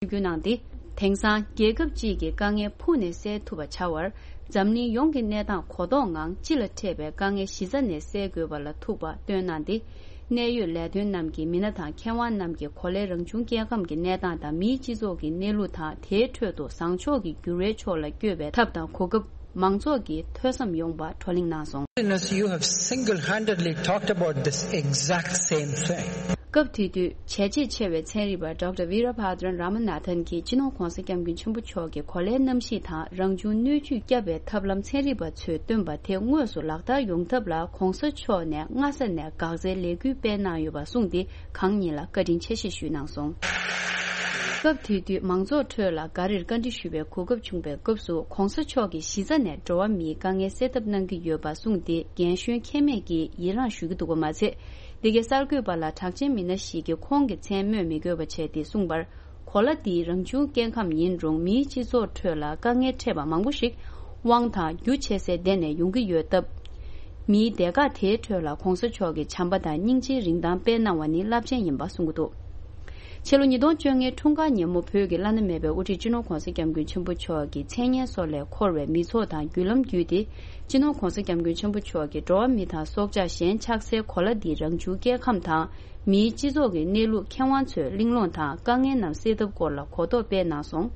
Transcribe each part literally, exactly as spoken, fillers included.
ཞུ་རྒྱུ་གནང་སྟེ། དེང་སང་རྒྱལ་ཁབ་ཅིག་གི་དཀའ་ངལ་ཕུགས་ནས་སེལ་ཐུབ་པ་བྱ་བར། འཛམ་གླིང་ཡོངས་ཀྱི་གནས་སྟངས་གོ་རྟོགས་ངང་སྤྱི་ལ་འཕྲད་པའི་དཀའ་ངལ་གཞི་རྩ་ནས་སེལ་དགོས་པ་ལ་ཐུག་པ་བཏོན་གནང་སྟེ། གནད་ཡོད་ལས་དོན་རྣམས་ཀྱི་མི་སྣ་དང་མཁས་དབང་རྣམས་ཀྱིས་གོ་ལའི་རང་བྱུང་སྐྱེ་ཁམས་ཀྱི་གནས་སྟངས་དང་མིའི་སྤྱི་ཚོགས་ཀྱི་གནས་ལུགས་དང་དེའི་ཁྲོད་དུ་བཟང་ཕྱོགས་ཀྱི་འགྱུར་བའི་ཕྱོགས་ལ་བསྐྱོད་པའི་ཐབས་དང་གོ་སྐབས། མང་ཚོགས་ཀྱིས་ཐོས་བསམ་ཡོང་བ་བགྲོ་གླེང་གནང་སོང་། Minister, you have single-handedly talked about this exact same thing. སྐབས་དེ་དུས་བྱས་རྗེས་ཆེ་བའི་ཚན་རིག་པ་ཌོག་ཊར་ཝི་ར་བྷ་དྲན་ར་མ་ན་ཐན་གྱིས་སྤྱི་ནོར་༧གོང་ས་༧སྐྱབས་མགོན་ཆེན་པོ་མཆོག་གི་གོ་ལའི་གནམ་གཤིས་དང་རང་བྱུང་སྣོད་བཅུད་བསྐྱབ་པའི་ཐབས་ལམ་ཚན་རིག་པ་ཚོས་བཏོན་པ་དེ་དངོས་སུ་ལག་བསྟར་ཡོང་ཐབས་ལ་༧གོང་ས་མཆོག་ནས་སྔ་ས་ནས་འགག་རྩའི་ལས་འགུལ་སྤེལ་གནང་ཡོད་པ་གསུངས་ཏེ། གང་ཉིད་ལ་བཀའ་དྲིན་ཆེ་ཞེས་ཞུས་གནང་སོང་། སྐབས་དེ་དུས་མང་ཚོགས་ཁྲོད་ལ་འགའ་རེར་བཀའ་འདྲི་ཞུ་བའི་གོ་སྐབས་བྱུང་བའི་སྐབས་སུ། ༧གོང་ས་མཆོག་གིས་གཞི་རྩ་ནས་འགྲོ་བ་མིའི་དཀའ་ངལ་སེལ་ཐབས་གནང་གི་ཡོད་པ་གསུངས་ཏེ། རྒན་གཞོན་ཁྱད་མེད་ཀྱིས་ཡི་རངས་ཞུ་གི་འདུག་པ་མ་ཚད། འདི་གའི་གསར་འགོད་པ་ལ་གྲགས་ཅན་མི་སྣ་ཞིག་གིས་ཁོང་གི་མཚན་སྨོས་མི་དགོས་པ་བྱས་ཏེ་གསུངས་པར། གོ་ལ་འདིའི་རང་བྱུང་སྐྱེ་ཁམས་ཡིན་རུང་། མིའི་སྤྱི་ཚོགས་ཁྲོད་ལ་དཀའ་ངལ་འཕྲད་པ་མང་པོ་ཞིག་དབང་དང་རྒྱུ་ཆེ་སའི་སྡེ་ནས་ཡོང་གི་ཡོད་སྟབས། མིའི་སྡེ་ཁག་དེའི་ཁྲོད་ལ་༧གོང་ས་མཆོག་གི་བྱམས་པ་དང་སྙིང་རྗེའི་རིན་ཐང་སྤེལ་གནང་བ་ནི་རླབས་ཆེན་ཡིན་པ་གསུང་གི་འདུག་ཕྱི་ལོ་ཉིས་སྟོང་བཅོ་ལྔའི་འཁྲུངས་སྐར་ཉིན་མོ། བོད་ཀྱི་བླ་ན་མེད་པའི་དབུ་ཁྲིད་སྤྱི་ནོར་༧གོང་ས་༧སྐྱབས་མགོན་ཆེན་པོ་མཆོག་གི་མཚན་སྙན་སོགས་ལས་འཁོར་བའི་མི་ཚོགས་དང་བརྒྱུད་ལམ་བརྒྱུད་དེ། སྤྱི་ནོར་༧གོང་ས་༧སྐྱབས་མགོན་ཆེན་པོ་མཆོག་གིས་འགྲོ་བ་མི་དང་སྲོག་ཆགས་གཞན་ཆགས་སའི་གོ་ལ་འདིའི་རང་བྱུང་སྐྱེ་ཁམས་དང་། མིའི་སྤྱི་ཚོགས་ཀྱི་གནས་ལུགས། མཁས་དབང་ཚོའི་གླེང་སློང་དང་དཀའ་ངལ་རྣམས་སེལ་ཐབས་སྐོར་ལ་གོ་རྟོགས་སྤེལ་གནང་སོང་།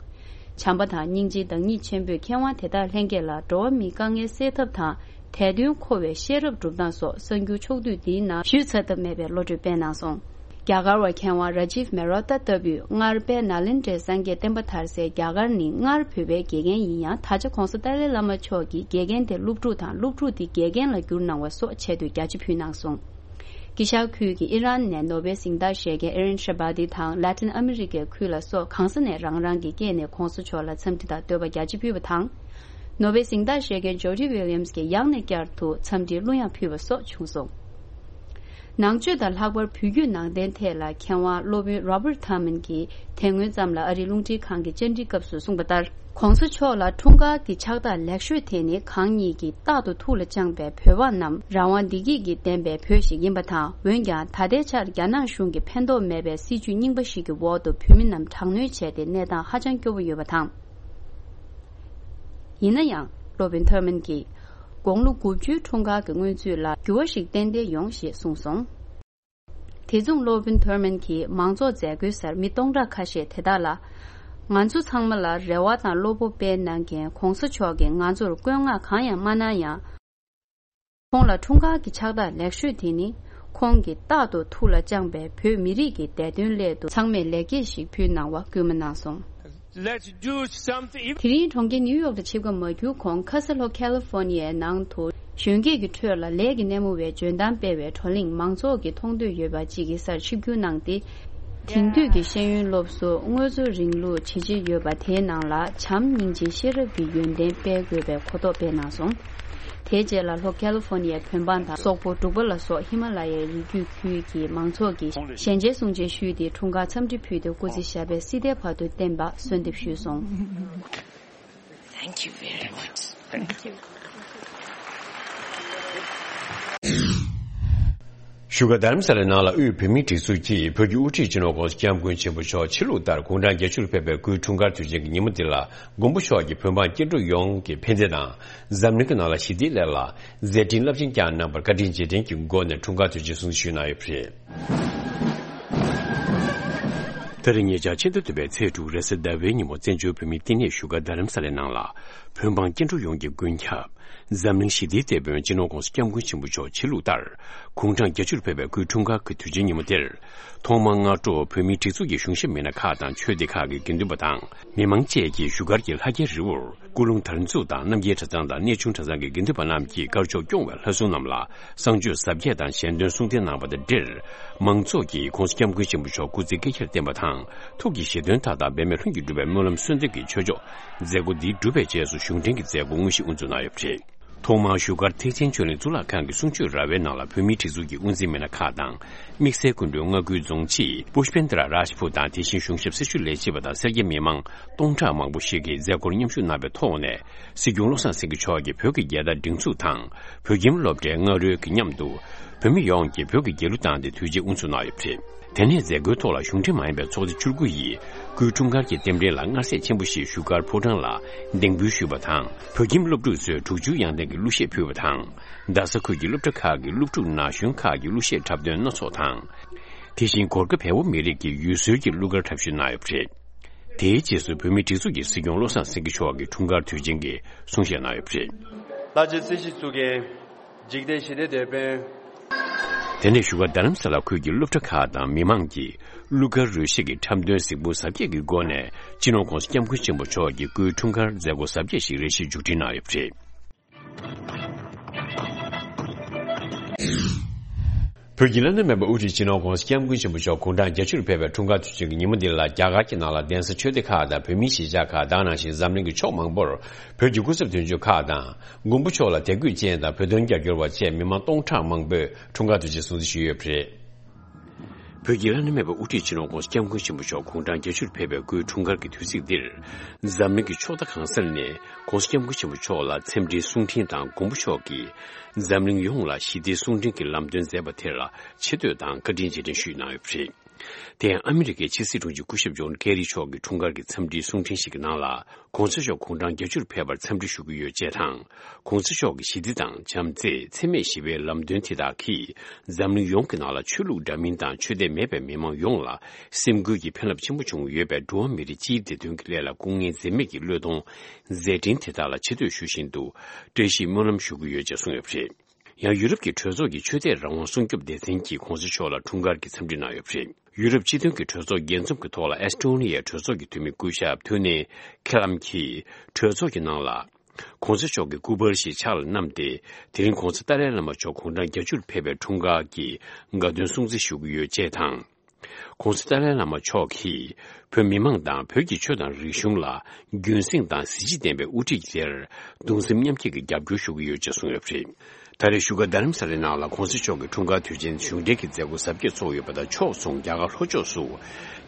བྱམས་པ་དང་སྙིང་རྗེའི་བདག་ཉིད་ཆེན་པོས་མཁས་དབང་དེ་དག་ལྷན་རྒྱས་ལ་འགྲོ་བ་མིའི་དཀའ་ངལ་སེལ་ཐབས་དང་། དད་འདུན་མཁོ་བའི་ཤེས་རབ་སྒྲུབ་སྟངས་སོགས་གསར་འགྱུར་ཕྱོགས་བསྡུས་འདིའི་ནང་ཞུས་ཚར་ཐབས་མེད་པའི་བློ་གྲོས་སྤེལ་གནང་སོང་། རྒྱ་གར་བ་མཁས་དབང་ར་ཇིབ་མེ་རོ་ཏཱ་ལྟ་བུས་སྔར་དཔལ་ནཱ་ལེནྡྲའི་སངས་རྒྱས་བསྟན་པ་དར་སའི་རྒྱ་གར་ནི་སྔར་བོད་པའི་དགེ་རྒན་ཡིན་ཡང་། ད་ཆ་༧གོང་ས་ཏཱ་ལའི་བླ་མ་མཆོག་གིས་དགེ་རྒན་དེ་སློབ་ཕྲུག་དང་། སློབ་ཕྲུག་དེ་དགེ་རྒན་ལ་བསྒྱུར་གནང་བ་སོགས་ཆེད་དུ་རྒྱ་ཆེ་ཕུལ་གནང་སོང་། དཀྱིལ་ཤར་ཁུལ་གྱི་ཨི་རན་ནས་ནོ་བེལ་གཟེངས་རྟགས་བཞེས་མཁན་ཨེ་རན་ཤ་བྷ་ཏི་དང་། ལ་ཏིན་ཨ་མི་རི་ཀའི་ཁུལ་ལ་སོགས་གང་ས་ནས་རང་རང་གི་སྐད་ནས་༧གོང་ས་མཆོག་ལ་འཚམས་འདྲི་དང་བསྟོད་པ་རྒྱ་ཆེ་ཕུལ་བ་དང་། ནོ་བེལ་གཟེངས་རྟགས་བཞེས་མཁན་ཇོ་ཌི་ཝི་ལི་ཡམ་སི་གིས་ཡང་ནས་བསྐྱར་དུ་འཚམས་འདྲིའི་གླུ་དབྱངས་ཕུལ་བ་སོགས་བྱུང་སོང་། ནང་ཆོས་དང་ལྷག་པར་བོད་བརྒྱུད་ནང་བསྟན་ཐད་ལ་མཁས་དབང་སློབ་དཔོན་Robert Thurman གྱིས་དེ་སྔོན་ཙམ་ལ་ཨ་རིའི་རླུང་འཕྲིན་ཁང་གི་བཅར་འདྲི་སྐབས་སུ་གསུངས་པ་ལྟར། ༧གོང་ས་མཆོག་ལ་འཁྲུངས་སྐར་གྱི་ཕྱག་རྟགས་ལེགས་ཤོས་དེ་ནི་གང་ཉིད་ཀྱིས་རྟག་ཏུ་ཐུགས་ལ་བཅངས་པའི་བོད་པ་རྣམས་རང་དབང་བདེ་སྐྱིད་ཀྱིས་ལྡན་པའི་བོད་ཞིག་ཡིན་པ་དང་། འོན་ཀྱང་ད་ལྟའི་ཆར་རྒྱ་ནག་གཞུང་གི་ཕན་ཐོགས་མེད་པའི་སྲིད་བྱུས་རྙིང་པ་ཞིག་གི་འོག་ཏུ་བོད་མི་རྣམས་དྲག་གནོན་བྱས་ཏེ་གནས་སྟངས་ཧ་ཅང་སྐྱོ་བོ་ཡོད་པ་དང་། ཡིན་ན་ཡང་སློབ་དཔོན་ཐར་མན་གྱིས་དགུང་ལོ་དགུ་བཅུའི་འཁྲུངས་སྐར་གྱི་སྔོན་ཚུད་ལ་འགྱུར་བ་ཞིག་ཏན་ཏན་ཡོང་ཞེས་གསུངས་སོང་། དེ་མཚུངས་སློབ་དཔོན་ཐར་མན་གྱིས་མང་ཚོགས་མཛད་སྒོའི་སར་མི་སྟོང་ཕྲག་ཁ་ཤས་དེ་དག་ལ། ང་ཚོ་ཚང་མ་ལ་རེ་བ་དང་བློ་སྤོབས་སྤེལ་གནང་མཁན་༧གོང་ས་མཆོག་གིས་ང་ཚོར་བཀོད་མངགས་གང་ཡང་མ་གནང་ཡང་། ཁོང་ལ་འཁྲུངས་སྐར་གྱི་ཕྱག་རྟགས་ལེགས་ཤོས་དེ་ནི། ཁོང་གིས་རྟག་ཏུ་ཐུགས་ལ་བཅངས་པའི་བོད་མི་རིགས་ཀྱི་བདེ་དོན་སླད་དུ་ཚང་མས་ལེགས་སྐྱེས་ཤིག་ཕུལ་གནང་བ་སྐུལ་མ་གནང་སོང་། Let's do something. དེ་རིང་གྲོང་ཁྱེར་ནིའུ་ཡོག་ཏུ་ཆིབས་ཁ་མ་བསྒྱུར་གོང་། ཁ་ས་ལྷོ་ཁ་ལི་ཧྥོ་ནི་ཡའི་ནང་དུ་གཞོན་སྐྱེས་ཀྱི་ཁྲོད་ལ་ལས་ཀྱི་སྣེ་མོ་བའི་འཇོན་ཐང་སྤེལ་བའི་བགྲོ་གླེང་མང་ཚོགས་ཀྱིས་མཐོང་འདོད་ཡོད་པ་ཅིག་གི་སར་ཆིབས་བསྒྱུར་གནང་སྟེ། དེང་དུས་ཀྱི་ཤེས་ཡོན་སློབ་གསོ། དངོས་གཙོ་རིང་ལུགས་བྱས་རྗེས་ཡོད་པ་དེའི་ནང་ལ་བྱམས་སྙིང་རྗེ་ཤེས་རབ་ཀྱི་ཡོན་ཏན་སྤེལ་དགོས་པའི་གོ་རྟོགས་སྤེལ་གནང་སོང་། དེའི་རྗེས་ལ་ལྷོ་ཁ་ལི་ཧྥོ་ནི་ཡའི་བོད་འབངས་དང་སོག་པོ་འབྲུག་པ་ལ་སོགས་ཧི་མ་ལ་ཡའི་རི་རྒྱུད་ཁུལ་གྱི་མང་ཚོགས་ཀྱིས་ཞལ་མཇལ་གསུང་ཆེན་ཞུས་ཏེ། འཁྲུངས་སྐར་འཚམས་འདྲི་ཕུལ་ཏེ། སྐུ་ཚེ་ཞབས་པད་སྲིད་མཐའི་བར་དུ་བརྟན་པ་གསོལ་འདེབས་ཞུས་སོང་། Thank you very much. Thank you. བཞུགས་སྒར་རྡ་རམ་ས་ལའི་ནང་ལ་དབུས་བོད་མིའི་སྒྲིག་འཛུགས་ཀྱིས་བོད་ཀྱི་དབུ་ཁྲིད་སྤྱི་ནོར་༧གོང་ས་༧སྐྱབས་མགོན་ཆེན་པོ་མཆོག་ཕྱི་ལུགས་ལྟར་དགུང་གྲངས་བརྒྱད་ཅུ་ལ་ཕེབས་པའི་སྐུའི་འཁྲུངས་སྐར་དུས་ཆེན་གྱི་ཉིན་མོ་འདི་ལ། མགོན་པོ་མཆོག་གིས་བོད་འབངས་སྐྱེ་འགྲོ་ཡོངས་ཀྱི་ཕན་བདེ་དང་འཛམ་གླིང་གི་ནང་ལ་ཞི་བདེའི་སླད་ལ་མཛད་འཕྲིན་རླབས་ཆེན་བསྐྱངས་གནང་བར་བཀའ་དྲིན་རྗེས་དྲན་གྱི་སྒོ་ནས་འཁྲུངས་སྐར་དུས་ཆེན་སྲུང་བརྩི་ཞུས་གནང་ཡོད་པ་རེད། ད་རེས་ཉེ་ཆར་ཕྱི་ཟླ་བདུན་པའི་ཚེས་དྲུག་རེས་གཟའ་ཟླ་བའི་ཉིན་མོ། བཙན་བྱོལ་བོད་མིའི་བསྟི་གནས་བཞུགས་སྒར་རྡ་རམ་ས་ལའི་ནང་ལ་བོད་འབངས་སྐྱེ་འགྲོ་ཡོངས་ཀྱི་མགོན་སྐྱབས། འཛམ་གླིང་ཞི་བདེའི་དེད་དཔོན་སྤྱི་ནོར་༧གོང་ས་༧སྐྱབས་མགོན་ཆེན་པོ་མཆོག་ཕྱི་ལུགས་ལྟར་དགུང་གྲངས་བརྒྱད་ཅུ་ལ་ཕེབས་པའི་སྐུའི་འཁྲུངས་སྐར་གྱི་དུས་ཆེན་ཉིན་མོ་དེར། ཐོག་མར་སྔ་དྲོ་བོད་མིའི་སྒྲིག་འཛུགས་ཀྱི་གཞུང་ཞབས་མི་སྣ་ཁག་དང་ཆོས་སྡེ་ཁག་གི་དགེ་འདུན་པ་དང་མི་མང་བཅས་ཀྱིས་བཞུགས་སྒར་གྱི་ལྷ་རྒྱལ་རི་བོར་སྐུ་རླུང་དར་འཛུགས་དང་རྣམ་རྒྱལ་གྲྭ་ཚང་དང་གནས་ཆུང་གྲྭ་ཚང་གི་དགེ་འདུན་པ་རྣམས་ཀྱིས་དཀར་ཕྱོགས་སྐྱོང་བའི་ལྷ་སྲུང་རྣམས་ལ་བསང་མཆོད་གཟབ་རྒྱས་དང་ཞལ་འདོན་གསུང་འདོན་གནང་བ་དང་འབྲེལ། མང་ཚོགས་ཀྱིས་༧གོང་ས་༧སྐྱབས་མགོན་ཆེན་པོ་མཆོག་སྐུ་ཚེ་བསྐལ་བརྒྱར་བརྟན་པ་དང་ཐུགས་ཀྱི་བཞེད་དོན་མཐའ་དག་འབད་མེད་ལྷུན་གྱིས་འགྲུབ་པའི་སྨོན་ལམ་གསོལ་འདེབས་ཀྱི་ཆོས་ཕྱོགས་མཛད་སྒོ་འདི་གྲུབ་པའི་རྗེས་སུ་གཞུང་འབྲེལ་གྱི་མཛད་སྒོ་དངོས་གཞི་དབུ་འཛུགས་གནང་ཡོད་པ་རེད། ཐོག་མར་བཞུགས་སྒར་ཐེག་ཆེན་ཆོས་གླིང་གཙུག་ལག་ཁང་གི་གསུང་ཆོས་ར་བའི་ནང་ལ་བོད་མིའི་སྒྲིག་འཛུགས་ཀྱི་དབུ་འཛིན་མི་སྣ་ཁག་དང་། དམིགས་བསལ་སྐུ་མགྲོན་མངའ་ཁུལ་རྫོང་སྤྱི་པུཤ་པེན་དྲ་རཱཇ་ཕུ་དང་། དེ་བཞིན་གཞུང་ཞབས་སྲི་ཞུ་ལས་བྱེད་པ་དང་སེར་སྐྱ་མི་མང་སྟོང་ཕྲག་མང་པོ་ཞིག་གིས་མཛད་སྒོར་མཉམ་ཞུགས་གནང་བའི་ཐོག་ནས། སྲིད་སྐྱོང་བློ་བཟང་སེང་གེ་མཆོག་གིས་བོད་ཀྱི་རྒྱལ་དར་སྒྲེང་འཛུགས་དང་། བོད་ཁྱིམ་སློབ་གྲྭའི་རྔ་རོལ་གྱི་མཉམ་དུ། བོད་མི་ཡོངས་ཀྱིས་བོད་ཀྱི་རྒྱལ་གླུ་བཏང་སྟེ་དུས་ཆེན་དབུ་འཛུགས་གནང་ཡོད་པ་རེད། དེ་ནས་མཛད་སྒོའི་ཐོག་ལ་གཞུང་འབྲེལ་མ་ཡིན་པའི་ཚོགས་སྡེ་བཅུ་དགུ་ཡིས་སྐུའི་འཁྲུངས་སྐར་གྱི་རྟེན་འབྲེལ་ལ་མངའ་གསལ་ཆེན་པོ་ཞིག་བཞུགས་སྒར་ཕོ་བྲང་ལ་གདན་འབུལ་ཞུས་པ་དང་། བོད་ཁྱིམ་སློབ་ཕྲུག་ཚོས་དྲུག་ཅུའི་ཡང་རྟེན་གྱི་གླུ་གཞས་ཕུལ་བ་དང་། རྡ་ས་ཁུལ་གྱི་སློབ་གྲྭ་ཁག་གི་སློབ་ཕྲུག་ན་གཞོན་ཁག་གི་གླུ་གཞས་འཁྲབ་སྟོན་སྣ་ཚོགས་དང་། དེ་བཞིན་གོར་ཁ་བལ་པོ་མི་རིགས་ཀྱི་ཡུལ་སྲོལ་གྱི་གླུ་གར་འཁྲབ་གཞུག་གནང་ཡོད་པ་རེད། དེའི་རྗེས་སུ་བོད་མིའི་སྒྲིག་འཛུགས་ཀྱི་སྲིད་སྐྱོང་བློ་བཟང་སེང་གེ་མཆོག་གིས་འཁྲུངས་སྐར་དུས་ཆེན་གྱི་གསུང་བཤད་གནང་ཡོད་པ་རེད། ལྷ་རྗེ་སྲིད་ཞིའི་གཙུག་རྒྱན། འཇིག་རྟེན་ཞི་བདེའི་དེད་དཔོན། དེ་ནས་བཞུགས་སྒར་རྡ་རམ་ས་ལ་ཁུལ་གྱི་སློབ་གྲྭ་ཁག་དང་མི་མང་གིས་གླུ་གར་རོལ་གཞས་ཀྱི་འཁྲབ་སྟོན་གཟིགས་འབུལ་གཟབ་རྒྱས་ཀྱི་སྒོ་ནས་སྤྱི་ནོར་༧གོང་ས་༧སྐྱབས་མགོན་ཆེན་པོ་མཆོག་གི་སྐུའི་འཁྲུངས་སྐར་མཛད་སྒོ་གཟབ་རྒྱས་ཤིག་རེ་ཞིག་མཇུག་སྒྲིལ་གནང་ཡོད་པ་རེད། བོད་ཀྱི་བླ་ན་མེད་པའི་དབུ་ཁྲིད་སྤྱི་ནོར་༧གོང་ས་༧སྐྱབས་མགོན་ཆེན་པོ་མཆོག་དགུང་གྲངས་བརྒྱད་ཅུར་ཕེབས་པའི་འཁྲུངས་སྐར་དུས་ཆེན་གྱི་ཉིན་མོ་འདི་ལ་རྒྱ་གར་གྱི་ནང་ལ་གདན་ས་ཆོས་སྡེ་ཁག་དང་བོད་མིའི་གཞིས་ཆགས་ཁག་དང་ནང་བཞིན་འཛམ་གླིང་གི་ཕྱོགས་མང་པོར་བོད་ཀྱི་སྐུ་ཚབ་དོན་གཅོད་ཁག་དང་མགོན་པོ་མཆོག་ལ་དད་གུས་ཅན་དང་བོད་དོན་རྒྱབ་སྐྱོར་བ་བཅས་མི་མང་སྟོང་ཕྲག་མང་པོས་འཁྲུངས་སྐར་དུས་ཆེན་སྲུང་བརྩི་ཞུས་ཡོད་པ་རེད། བོད་ཀྱི་བླ་ན་མེད་པའི་དབུ་ཁྲིད་སྤྱི་ནོར་༧གོང་ས་༧སྐྱབས་མགོན་ཆེན་པོ་མཆོག་དགུང་གྲངས་བརྒྱད་ཅུར་ཕེབས་པའི་སྐུའི་འཁྲུངས་སྐར་གྱི་དུས་ཚིགས་འདིར། འཛམ་གླིང་གི་ཕྱོགས་མཐའ་གང་སར་ནས་༧གོང་ས་༧སྐྱབས་མགོན་ཆེན་པོ་མཆོག་ལ་འཚམས་འདྲིའི་གསུང་འཕྲིན་དང་མགོན་པོ་མཆོག་གིས་འཛམ་གླིང་ཡོངས་ལ་ཞི་བདེའི་གསུང་འཕྲིན་གྱི་ལམ་སྟོན་མཛད་པ་དེ་ལ་ཆེ་བསྟོད་དང་བཀའ་དྲིན་རྗེས་དྲན་ཞུས་གནང་ཡོད་པ་རེད། དེ་ཡང་ཨ་མི་རི་ཀའི་ཕྱི་སྲིད་དྲུང་ཆེ་སྐུ་ཞབས་ཇོན་ཀེ་རི་མཆོག་གི་འཁྲུངས་སྐར་གྱི་འཚམས་འདྲིའི་གསུང་འཕྲིན་ཞིག་གི་ནང་ལ། ༸གོང་ས་མཆོག་དགུང་གྲངས་བརྒྱད་ཅུར་ཕེབས་པར་འཚམས་འདྲི་ཞུ་གི་ཡོད་ཅེས་དང་། ༸གོང་ས་མཆོག་གི་ཞི་བདེ་དང་བྱམས་བརྩེ་འཚེ་མེད་ཞི་བའི་ལམ་སྟོན་དེ་དག་གིས་འཛམ་གླིང་ཡོངས་ཀྱི་ནང་ལ་ཆོས་ལུགས་འདྲ་མིན་དང་ཆོས་དད་མེད་པའི་མི་མང་ཡོངས་ལ་སེམས་འགུལ་གྱི་ཕན་རླབས་ཆེན་པོ་བྱུང་ཡོད་པས། འགྲོ་བ་མི་རིགས་སྤྱིའི་བདེ་དོན་གྱི་སླད་ལ་སྐུ་ངལ་འཛེམས་མེད་ཀྱི་བློས་གཏོང་མཛད་འཕྲིན་དེ་དག་ལ་ཆེ་བསྟོད་ཞུ་བཞིན་དུ་བཀྲ་ཤིས་སྨོན་ལམ་ཞུ་གི་ཡོད་ཅེས་གསུངས་ཡོད་པ་རེད། ཡང་ཡུ་རོབ་ཀྱི་གྲོས་ཚོགས་ཀྱི་ཆོས་དད་རང་དབང་སྲུང་སྐྱོབ་སྡེ་ཚན་གྱིས་༸གོང་ས་མཆོག་ལ་འཁྲུངས་སྐར་གྱི་འཚམས་འདྲི་གནང་ཡོད་པ་རེད། ཡུ་རོབ་སྤྱི་མཐུན་གྱི་གྲོས་ཚོགས་རྒྱས་འཛོམས་ཀྱི་ཐོག་ལ་ཨེ་སི་ཊོ་ནི་ཡའི་གྲོས་ཚོགས་ཀྱི་འཐུས་མི་སྐུ་ཞབས་ཐུ་ནེ་ཁེ་ལམ་གྱིས་གྲོས་ཚོགས་ཀྱི་ནང་ལ། ༸གོང་ས་མཆོག་གི་སྐུ་པར་ཞིག་ཕྱག་ལ་བསྣམས་ཏེ། དེ་རིང་༸གོང་ས་ཏཱ་ལའི་བླ་མ་མཆོག་དགུང་གྲངས་བརྒྱད་ཅུར་ཕེབས་པའི་འཁྲུངས་སྐར་གྱི་དགའ་སྟོན་སྲུང་བརྩི་ཞུ་གི་ཡོད་ཅེས་དང་། ༸གོང་ས་ཏཱ་ལའི་བླ་མ་མཆོག་གིས་བོད་མི་མང་དང་བོད་ཀྱི་ཆོས་དང་རིག་གཞུང་ལ་རྒྱུན་སྲིང་དང་གཟི་བརྗིད་ལྡན་པའི་དབུ་ཁྲིད་དེར་གདུང་སེམས་མཉམ་སྐྱེད་ཀྱི་རྒྱབ་སྐྱོར་ཞུ་གི་ཡོད་ཅེས་གསུངས་ཡོད་པ་རེད། ད་རེས་བཞུགས་སྒར་རྡ་རམ་ས་ལའི་ནང་ལ་༸གོང་ས་མཆོག་གི་འཁྲུངས་སྐར་དུས་ཆེན་གཞུང་འབྲེལ་གྱི་མཛད་སྒོ་གཟབ་རྒྱས་ཚོགས་ཡོད་པ་དང་། ཕྱོགས་མཚུངས་རྒྱ་གར་ལྷོ་ཕྱོགས་སུ་བྱེས་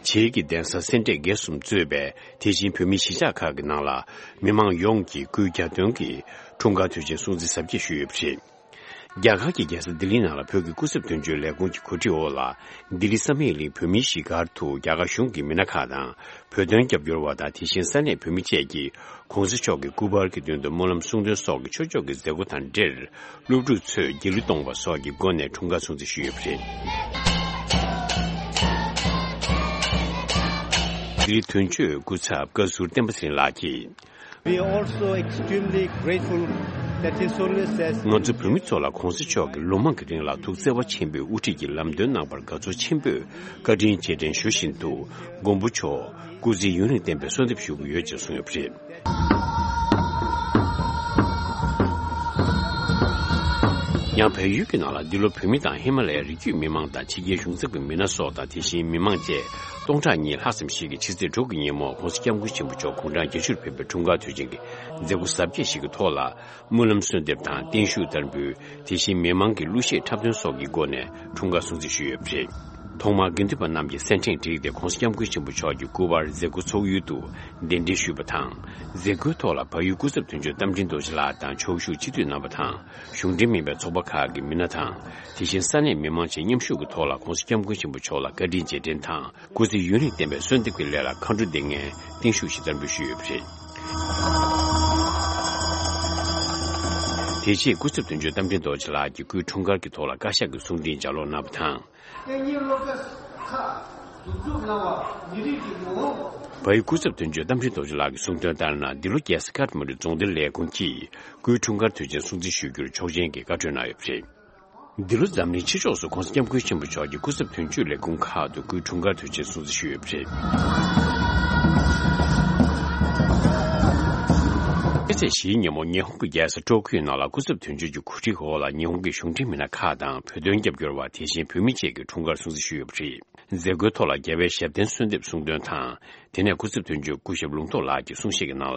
ཀྱི་གདན་ས་སེ་འབྲས་དགེ་གསུམ་གཙོས་པའི་དེ་བཞིན་བོད་མིའི་གཞིས་ཆགས་ཁག་གི་ནང་ལ་མི་མང་ཡོངས་ཀྱིས་སྐུའི་གྱ་སྟོན་གྱི་འཁྲུངས་སྐར་དུས་ཆེན་སྲུང་བརྩི་གཟབ་རྒྱས་ཞུས་ཡོད་པ་རེད། རྒྱ་གར་གྱི་རྒྱལ་ས་ལྡི་ལིའི་ནང་ལ་བོད་ཀྱི་སྐུ་ཚབ་དོན་གཅོད་ལས་ཁུངས་ཀྱི་གོ་སྒྲིག་འོག་ལ། ལྡི་ལི་བསམ་ཡས་གླིང་བོད་མིའི་གཞིས་སྒར་དུ་རྒྱ་གར་གཞུང་གི་མི་སྣ་ཁག་དང་། བོད་དོན་རྒྱབ་སྐྱོར་བ་དང་། དེ་བཞིན་ས་གནས་བོད་མི་བཅས་ཀྱིས་༸གོང་ས་མཆོག་གི་སྐུ་པར་གྱི་མདུན་དུ་སྨོན་ལམ་གསུང་འདོན་སོགས་ཀྱི་ཆོས་ཕྱོགས་ཀྱི་མཛད་སྒོ་དང་འབྲེལ། སློབ་ཕྲུག་ཚོས་སྒྱིད་ལུག་གཏོང་བ་སོགས་ཀྱི་སྒོ་ནས་འཁྲུངས་སྐར་སྲུང་བརྩི་ཞུས་ཡོད་པ་རེད། ལྡི་ལི་དོན་གཅོད་སྐུ་ཚབ་བཀའ་ཟུར་བསྟན་པ་ཚེ་རིང་ལགས་ཀྱིས། We are also extremely grateful that His Holiness has ང་ཚོ་བོད་མི་ཚོ་ལ་༸གོང་ས་མཆོག་གིས་ལོ་མང་གི་རིང་ལ་ཐུགས་བརྩེ་བ་ཆེན་པོས་དབུ་ཁྲིད་ཀྱི་ལམ་སྟོན་གནང་བར་དགའ་ཚོར་ཆེན་པོས་བཀའ་དྲིན་རྗེས་དྲན་ཞུ་བཞིན་དུ། མགོན་པོ་མཆོག་སྐུ་ཚེ་ཡུན་རིང་བརྟན་པའི་གསོལ་འདེབས་ཞུ་གི་ཡོད་ཅེས་གསུངས་ཡོད་པ་རེད། ཡང་བལ་ཡུལ་གྱི་ནང་ལ་འདི་ལོ་བོད་མི་དང་ཧི་མ་ལ་ཡའི་རི་རྒྱུད་མི་མང་དང་ཕྱི་རྒྱལ་གཞུང་ཚབ་ཀྱི་མི་སྣ་སོགས་དང་། དེ་བཞིན་མི་མང་བཅས་སྟོང་ཕྲག་གཉིས་ལྷག་ཙམ་ཞིག་གིས་ཕྱི་ཚེས་དྲུག་གི་ཉིན་མོ་༸གོང་ས་༸སྐྱབས་མགོན་ཆེན་པོ་མཆོག་དགུང་གྲངས་བརྒྱད་ཅུར་ཕེབས་པའི་འཁྲུངས་སྐར་དུས་ཆེན་གྱི་མཛད་སྒོ་གཟབ་རྒྱས་ཤིག་གི་ཐོག་ལ། སྨོན་ལམ་གསོལ་འདེབས་དང་བརྟན་བཞུགས་བསྟར་འབུལ། དེ་བཞིན་མི་མང་གི་གླུ་གཞས་འཁྲབ་སྟོན་སོགས་ཀྱི་སྒོ་ནས་འཁྲུངས་སྐར་སྲུང་བརྩི་ཞུས་ཡོད་པ་རེད། ཐོག་མར་དགེ་འདུན་པ་རྣམས་ཀྱིས་སེར་ཕྲེང་བསྒྲིགས་ཏེ་༸གོང་ས་༸སྐྱབས་མགོན་ཆེན་པོ་མཆོག་གི་སྐུ་པར་མཛད་སྒོ་ཚོགས་ཡུལ་དུ་གདན་འདྲེན་ཞུས་པ་དང་། མཛད་སྒོའི་ཐོག་ལ་བལ་ཡུལ་སྐུ་ཚབ་དོན་གཅོད་རྟ་མགྲིན་རྡོ་རྗེ་ལགས་དང་ཕྱོགས་བཞུགས་སྤྱི་འཐུས་རྣམ་པ་དང་གཞུང་འབྲེལ་མིན་པའི་ཚོགས་པ་ཁག་གི་མི་སྣ་དང་། དེ་བཞིན་ས་གནས་མི་མང་བཅས་མཉམ་ཞུགས་ཀྱི་ཐོག་ལ་༸གོང་ས་༸སྐྱབས་མགོན་ཆེན་པོ་མཆོག་ལ་བཀའ་དྲིན་རྗེས་དྲན་དང་། སྐུ་ཚེ་ཡུན་རིང་བརྟན་པའི་གསོལ་འདེབས་ཀྱི་སླད་ལ་མཁའ་འགྲོ་སྡེ་ལྔའི་བརྟན་བཞུགས་ཤིག་བསྟར་འབུལ་ཞུས་ཡོད་པ་རེད། དེ་རྗེས་སྐུ་ཚབ་དོན་གཅོད་རྟ་མགྲིན་རྡོ་རྗེ་ལགས་ཀྱིས་སྐུའི་འཁྲུངས་སྐར་གྱི་ཐོག་ལ་བཀའ་ཤག་གི་གསུང་འཕྲིན་ལྗགས་ཀློག་གནང་བ་དང་། བལ་ཡུལ་སྐུ་ཚབ་དོན་གཅོད་རྟ་མགྲིན་རྡོ་རྗེ་ལགས་ཀྱིས་གསུངས་དོན་ལྟར་ན། འདི་ལོ་རྒྱལ་ས་ཀཐ་མན་ཌུ་རྫོང་སྡེ་ལས་ཁུངས་ཀྱིས་སྐུའི་འཁྲུངས་སྐར་དུས་ཆེན་སྲུང་བརྩི་ཞུ་རྒྱུར་ཆོག་མཆན་གྱི་བཀའ་འཁྲོལ་གནང་ཡོད་པ་རེད། འདི་ལོ་འཛམ་གླིང་ཕྱི་ཕྱོགས་སུ་༸གོང་ས་༸སྐྱབས་མགོན་ཆེན་པོ་མཆོག་གི་སྐུ་ཚབ་དོན་གཅོད་ལས་ཁུངས་ཁག་ཏུ་སྐུའི་འཁྲུངས་སྐར་དུས་ཆེན་སྲུང་བརྩི་ཞུས་ཡོད་པ་རེད། ཕྱི་ཚེས་བཞིའི་ཉིན་མོ་ཉི་ཧོང་གི་རྒྱལ་ས་ཀྲོ་ཀིའོ་ནང་ལ་སྐུ་ཚབ་དོན་གཅོད་ཀྱི་གོ་སྒྲིག་འོག་ལ་ཉི་ཧོང་གི་གཞུང་འབྲེལ་མི་སྣ་ཁག་དང་བོད་དོན་རྒྱབ་སྐྱོར་བ། དེ་བཞིན་བོད་མི་བཅས་ཀྱིས་འཁྲུངས་སྐར་སྲུང་བརྩི་ཞུས་ཡོད་པ་རེད། མཛད་སྒོའི་ཐོག་ལ་རྒྱལ་བའི་ཞབས་བརྟན་གསོལ་འདེབས་གསུང་དོན་དང་། དེ་ནས་སྐུ་ཚབ་དོན་གཅོད་སྐུ་ཞབས་ལུང་རྟོགས་ལགས་ཀྱིས་གསུང་བཤད་ཀྱི་ནང་ལ།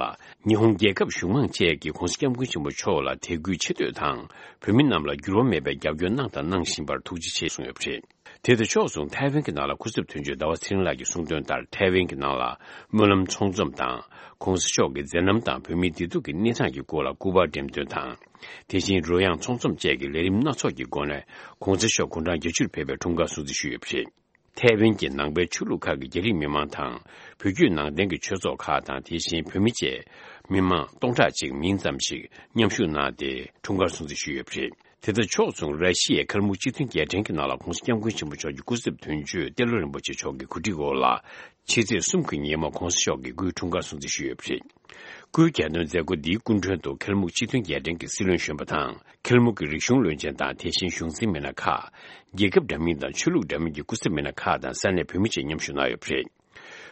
ཉི་ཧོང་རྒྱལ་ཁབ་གཞུང་མང་བཅས་ཀྱིས་༸གོང་ས་༸སྐྱབས་མགོན་ཆེན་པོ་མཆོག་ལ་དད་གུས་ཆེ་བསྟོད་དང་། བོད་མི་རྣམས་ལ་འགྱུར་བ་མེད་པའི་རྒྱབ་སྐྱོར་གནང་དང་གནང་བཞིན་པར་ཐུགས་རྗེ་ཆེ་གསུངས་ཡོད་པ་རེད། དེ་དང་ཕྱོགས་མཚུངས་ཐའེ་ཝན་གྱི་ནང་ལ་སྐུ་ཚབ་དོན་གཅོད་ཟླ་བ་ཚེ་རིང་ལགས་ཀྱིས་གསུངས་དོན་ལྟར། ཐའེ་ཝན་གྱི་ནང་ལ་སྨོན་ལམ་ཚོགས་འཛོམས་དང་༸གོང་ས་མཆོག་གི་མཛད་རྣམ་དང་བོད་མིའི་བདེ་སྡུག་གི་གནས་སྟངས་ཀྱི་སྐོར་ལ་སྐུ་པར་འགྲེམས་སྟོན་དང་། དེ་བཞིན་རོལ་དབྱངས་ཚོགས་འཛོམས་བཅས་ཀྱི་ལས་རིམ་སྣ་ཚོགས་ཀྱི་སྒོ་ནས་༸གོང་ས་མཆོག་དགུང་གྲངས་བརྒྱད་ཅུར་ཕེབས་པའི་འཁྲུངས་སྐར་སྲུང་བརྩི་ཞུས་ཡོད་པ་རེད། ཐའེ་ཝན་གྱི་ནང་པའི་ཆོས་ལུགས་ཁག་གི་རྒྱ་རིགས་མི་མང་དང་། བོད་བརྒྱུད་ནང་བསྟན་གྱི་ཆོས་ཚོགས་ཁག་དང་། དེ་བཞིན་བོད་མི་བཅས་མི་མང་སྟོང་ཕྲག་གཅིག་མིན་ཙམ་ཞིག་མཉམ་ཞུགས་གནང་སྟེ། འཁྲུངས་སྐར་སྲུང་བརྩི་ཞུས་ཡོད་པ་རེད། དེ་དང་ཕྱོགས་མཚུངས། ར་ཤི་ཡའི་ཁལ་མུག་སྤྱི་མཐུན་རྒྱལ་ཕྲན་གྱི་ནང་ལ་༧གོང་ས་༧སྐྱབས་མགོན་ཆེན་པོ་མཆོག་གི་སྐུ་ཚབ་དོན་གཅོད་ཏེ་ལོ་རིན་པོ་ཆེ་མཆོག་གི་གོ་སྒྲིག་འོག་ལ། ཕྱི་ཚེས་གསུམ་གྱི་ཉིན་མོ་༧གོང་ས་མཆོག་གི་སྐུའི་འཁྲུངས་སྐར་སྲུང་བརྩི་ཞུས་ཡོད་པ་རེད། སྐུའི་རྒྱལ་དོན་མཛད་སྒོ་འདིའི་སྐུ་མགྲོན་དུ་ཁལ་མུག་སྤྱི་མཐུན་རྒྱལ་ཕྲན་གྱི་སྲིད་བློན་གཞོན་པ་དང་། ཁལ་མུག་གི་རིག་གཞུང་བློན་ཆེན་དང་། དེ་བཞིན་གཞུང་འཛིན་མི་སྣ་ཁག་རྒྱལ་ཁབ་འདྲ་མིན་དང་ཆོས་ལུགས་འདྲ་མིན་གྱི་སྐུ་ཚབ་མི་སྣ་ཁག་དང་། ས་གནས་བོད་མི་བཅས་མཉམ་ཞུགས་གནང་ཡོད་པ་རེད།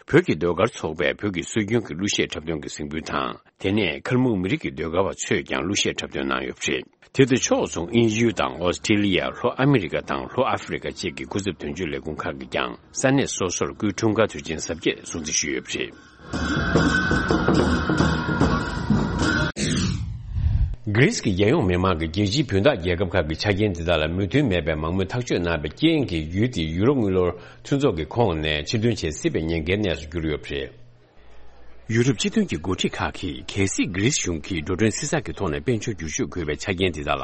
བོད་ཀྱི་ཟློས་གར་ཚོགས་པས་བོད་ཀྱི་སྲོལ་རྒྱུན་གྱི་གླུ་གཞས་འཁྲབ་སྟོན་གྱི་གཟིགས་འབུལ་དང་། དེ་ནས་ཁལ་མུག་མི་རིགས་ཀྱི་ཟློས་གར་བ་ཚོས་ཀྱང་གླུ་གཞས་འཁྲབ་སྟོན་གནང་ཡོད་པ་རེད། དེ་དང་ཕྱོགས་མཚུངས། དབྱིན་ཡུལ་དང་ཨོ་སི་ཀྲི་ལི་ཡ། ལྷོ་ཨ་མི་རི་ཀ་དང་ལྷོ་ཨ་ཧྥེ་རི་ཀ་བཅས་ཀྱི་སྐུ་ཚབ་དོན་གཅོད་ལས་ཁུངས་ཁག་གིས་ཀྱང་ས་གནས་སོ་སོར་སྐུའི་འཁྲུངས་སྐར་དུས་ཆེན་གཟབ་རྒྱས་སྲུང་བརྩི་ཞུས་ཡོད་པ་རེད། གྷི་རིས་ཀྱི་རྒྱལ་ཡོངས་མི་མང་གིས་རྒྱལ་སྤྱིའི་བུན་བདག་རྒྱལ་ཁབ་ཁག་གི་ཆ་རྐྱེན་དེ་དག་ལ་མོས་མཐུན་མེད་པའི་མང་མོས་ཐག་གཅོད་གནང་བའི་རྐྱེན་གྱིས། ཡུལ་དེའི་ཡུ་རོབ་དངུལ་ལོར་མཐུན་ཚོགས་ཀྱི་ཁོངས་ནས་ཕྱིར་ཐོན་བྱེད་སྲིད་པའི་ཉེན་ཁའི་གནས་སུ་གྱུར་ཡོད་པ་རེད། ཡུ་རོབ་སྤྱི་མཐུན་གྱི་འགོ་ཁྲིད་ཁག་གིས། གལ་སྲིད་གྷི་རིས་གཞུང་གིས་འགྲོ་གྲོན་བསྲི་ཚགས་ཀྱི་ཐོག་ནས་དཔལ་འབྱོར་བསྒྱུར་བཅོས་དགོས་པའི་ཆ་རྐྱེན་དེ་དག་ལ་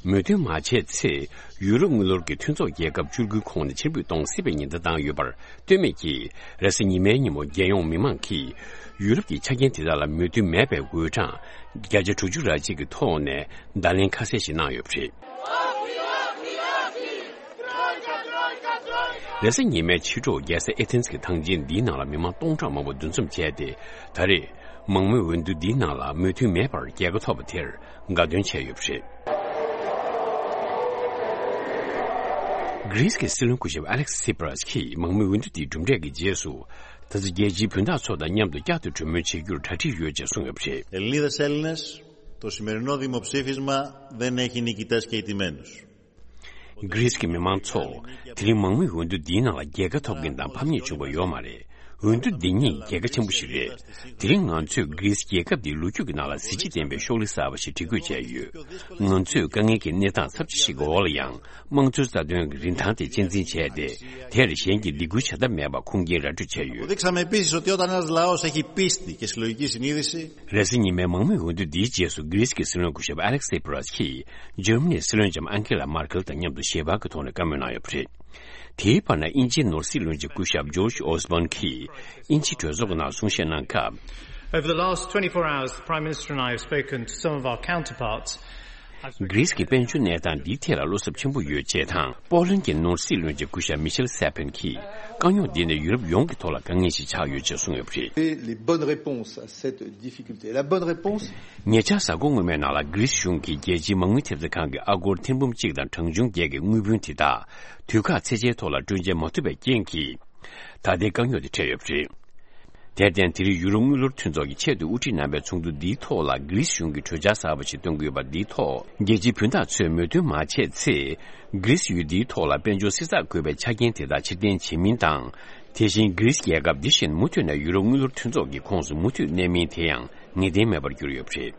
མོས་མཐུན་མ་བྱས་ཚེ། ཡུ་རོབ་དངུལ་ལོར་གྱི་མཐུན་ཚོགས་རྒྱལ་ཁབ་བཅུ་དགུའི་ཁོངས་ནས་ཕྱིར་འབུད་གཏོང་སྲིད་པའི་ཉེན་བརྡ་བཏང་ཡོད་པར་ལྟོས་མེད་ཀྱིས། རེས་གཟའ་ཉི་མའི་ཉིན་མོ་རྒྱལ་ཡོངས་མི་མང་གིས་ཡུ་རོབ་ཀྱི་ཆ་རྐྱེན་དེ་དག་ལ་མོས་མཐུན་མེད་པའི་འུད་གྲངས་བརྒྱ་ཆ་དྲུག་ཅུ་རེ་གཅིག་གི་ཐོག་ནས་བརྡ་ལན་ཁ་གསལ་ཞིག་གནང་ཡོད་པ་རེད། རེས་གཟའ་ཉི་མའི་ཕྱི་དྲོ་རྒྱལ་ས་ཨེ་ཐེན་གྱི་ཐང་ཆེན་འདིའི་ནང་ལ་མི་མང་སྟོང་ཕྲག་མང་པོ་འདུ་འཛོམས་བྱས་ཏེ། ད་རེས་མང་མོས་འོས་བསྡུ་འདིའི་ནང་ལ་མོས་མཐུན་མེད་པར་རྒྱལ་ཁ་ཐོབ་པ་དེར་དགའ་སྟོན་བྱས་ཡོད་པ་རེད། གྷི་རིས་ཀྱི་སྲིད་བློན་སྐུ་ཞབས་ཨ་ལེག་སི་སི་པྲ་སི་གིས་མང་མོས་འོས་བསྡུ་དེའི་གྲུབ་འབྲས་ཀྱི་རྗེས་སུ། ད་ཆ་རྒྱལ་སྤྱིའི་བུན་བདག་ཚོ་དང་མཉམ་དུ་བསྐྱར་དུ་གྲོས་མོལ་བྱེད་རྒྱུར་གྲ་སྒྲིག་ཡོད་ཅེས་གསུངས་ཡོད་པ་རེད། Ελληνίδες, Έλληνες, το σημερινό δημοψήφισμα δεν έχει νικητές και ιτημένους. གྷི་རིས་ཀྱི་མི་མང་ཚོ། དེ་རིང་མང་མོས་འོས་བསྡུ་འདིའི་ནང་ལ་རྒྱལ་ཁ་ཐོབ་མཁན་དང་ཕམ་ཉེས་བྱུང་བ་ཡོད་མ་རེད། འོས་བསྡུ་འདི་ཉིད་རྒྱལ་ཁ་ཆེན་པོ་ཞིག་རེད། དེ་རིང་ང་ཚོས་གྷི་རིས་རྒྱལ་ཁབ་འདིའི་ལོ་རྒྱུས་ཀྱི་ནང་ལ་གཟི་བརྗིད་ལྡན་པའི་ཤོག་ལེ་གསར་པ་ཞིག་སྒྲིག་འགོད་བྱས་ཡོད། ང་ཚོས་དཀའ་ངལ་གྱི་གནས་སྟངས་ཚབས་ཆེ་ཞིག་གི་འོག་ལ་ཡང་། དམངས་གཙོའི་རྩ་དོན་གྱི་རིན་ཐང་དེ་གཅེས་འཛིན་བྱས་ཏེ། དེར་གཞན་གྱིས་སྡིགས་སྐུལ་བྱ་ཐབས་མེད་པ་ཁུངས་སྐྱེལ་ར་སྤྲོད་བྱས་ཡོད། Αποδείξαμε επίσης ότι όταν ένας λαός έχει πίστη και συλλογική συνείδηση, རེས་གཟའ་ཉི་མའི་མང་མོས་འོས་བསྡུ་འདིའི་རྗེས་སུ། གྷི་རིས་ཀྱི་སྲིད་བློན་སྐུ་ཞབས་ཨ་ལེག་སི་སི་པྲ་སི་གིས་འཇར་མ་ནིའི་སྲིད་བློན་ལྕམ་ཨན་ཀེ་ལ་མར་ཀེལ་དང་མཉམ་དུ་ཞལ་པར་གྱི་ཐོག་ནས་བཀའ་མོལ་གནང་ཡོད་པ་རེད། དེའི་བར་ན། དབྱིན་ཇིའི་ནོར་སྲིད་བློན་ཆེན་སྐུ་ཞབས་ཇོརྗ་ཨོ་སི་བྷོན་གྱིས་དབྱིན་ཇིའི་གྲོས་ཚོགས་ཀྱི་ནང་གསུང་བཤད་གནང་སྐབས། Over the last twenty-four hours, the Prime Minister and I have spoken to some of our counterparts. གྷི་རིས་ཀྱི་དཔལ་འབྱོར་གནས་སྟངས་འདིའི་ཐད་ལ་བློ་འཚབ་ཆེན་པོ་ཡོད་ཅེས་དང་། པོ་ལན་གྱི་ནོར་སྲིད་བློན་ཆེན་སྐུ་ཞབས་མི་ཤེལ་སེ་ཕེན་གྱིས། དཀའ་རྙོག་འདི་ནི་ཡུ་རོབ་ཡོངས་ཀྱི་ཐོག་ལ་དཀའ་ངལ་ཞིག་ཆགས་ཡོད་ཅེས་གསུངས་ཡོད་པ་རེད། Et les bonnes réponses à cette difficulté. La bonne réponse, ཉེ་ཆར་གཟའ་འཁོར་སྔོན་མའི་ནང་ལ་གྷི་རིས་གཞུང་གིས་རྒྱལ་སྤྱིའི་མ་དངུལ་ཐེབས་རྩ་ཁང་གི་ཨ་སྒོར་ཐེར་འབུམ་གཅིག་དང་གྲངས་ཆུང་བརྒྱད་ཀྱི་དངུལ་བུན་དེ་དག་དུས་བཀག་ཚད་འཇལ་ཐོག་ལ་སྤྲོད་འཇལ་མ་ཐུབ་པའི་རྐྱེན་གྱིས། ད་ལྟའི་དཀའ་རྙོག་དེ་འཕྲད་ཡོད་པ་རེད། དེར་བརྟེན། དེ་རིང་ཡུ་རོབ་དངུལ་ལོར་མཐུན་ཚོགས་ཀྱིས་ཆེད་དུ་དབུ་ཁྲིད་གནང་བའི་ཚོགས་འདུ་འདིའི་ཐོག་ལ། གྷི་རིས་གཞུང་གིས་གྲོས་འཆར་གསར་པ་ཞིག་གཏོང་གི་ཡོད་པ་འདིའི་ཐོག་རྒྱལ་སྤྱིའི་བུན་བདག་ཚོས་མོས་མཐུན་མ་བྱས་ཚེ། གྷི་རིས་ཡུལ་འདིའི་ཐོག་ལ་དཔལ་འབྱོར་བསྲི་ཚགས་དགོས་པའི་ཆ་རྐྱེན་དེ་དག་ཕྱིར་འཐེན་བྱེད་མིན་དང་། དེ་བཞིན་གྷི་རིས་རྒྱལ་ཁབ་འདི་བཞིན་མུ་མཐུད་ནས་ཡུ་རོབ་དངུལ་ལོར་མཐུན་ཚོགས་ཀྱི་ཁོངས་སུ་མུ་མཐུད་གནས་མིན་དེ་ཡང་ངེས་གཏན་མེད་པར་གྱུར་ཡོད་པ་རེད།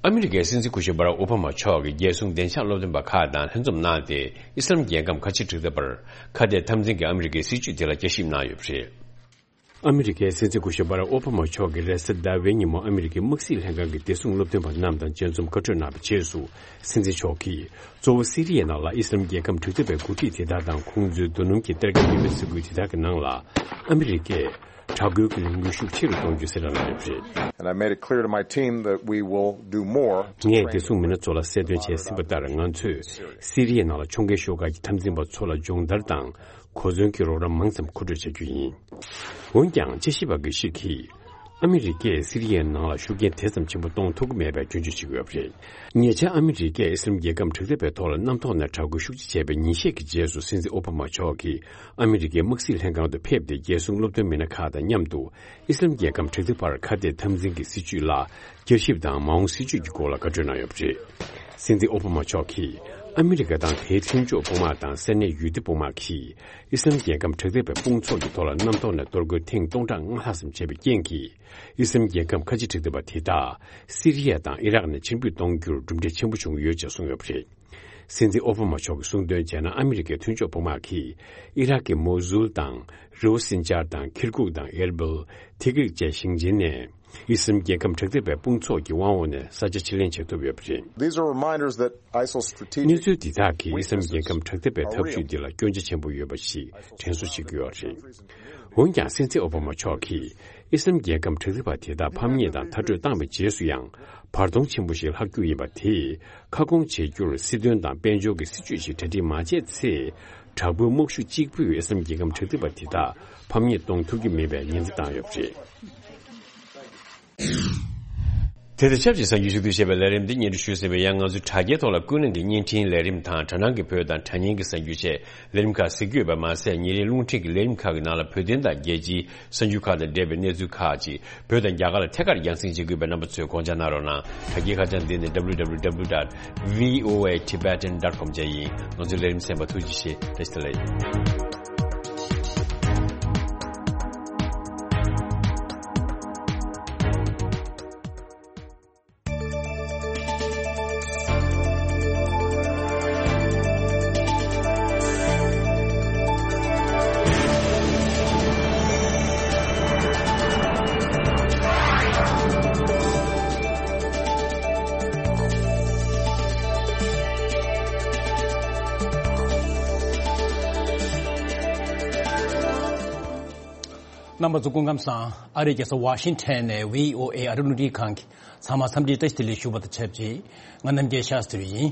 ཨ་མི་རི་ཀའི་སྲིད་འཛིན་སྐུ་ཞབས་བྷ་རག་ཨོ་བྷ་མ་མཆོག་གིས་རྒྱལ་སྲུང་བདེ་འཇགས་སློབ་སྟོན་པ་ཁག་དང་ལྷན་འཛོམས་གནང་སྟེ། ཨི་སི་ལམ་རྒྱལ་ཁམས་ཁ་ཆེ་གྲོས་ཚོགས་པར་ཁ་གཏད་འཐབ་འཛིང་གི་ཨ་མི་རི་ཀའི་སྲིད་བྱུས་དེ་ལ་བསྐྱར་ཞིབ་གནང་ཡོད་པ་རེད། ཨ་མི་རི་ཀའི་སྲིད་འཛིན་སྐུ་ཞབས་བྷ་རག་ཨོ་བྷ་མ་མཆོག་གིས་རེས་གཟའ་ཟླ་བའི་ཉིན་མོ་ཨ་མི་རི་ཀའི་དམག་སྲིད་ལྷན་ཁང་གི་བདེ་སྲུང་སློབ་སྟོན་པ་རྣམས་དང་མཇལ་འཛོམས་བཀའ་གྲོས་གནང་བའི་རྗེས་སུ། སྲིད་འཛིན་མཆོག་གིས་གཙོ་བོ་སི་རི་ཡའི་ནང་ལ་ཨི་སི་ལམ་རྒྱལ་ཁམས་དྲག་འཐབ་པའི་འགོ་ཁྲིད་དེ་དག་དང་། ཁོང་ཚོའི་རྡོ་སྣུམ་གྱི་སྟར་གྱི་ཡོད་པའི་ས་ཁུལ་དེ་དག་གི་ནང་ལ་ཨ་མི་རི་ཀས་དྲག་རྒོལ་གྱི་ལས་འགུལ་ཤུགས་ཆེ་རུ་གཏོང་རྒྱུ་གསལ་བསྒྲགས་གནང་ཡོད་པ་རེད། And I made it clear to my team that we will do more to ངས་བདེ་སྲུང་མི་སྣ་ཚོ་ལ་གསལ་སྟོན་བྱས་ཟིན་པ་ལྟར། ང་ཚོས་སི་རི་ཡའི་ནང་ལ་ཕྱོགས་འགལ་ཤོག་ཁག་གི་འཐབ་འཛིང་པ་ཚོ་ལ་སྦྱོང་བརྡར་དང་། གོ་མཚོན་གྱི་རོགས་རམ་མང་ཙམ་མཁོ་སྤྲོད་བྱ་རྒྱུ་ཡིན། འོན་ཀྱང་། དཔྱད་ཞིབ་པ་འགའ་ཞིག་གིས། ཨ་མི་རི་ཀས་སི་རི་ཡའི་ནང་ལ་ཤུགས་རྐྱེན་དེ་ཙམ་ཆེན་པོ་གཏོང་ཐུབ་ཀྱི་མེད་པའི་སྐྱོན་བརྗོད་བྱེད་ཀྱི་ཡོད་པ་རེད། ཉེ་ཆར་ཨ་མི་རི་ཀས་ཨི་སི་ལམ་རྒྱལ་ཁམས་དྲག་འཐབ་པའི་ཐོག་ལ་གནམ་ཐོག་ནས་དྲག་རྒོལ་ཤུགས་ཆེ་བྱས་པའི་ཉིན་ཤས་ཀྱི་རྗེས་སུ། སྲིད་འཛིན་ཨོ་བྷ་མ་མཆོག་གིས་ཨ་མི་རི་ཀའི་དམག་སྲིད་ལྷན་ཁང་དུ་ཕེབས་ཏེ། རྒྱལ་སྲུང་སློབ་སྟོན་མི་སྣ་ཁག་དང་མཉམ་དུ་ཨི་སི་ལམ་རྒྱལ་ཁམས་དྲག་འཐབ་པར་ཁ་གཏད་འཐབ་འཛིང་གི་སྲིད་བྱུས་ལ་བསྐྱར་ཞིབ་དང་། མ་འོངས་སྲིད་བྱུས་ཀྱི་སྐོར་ལ་བཀའ་འཁྲོལ་གནང་ཡོད་པ་རེད། སྲིད་འཛིན་ཨོ་བྷ་མ་མཆོག་གིས། ཨ་མི་རི་ཀ་དང་དེའི་མཐུན་ཕྱོགས་དཔུང་དམག་དང་ས་གནས་ཡུལ་སྡེ་དཔུང་དམག་གིས། ཨི་སི་ལམ་རྒྱལ་ཁམས་དྲག་འཐབ་པའི་དཔུང་ཚོགས་ཀྱི་ཐོག་ལ་གནམ་ཐོག་ནས་གཏོར་རྒོལ་ཐེངས་སྟོང་ཕྲག་ལྔ་ལྷག་ཙམ་བྱས་པའི་རྐྱེན་གྱིས། ཨི་སི་ལམ་རྒྱལ་ཁམས་ཁ་ཆེ་དྲག་འཐབ་པ་དེ་དག་སི་རི་ཡ་དང་ཨི་རག་ནས་ཕྱིར་འབུད་གཏོང་རྒྱུར་གྲུབ་འབྲས་ཆེན་པོ་བྱུང་ཡོད་ཅེས་གསུངས་ཡོད་པ་རེད། སྲིད་འཛིན་ཨོ་བྷ་མ་མཆོག་གིས་གསུངས་དོན་བྱས་ན། ཨ་མི་རི་ཀའི་མཐུན་ཕྱོགས་དཔུང་དམག་གིས་ཨི་རག་གི་མོ་སུལ་དང་། རི་བོ་སིན་ཅར་དང་། ཁིར་ཀུག་དང་། ཨེར་བིལ། ཐི་ཀྲིག་བཅས་ཞིང་ཆེན་ནས། ཨི་སི་རལ་རྒྱལ་ཁབ་དྲག་འཐབ་པའི་དཔུང་ཚོགས་ཀྱི་དབང་འོག་ནས་ས་ཆ་ཕྱིར་ལེན་བྱེད་ཐུབ་ཡོད་པ་རེད། These are reminders that ISIL's strategic གནས་ཚུལ་འདི་དག་གིས་ཨི་སི་རལ་རྒྱལ་ཁབ་དྲག་འཐབ་པའི་ཐབས་ཇུས་འདི་ལ་སྐྱོན་ཆ་ཆེན་པོ་ཡོད་པ་ཞིག་དྲན་གསོ་བྱེད་ཀྱི་ཡོད་རེད། འོན་ཀྱང་སྲིད་འཛིན་ཨོ་བྷ་མ་མཆོག་གིས་ཨི་སི་རལ་རྒྱལ་ཁབ་དྲག་འཐབ་པ་དེ་དག་ཕམ་ཉེས་དང་མཐར་སྐྲོད་བཏང་བའི་རྗེས་སུ་ཡང་བར་སྟོང་ཆེན་པོ་ཞིག་ལྷག་རྒྱུ་ཡིན་པ་དེས་ཁ་སྐོང་བྱེད་རྒྱུར་སྲིད་དོན་དང་དཔལ་འབྱོར་གྱི་སྲིད་ཇུས་ཤིག་གྲ་སྒྲིག་མ་བྱས་ཚེ། དྲག་པོའི་དམག་ཤུགས་གཅིག་པུས་ཨི་སི་རལ་རྒྱལ་ཁབ་དྲག་འཐབ་པ་དེ་དག་ཕམ་ཉེས་གཏོང་ཐུབ་ཀྱི་མེད་པའི་ཉེན་བརྡ་བཏང་ཡོད་པ་རེད། དེ་དང་ཆབས་ཅིག་གསར་འགྱུར་ཞུ་གཏུག་བྱས་པའི་ལས་རིམ་འདི་སྙན་སྒྲོན་ཞུས་ཟིན་པའི་ཡང་ང་ཚོའི་དྲ་རྒྱའི་ཐོག་ལ་ཀུན་གླེང་གི་བརྙན་འཕྲིན་ལས་རིམ་དང་དྲ་སྣང་གི་བོད་དང་དྲ་བརྙན་གྱི་གསར་འགྱུར་བཅས་ལས་རིམ་ཁག་གཟིགས་རྒྱུ་ཡོད་པ་མ་ཟད་ཉིན་རེའི་རླུང་འཕྲིན་གྱི་ལས་རིམ་ཁག་གི་ནང་ལ་བོད་དོན་དང་རྒྱལ་སྤྱིའི་གསར་འགྱུར་ཁག་དང་འབྲེལ་བའི་གནས་ཚུལ་ཁག་ཅིག་བོད་དང་རྒྱ་གར་ལ་ཐད་ཀར་རྒྱང་སྲིང་བྱེད་དགོས་པའི་རྣམ་པ་ཚོས་དགོངས་འཇགས་གནང་རོགས་གནང་། དྲ་རྒྱའི་ཁ་བྱང་འདི་ནི་www dot voa tibetan dot com བཅས་ཡིན། ང་ཚོའི་ལས་རིམ་གསན་པར་ཐུགས་རྗེ་ཆེ། བཀྲ་ཤིས་བདེ་ལེགས། རྣམ་པ་ཚོ་སྐུ་ཁམས་བཟང་། ཨ་རིའི་རྒྱལ་ས་ཝ་ཤིང་ཊོན་ནས་བྷི་ཨོ་ཨེ་ཨ་རིའི་རླུང་འཕྲིན་ཁང་གི་ཚང་མ་འཚམས་འདྲིའི་བཀྲ་ཤིས་བདེ་ལེགས་ཞུ་བ་དང་ཆབས་ཅིག་ང་རྣམ་རྒྱལ་ཤཱ་སྟྲི་ཡིན།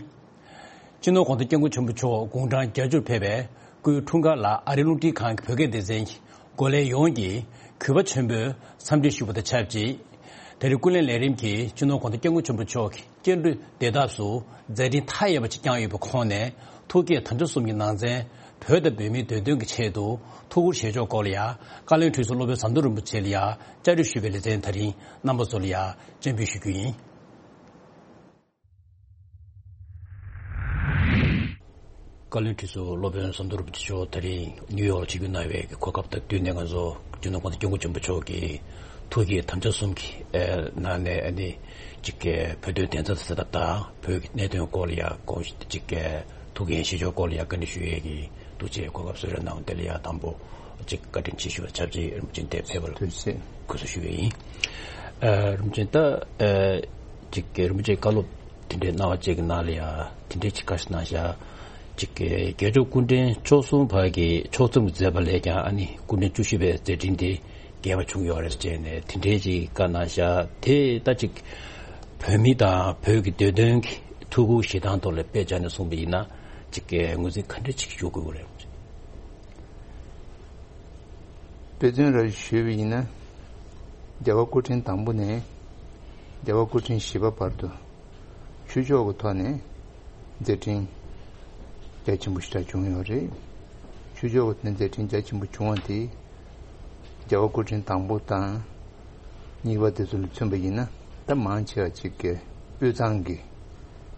སྤྱི་ནོར་གོང་ས་སྐྱབས་མགོན་ཆེན་པོ་མཆོག་དགུང་གྲངས་བརྒྱད་ཅུར་ཕེབས་པའི་སྐུའི་འཁྲུངས་སྐར་ལ་ཨ་རིའི་རླུང་འཕྲིན་ཁང་གི་བོད་སྐད་སྡེ་ཚན་གྱི་འགོ་ལས་ཡོངས་ཀྱིས་གུས་པ་ཆེན་པོས་འཚམས་འདྲི་ཞུ་བ་དང་ཆབས་ཅིག་དེ་རིང་ཀུན་གླེང་ལས་རིམ་གྱིས་སྤྱི་ནོར་གོང་ས་སྐྱབས་མགོན་ཆེན་པོ་མཆོག་གི་སྐྱེས་འགྲོའི་བདེ་ཐབས་སུ་མཛད་འཕྲིན་མཐའ་ཡས་པ་ཅིག་བསྐྱངས་ཡོད་པའི་ཁོངས་ནས་ཐུགས་བསྐྱེད་དམ་བཅའ་གསུམ་གྱི་ནང་ཚན་བོད་དང་བོད་མིའི་བདེ་དོན་གྱི་ཆེད་དུ་ཐུགས་ཁུར་བཞེས་ཕྱོགས་སྐོར་ལ་ཡང་བཀའ་བློན་ཁྲི་ཟུར་སློབ་དཔོན་ཟམ་གདོང་རིན་པོ་ཆེ་ལ་ཡང་བཅར་འདྲི་ཞུས་པའི་ལེ་ཚན་ད་རིང་རྣམ་པ་ཚོ་ལ་ཡང་སྤྱན་འབུལ་ཞུ་རྒྱུ་ཡིན། བཀའ་བློན་ཁྲི་ཟུར་སློབ་དཔོན་ཟམ་གདོང་རིན་པོ་ཆེ་མཆོག་ད་རིང་ནིའུ་ཡོག་ལ་བྱེད་སྒོ་གནང་བའི་གོ་སྐབས་དང་བསྟུན་ནས་ང་ཚོ་སྤྱི་ནོར་གོང་ས་སྐྱབས་མགོན་ཆེན་པོ་མཆོག་གི་ཐུགས་བསྐྱེད་དམ་བཅའ་གསུམ་གྱི་ཨེ་ནང་ནས་ཨ་ནི་གཅིག་གི་བོད་དོན་བདེན་མཐའ་གསལ་ཐབས་དང་བོད་ཀྱི་གནད་དོན་སྐོར་ལ་ཡང་དགོངས་གཅིག་གི་ཐུགས་འགན་བཞེས་ཕྱོགས་སྐོར་ལ་ཡང་བཀའ་འདྲི་ཞུ་ཡས་ཀྱི་ཐུགས་རྗེ་གོ་སྐབས་གསོལ་རས་གནང་བ་དེ་ལ་ཡང་དང་པོ་གཅིག་བཀའ་དྲིན་ཆེ་ཞུ་བ་ཆབས་ཅིག་རིན་པོ་ཆེ་འདིར་ཕེབས་པར་ཐུགས་རྗེ་ཆེ། གུས་བསུ་ཞུ་ཡས་ཡིན། ཨ་རིན་པོ་ཆེ་ད་ཨ་གཅིག་གི་རིན་པོ་ཆེ་བཀའ་སློབ་དེ་འདྲའི་གནང་བ་བཅས་ཀྱི་ནང་ལ་ཡང་དེ་འདྲའི་ཅིག་བཀའ་ཞིག་གནང་བཞག་གཅིག་གི་རྒྱལ་མཆོག་སྐུ་ཕྲེང་བཅུ་གསུམ་པ་གི་ཕྱོགས་མཚམས་ཀྱི་མཛད་པ་ལས་ཀྱང་ཨ་ནི་སྐུ་ཕྲེང་བཅུ་བཞི་པའི་མཛད་འཕྲིན་དེ་རྒྱས་པ་བྱུང་ཡོད་རེད་ཅེས་ནས་དེ་འདྲའི་ཅིག་བཀའ་གནང་བཞག་དེ་ད་ཅིག་བོད་མི་དང་བོད་ཀྱི་བདེ་དོན་གྱི་ཐུགས་ཁུར་བཞེས་སྟངས་ཐོག་ལ་དཔེ་བྱས་ནས་གསུངས་པ་ཡིན་ན་ཅིག་གི་ངོས་འཛིན་ག་འདྲ་ཅིག་ཞུ་དགོས་ཀྱི་རེད། དཔེ་མཚོན་རེ་ཞུས་པ་ཡིན་ན། རྒྱལ་བ་སྐུ་ཕྲེང་དང་པོ་ནས་རྒྱལ་བ་སྐུ་ཕྲེང་བཞི་པ་བར་དུ་ཆོས་ཕྱོགས་ཀྱི་ཐོག་ནས་མཛད་འཕྲིན་རྒྱ་ཆེན་པོ་ཞེ་དྲག་བྱུང་ཡོད་རེད། ཆོས་ཕྱོགས་ཀྱི་ཐོག་ནས་མཛད་འཕྲིན་རྒྱ་ཆེན་པོ་བྱུང་བ་དེ་རྒྱལ་བ་སྐུ་ཕྲེང་དང་པོ་དང་གཉིས་པ་དེ་ཚོ་ལ་མཚོན་པ་ཡིན་ན་ད་མང་ཆེ་བ་ཅིག་གི་དབུས་གཙང་གི་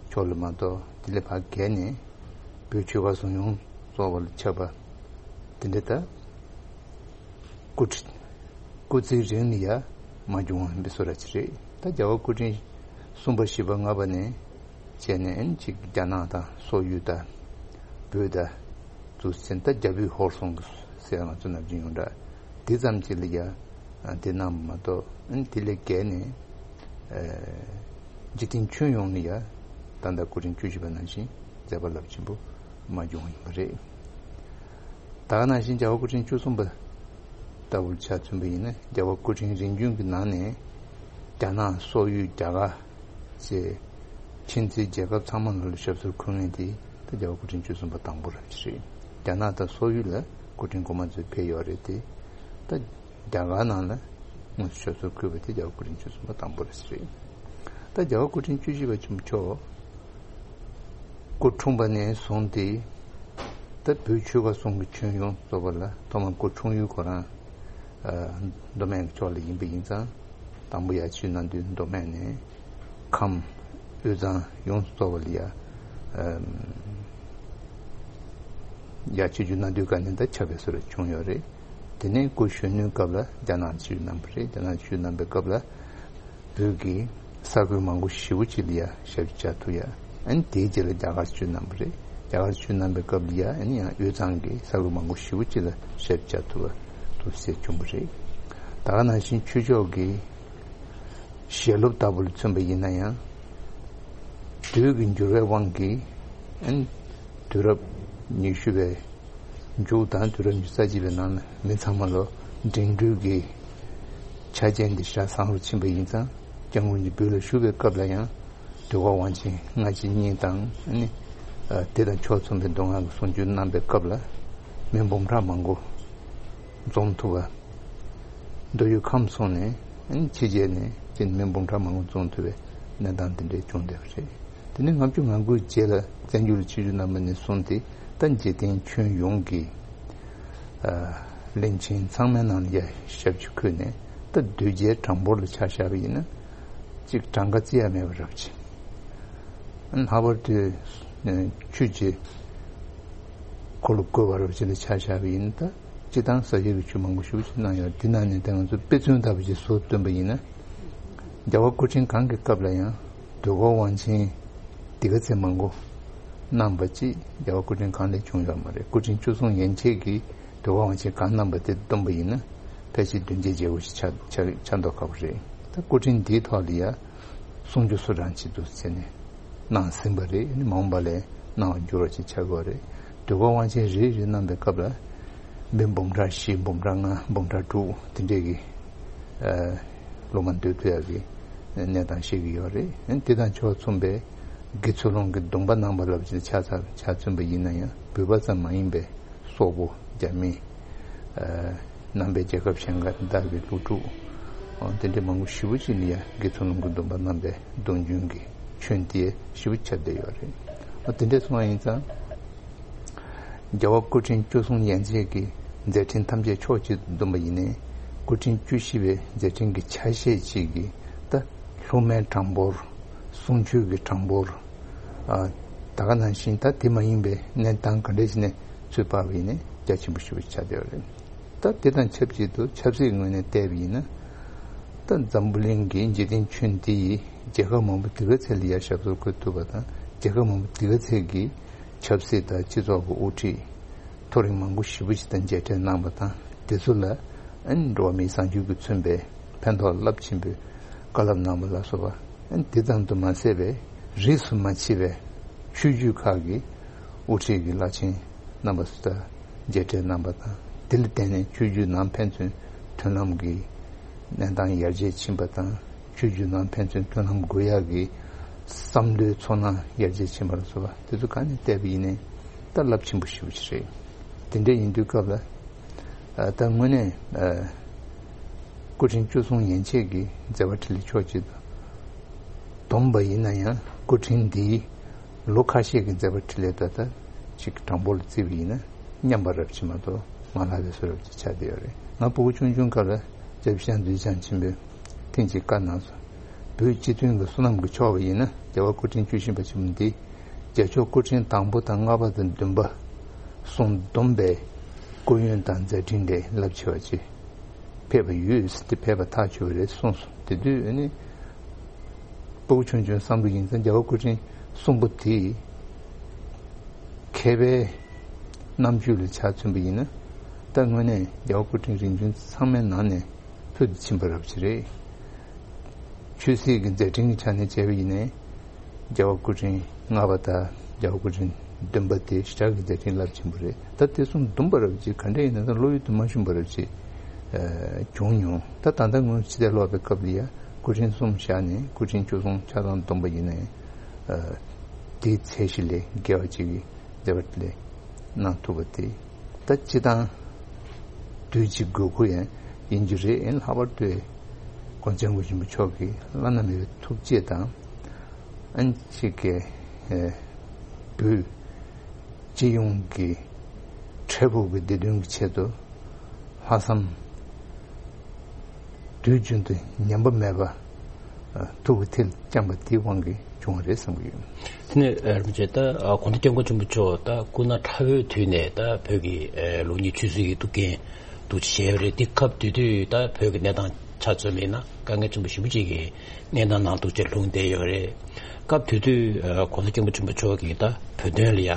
ཕྱོགས་ལ་མ་གཏོགས་དེ་ལས་ཕར་བརྒལ་ནས་བོད་ཆོལ་ཁ་གསུམ་ཡོངས་རྫོགས་པ་ལ་ཁྱབ་པ་དེ་འདྲ་ད། སྐུ་ཁྲི། སྐུ་ཚེའི་རིང་ལ་ཡ་མ་བྱུང་བ་ཡིན་པའི་བཟོ་འདྲ་ཅིག་རེད། ད་རྒྱལ་བ་སྐུ་ཕྲེང་གསུམ་པ་བཞི་པ་ལྔ་པ་ནས་བྱས་ནས་ཨ་ནི་ཅིག་རྒྱ་ནག་དང་སོག་ཡུལ་དང་བོད་དང་འདུག་ཟིན་ད་རྒྱ་བོད་ཧོར་གསུམ་གྱི་ཟེར་ང་ཚོ་ནམ་རྒྱུན་ཡོང་འདྲ་འདི་ཙམ་ཅིག་ལ་ཡ་དེ་གནང་བ་མ་གཏོགས་ཨ་ནི་དེ་ལས་བརྒལ་ནས་འཇིག་རྟེན་ཁྱོན་ཡོངས་ནས་ཡ་ད་ལྟ་སྐུ་ཕྲེང་བཅུ་བཞི་པ་ནང་བཞིན་མཛད་པ་རླབས་ཆེན་པོ་མ་བྱུང་བ་ཡིན་པ་རེད། ད་ག་ནང་བཞིན་རྒྱལ་བ་སྐུ་ཕྲེང་བཅུ་གསུམ་པ་ལྟ་བུར་ཆ་མཚོན་པ་ཡིན་ན་རྒྱལ་བ་སྐུ་ཕྲེང་རིམ་བྱོན་གྱི་ནང་ནས་རྒྱ་ནག་སོག་ཡུལ་རྒྱ་གར་བཅས་ཕྱི་འཛིན་རྒྱལ་ཁབ་ཚང་མ་ལ་ཞབས་སོར་འཁོད་མཁན་དེ་ད་རྒྱལ་བ་སྐུ་ཕྲེང་བཅུ་གསུམ་པ་དང་པོ་རང་རེད། རྒྱ་ནག་དང་སོག་ཡུལ་ལ་སྐུ་ཕྲེང་གོང་མ་ཚོས་ཕེབས་ཡོད་རེད་དེ་ད་རྒྱ་གར་ནང་ལ་དངོས་སུ་ཞབས་སོར་འཁོད་པ་དེ་རྒྱལ་བ་སྐུ་ཕྲེང་བཅུ་གསུམ་པ་དང་པོ་རེད། ད་རྒྱལ་བ་སྐུ་ཕྲེང་བཅུ་བཞི་པ་ཆེན་པོ་མཆོག་སྐུ་འཁྲུངས་པ་ནས་བཟུང་སྟེ་ད་བོད་ཆོལ་ཁ་གསུམ་གྱི་ཁྱོན་ཡོངས་རྫོགས་པ་ལ་ཐོག་མར་སྐུ་འཁྲུངས་ཡུལ་ཁོ་རང་མདོ་སྨད་ཀྱི་ཕྱོགས་ལ་ཡིན་པ་ཡིན་ཙང་དང་པོ་ཡར་ཆིབས་གནང་དུས་མདོ་སྨད་ནས་ཁམས་དབུས་གཙང་ཡོངས་སུ་རྫོགས་པ་ལ་ཡ་ཡར་ཆིབས་བསྒྱུར་གནང་དུས་ག་ནས་ད་ཁྱབ་པའི་བཟོ་འདྲ་བྱུང་ཡོད་རེད། དེ་ནས་སྐུ་གཞོན་ནུའི་སྐབས་ལ་རྒྱ་ནག་ཆིབས་གནང་བ་རེད། རྒྱ་ནག་ཆིབས་གནང་པའི་སྐབས་ལ། བོད་ཀྱི་ས་ཁུལ་མང་པོ་ཞེ་པོ་ཅིག་ལ་ཡ་ཞབས་ཕྱི་བྱ་ཐུབ་ཡ། ཨ་ནི་དེའི་རྗེས་ལ་རྒྱ་གར་ཆིབས་གནང་བ་རེད། རྒྱ་གར་ཆིབས་གནང་པའི་སྐབས་ལ་ཡ་ཨ་ནི་ཡང་དབུས་གཙང་གི་ས་ཁུལ་མང་པོ་ཞེ་པོ་ཅིག་ལ་ཞབས་ཕྱི་བྱ་ཐུབ་པ་ཐུབ་སེ་བྱུང་བ་རེད། ད་ག་ནང་བཞིན་ཆོས་ཕྱོགས་ཀྱི་ ཞལ་སློབ་ལྟ་བུ་ལ་མཚོན་པ་ཡིན་ན་ཡང་། དུས་ཀྱི་འགྱུར་བའི་དབང་གིས་ཨན་དུས་རབས་ཉི་ཤུ་པའི་མཇུག་དང་དུས་རབས་ཉི་ཤུ་རྩ་གཅིག་པའི་ནང་ན་མི་ཚང་མ་ལོ་འབྲིང་འགྲོས་ཀྱི་ཆ་རྐྱེན་འདི་ཤ་ཚ་རུ་ཕྱིན་པ་ཡིན་ཙང་སྐྱབས་མགོན་གྱི་བོད་ལ་བཞུགས་པའི་སྐབས་ལ་ཡང་། དུས་འཁོར་དབང་ཆེན་སྔ་ཕྱི་གཉིས་དང་ཨ་ནི་དེ་དང་ཕྱོགས་མཚུངས་པའི་མདོ་སྔགས་ཀྱི་གསུང་ཆོས་གནང་པའི་སྐབས་ལ་མི་འབུམ་ཕྲག་མང་པོ་འཛོམས་ཐུབ་པ། མདོ་དབུས་ཁམས་གསུམ་ནས་ཨ་ནི་ཕྱི་རྒྱལ་ནས་ཅིག་མི་འབུམ་ཕྲག་མང་པོ་འཛོམས་ཐུབ་པའི་གནས་སྟངས་དེ་འདྲའི་བྱུང་བསྡད་པ་རེད། དེ་ནས་ལྔ་བཅུ་ང་དགུའི་རྗེས་ལ་བཙན་བྱོལ་ལ་ཆིབས་བསྒྱུར་གནང་པ་ནས་བཟུང་སྟེ་ད་འཇིག་རྟེན་ཁྱོན་ཡོངས་ཀྱི་བློན་ཆེན་ཚང་མའི་ནང་ལ་ཡ་ཞབས་ཕྱི་འཁོད་ནས་ད་གདུལ་བྱའི་གྲངས་འབོར་ལ་ཆ་བཞག་པ་ཡིན་ན་ཅིག་གྲངས་ཀ་བརྩི་ཡ་མེད་པ་རབ་ཆེ། ལྷག་པར་དུ་ཆོས་ཀྱི་འཁོར་ལོ་བསྐོར་བ་རབ་ཆེ་ལ་ཆ་བཞག་པ་ཡིན་ན་ད་སྤྱི་བཏང་ས་ཆ་གི་ཆོས་མང་པོ་ཞེ་པོ་ཅིག་གནང་ཡོད། དེ་ནང་ནས་ད་ང་ཚོ་དཔེ་མཚོན་ལྟ་བུ་ཅིག་བཟོ་སྟོན་པ་ཡིན་ན། རྒྱལ་བ་སྐུ་ཕྲེང་གང་གི་སྐབས་ལ་ཡང་དུས་འཁོར་དབང་ཆེན་འདི་ག་ཚད་མང་པོ་གནང་པ་ཅིག་རྒྱལ་བ་སྐུ་ཕྲེང་གང་ལས་བྱུང་ཡོད་མ་རེད། སྐུ་ཕྲེང་བཅུ་གསུམ་ཡན་ཆད་ཀྱིས་དུས་འཁོར་དབང་ཆེན་གང་གནང་པ་དེ་བསྡོམས་པ་ཡིན་ན་ཕལ་ཆེར་བདུན་བརྒྱའི་རྒྱལ་སྒོ་ཞིག་ཆགས་ཆགས་ཆགས་མདོག་ཁ་པོ་རེད། ད་སྐུ་ཕྲེང་འདིའི་ཐོག་ལ་ཡ་གསུང་ཆོས་སུ་རང་བྱེད་དུ་ཟེར་ནས་གནང་ཟིན་པ་རེད། ཨ་ནི་མ་འོངས་པ་ལ་གནང་བར་འགྱུར་བ་ཅིག་ཆགས་ཀྱི་ཡོད་རེད། དུས་འཁོར་དབང་ཆེན་རེ་རེ་གནང་པའི་སྐབས་ལ་མི་འབུམ་ཕྲག་བཞི་འབུམ་ཕྲག་ལྔ་འབུམ་ཕྲག་དྲུག་དེ་འདྲས་ཀྱི་ཨ་སློབ་མ་འདུས་ཐུབ་ཡག་གི་གནས་སྟངས་ཤེས་ཀྱི་ཡོད་རེད། ཨ་ནི་དེ་དང་ཕྱོགས་མཚུངས་པའི་དགེ་ཚུལ་སློང་གི་སྡོམ་པ་གནང་པ་ལབ་ཅིག་ཆ་ཚང་ཆ་མཚོན་པ་ཡིན་ན་ཡང་བོད་པ་ཙམ་མ་ཡིན་པའི་སོག་པོ་རྒྱ་མི་ཨ་ནང་པའི་རྒྱལ་ཁབ་གཞན་ཁག་དང་ལྡན་པའི་སློབ་ཕྲུག་ཨ་དེ་འདྲའི་མང་པོ་ཞེ་པོ་ཅིག་ནི་ཡང་དགེ་ཚུལ་སློང་གི་སྡོམ་པ་གནང་པའི་སྡོམ་རྒྱུན་གྱི་ཆོས་དེ་ཞེ་པོ་ཆགས་བསྡད་ཡོད་རེད། ཨ་དེ་འདྲས་སོང་བ་ཡིན་ཙང་། རྒྱལ་བ་སྐུ་ཕྲེང་བཅུ་གསུམ་ཡན་ཆད་ཀྱི་མཛད་འཕྲིན་ཐམས་ཅད་ཕྱོགས་གཅིག་ཏུ་བསྡོམས་པ་ཡིན་ནའི་སྐུ་ཕྲེང་བཅུ་བཞི་པའི་མཛད་འཕྲིན་གྱི་ཆ་ཤས་ཅིག་གིས་ད་སློབ་མའི་གྲངས་འབོར། གསུང་ཆོས་ཀྱི་གྲངས་འབོར། ཨ་ད་ག་ནང་བཞིན་ད་དེ་མ་ཡིན་པའི་གནས་སྟངས་ག་འདྲས་ཞིག་ནས་ཚུར་དཔག་པ་ཡིན་ནའི་རྒྱ་ཆེན་པོ་ཞེ་པོ་ཆགས་བསྡད་ཡོད་རེད། ད་དེ་དང་ཆབས་ཅིག་ཏུ་ཆབ་སྲིད་ངོས་ནས་བལྟས་པ་ཡིན་ན། ད་འཛམ་བུ་གླིང་གི་འཇིག་རྟེན་ཁྱོན་འདི་ཡི་རྒྱལ་ཁབ་མང་པོ་དེ་ག་ཚད་ལ་ཡར་ཞབས་སོར་འཁོད་ཐུབ་པ་དང་རྒྱལ་ཁབ་མང་པོ་དེ་ག་ཚད་ཀྱི་ཆབ་སྲིད་དང་སྤྱི་ཚོགས་ཀྱི་དབུ་ཁྲིད་མཐོ་རིམ་མང་པོ་ཞེ་པོ་ཞིག་དང་མཇལ་འཕྲད་གནང་པ་དང་དེ་ཚོ་ལ་ཨ་ནི་འགྲོ་བ་མིའི་བཟང་སྤྱོད་ཀྱིས་མཚོན་པའི་ཕན་ཐོགས་རླབས་ཆེན་པོའི་བཀའ་སློབ་གནང་བ་ལ་སོགས་པ། ཨ་ནི་དེ་ཙམ་དུ་མ་ཟད་པའི་རིས་སུ་མ་ཆད་པའི་ཆོས་བརྒྱུད་ཁག་གི་དབུ་ཁྲིད་ཀྱི་བླ་ཆེན་རྣམ་པ་སུ་དང་མཇལ་འཕྲད་གནང་པ་དང་དེ་ལ་བརྟེན་ནས་ཆོས་བརྒྱུད་ནང་ཕན་ཚུན་མཐུན་ལམ་གྱི་གནས་སྟངས་ཡར་རྒྱས་ཕྱིན་པ་དང་ཆོས་བརྒྱུད་ནང་ཕན་ཚུན་མཐུན་ལམ་དགོས་ཡག་གི་བསམ་བློའི་ཚོར་སྣང་ཡར་རྒྱས་ཕྱིན་པ་ལ་སོགས་པ་དེ་ཚོ་གང་ནས་བལྟས་པ་ཡིན་ནའི་ད་རླབས་ཆེན་པོ་ཞེ་པོ་ཅིག་རེད། དེ་འདྲ་ཡིན་དུས་སྐབས་ལ། ཨ་ད་དངོས་གནས་ཨ་སྐུ་ཕྲེང་བཅུ་གསུམ་ཡན་ཆད་ཀྱི་མཛད་པ་འཕྲིན་ལས་ཕྱོགས་གཅིག་ཏུ་བསྡོམས་པ་ཡིན་ན་ཡང་སྐུ་ཕྲེང་འདིའི་ལོ་ཁ་ཤས་ཀྱི་མཛད་པ་འཕྲིན་ལས་ད་ལྟ་ཅིག་གྲངས་འབོར་ལ་བརྩིས་པ་ཡིན་ན་མཉམ་པ་རབ་ཆེ་མ་གཏོགས་མ་ལྷག་པའི་བཟོ་འདྲ་ཅིག་ཆགས་བསྡད་ཡོད་རེད། ང་ཕྲུ་གུ་ཆུང་ཆུང་སྐབས་ལ་སྐྱབས་རྗེ་ཞང་འདུས་བྱང་ཆེན་པོས་ཐེངས་གཅིག་བཀའ་གནང་སོང་། བོད་སྤྱི་མཐུན་གྱི་བསོད་ནམས་ཀྱི་ཕྱོགས་པ་ཡིན་ན་རྒྱལ་བ་སྐུ་ཕྲེང་བཅུ་བཞི་པ་ཆེན་པོ་འདི་རྒྱལ་མཆོག་སྐུ་ཕྲེང་དང་པོ་དང་ལྔ་པ་དང་བདུན་པ་གསུམ་བསྡོམས་པའི་སྐུ་ཡོན་དང་མཛད་འཕྲིན་ལས་རླབས་ཆེ་བ་ཅིག་ཕེབས་པ་ཡོད་ཟེར་ཏེ་ཕེབས་པ་ཐག་ཆོད་པ་རེད་གསུངས་སོང་། དེ་དུས་ཨ་ནི་ཕྲུ་གུ་ཆུང་ཆུང་བསམ་བློ་ཡིན་ཙང་རྒྱལ་བ་སྐུ་ཕྲེང་གསུམ་པོ་དེ་མཁས་པའི་རྣམ་དཔྱོད་ལ་ཆ་མཚོན་པ་ཡིན་ན་ད་དངོས་གནས་རྒྱལ་བ་སྐུ་ཕྲེང་རིམ་བྱོན་ཚང་མའི་ནང་ནས་ཕུལ་དུ་ཕྱིན་པ་རབ་ཅིག་རེད། ཆོས་སྲིད་ཀྱི་མཛད་འཕྲིན་གྱི་ཆ་ནས་བྱས་པ་ཡིན་ནའི། རྒྱལ་བ་སྐུ་ཕྲེང་ལྔ་པ་དང་རྒྱལ་བ་སྐུ་ཕྲེང་བདུན་པ་དེ་ཞེ་དྲག་གི་མཛད་འཕྲིན་རླབས་ཆེན་པོ་རེད། ད་དེ་གསུམ་བསྡོམས་པ་རབ་ཅིག་ག་འདྲ་ཡིན་ན་ད་བློ་ཡུལ་དུ་མ་ཤོང་བ་རབ་ཅིག་ཨ་བྱུང་མྱོང་། ད་ད་ལྟ་སྔོན་ཕྱི་ལྟར་ལོག་པའི་སྐབས་ལ་ཡ་སྐུ་ཕྲེང་གསུམ་བཞག་ནས་སྐུ་ཕྲེང་བཅུ་གསུམ་ཆ་ཚང་བསྡོམས་པ་ཡིན་ནའི་ཨ་དེའི་ཚད་གཞི་ལས་བརྒལ་བ་ཅིག་གི་མཛད་པ་ལས་གནང་ཐུབ་པ་དེ་ད་སྤྱི་བཏང་དུས་ཀྱི་དགོས་མཁོ་ཡང་ཡིན་རྒྱུ་རེད། ཡིན་ལྷག་པར་དུ་༸གོང་ས་༸སྐྱབས་མགོན་ཆེན་པོ་མཆོག་གི་བླ་ན་མེད་པའི་ཐུགས་བསྐྱེད་དང་། ཨན་ཅིག་གི་ཨེ་བོད་སྤྱི་ཡོངས་ཀྱི་འཕྲལ་ཕུགས་ཀྱི་བདེ་དོན་གྱི་ཆེད་དུ་ལྷག་བསམ་དུས་རྒྱུན་དུ་ཉམས་པ་མེད་པ་ཐུགས་ཀྱི་མཐིལ་བཅངས་པ་དེའི་དབང་གིས་བྱུང་བ་རེད་བསམ་གྱི་ཡོད། དེ་ནས་རིན་པོ་ཆེ་ད་༸གོང་ས་༸སྐྱབས་མགོན་ཆེན་པོ་མཆོག་ད་སྐུ་ན་ཕྲ་བོའི་དུས་ནས་ད་བོད་ཀྱི་ལུགས་གཉིས་ཆོས་སྲིད་ཀྱི་ཐུགས་འགན་འདུག་བྱས་པ་རེད། དེ་སྐབས་དེ་དུས་ད་བོད་ཀྱི་གནས་སྟངས་ཆ་མཚོན་པ་ཡིན་ན་དཀའ་ངལ་ཆེན་པོ་ཞེ་པོ་ཅིག་གི་གནས་སྟངས་ནང་འདུག་བྱས་ལྷུང་བསྡད་ཡོད་རེད། སྐབས་དེ་དུས་༸གོང་ས་༸སྐྱབས་མགོན་ཆེན་པོ་མཆོག་གིས་ད་བོད་དོན་ལ་ཡ་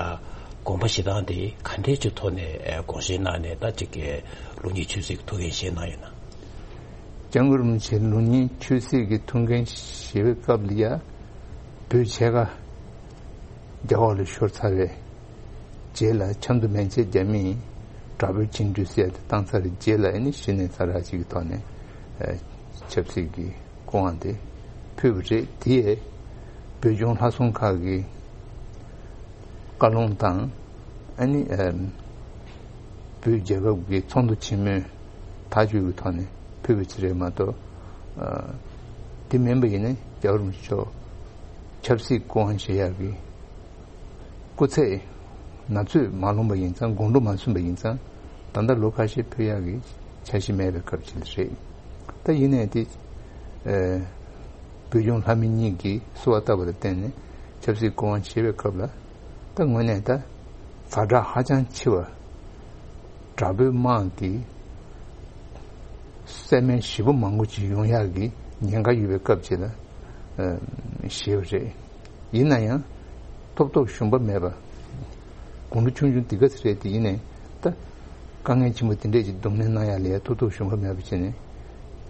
དགོངས་པ་བཞེས་སྟངས་དེ་ག་འདྲས་ཀྱི་ཐོག་ནས་དགོངས་བཞེས་གནང་ནས་ད་ཅིག་གི་ལུགས་གཉིས་ཆོས་སྲིད་ཀྱི་ཐུགས་འགན་བཞེས་གནང་ཡོད་ན། སྐྱབས་མགོན་རིན་པོ་ཆེ་ལུང་གཉིས་ཆོས་སྲིད་ཀྱི་ཐུགས་འགན་བཞེས་པའི་སྐབས་ལ་ཡ། བོད་ཕྱེད་ཀ་རྒྱ་འོག་ལ་ཤོར་ཚར་བའི་རྗེས་ལ་ཆབ་མདོ་མན་ཆད་རྒྱ་མིས་དྲག་པོའི་བཅིངས་འགྲོལ་ཟེར་ཡ་དེ་བཏང་ཚར་བའི་རྗེས་ལ་ཨ་ནི་གཞི་ནས་ས་ར་ཅིག་གི་ཐོག་ནས་ཨ་ཆབ་སྲིད་ཀྱི་སྐུ་དབང་དེ་ཕུལ་བ་རེད། དེ་ཡས་བོད་ལྗོངས་ལྷ་སྲུང་ཁག་གི་བཀའ་ལུང་དང་ཨ་ནི་ཨ་བོད་རྒྱལ་ཁབ་ཀྱི་ཚོགས་འདུ་ཆེན་མོའི་ཐག་གཅོད་ཀྱི་ཐོག་ནས་ཕུལ་བ་ཅིག་རེད་མ་གཏོགས། ཨ་དེ་མིན་པ་ཡིན་ན་རྒྱལ་བ་རིན་པོ་ཆེ་མཆོག་ཆབ་སྲིད་སྐུ་དབང་བཞེས་ཡག་གི་སྐུ་ཚེ་ན་ཚོད་མ་ལོངས་པ་ཡིན་ཙང་། དགུང་ལོ་མ་སོན་པ་ཡིན་ཙང་། ད་ལྟ་ལོ་ཁ་ཤས་ཕེབས་ཡག་གི་འཆར་གཞི་མེད་པའི་སྐབས་ཅིག་རེད། ད་ཡིན་ནའི་དེ་ཨ་བོད་ལྗོངས་ལྷ་མི་གཉིས་ཀྱིས་གསོལ་བ་བཏབ་པ་ལ་བརྟེན་ནས་ཆབ་སྲིད་སྐུ་དབང་བཞེས་པའི་སྐབས་ལ། ད་དངོས་གནས་ད་ཛ་དྲག་ཧ་ཅང་ཆེ་བ། དྲག་པོའི་དམག་གིས་བསད་རྨས་ཞེ་པོ་མང་པོ་ཅིག་ཡོང་ཡག་གི་ཉེན་ཁ་ཡོད་པའི་སྐབས་ཅིག་ལ་ཨ་བཞེས་པ་རེད། ཡིན་ན་ཡང་ཐོབ་ཐོབ་ཞུམ་པ་མེད་པ། དགུང་ལོ་ཆུང་ཆུང་འདི་ག་ཚོད་རེད་དེ། ཡིན་ནའི་ད་དཀའ་ངལ་ཆེན་པོ་དེ་འདྲས་ཅིག་གདོང་ལེན་གནང་ཡག་ལ་ཡ་ཐོབ་ཐོབ་ཞུམ་པ་མེད་པ་བྱས་ནས་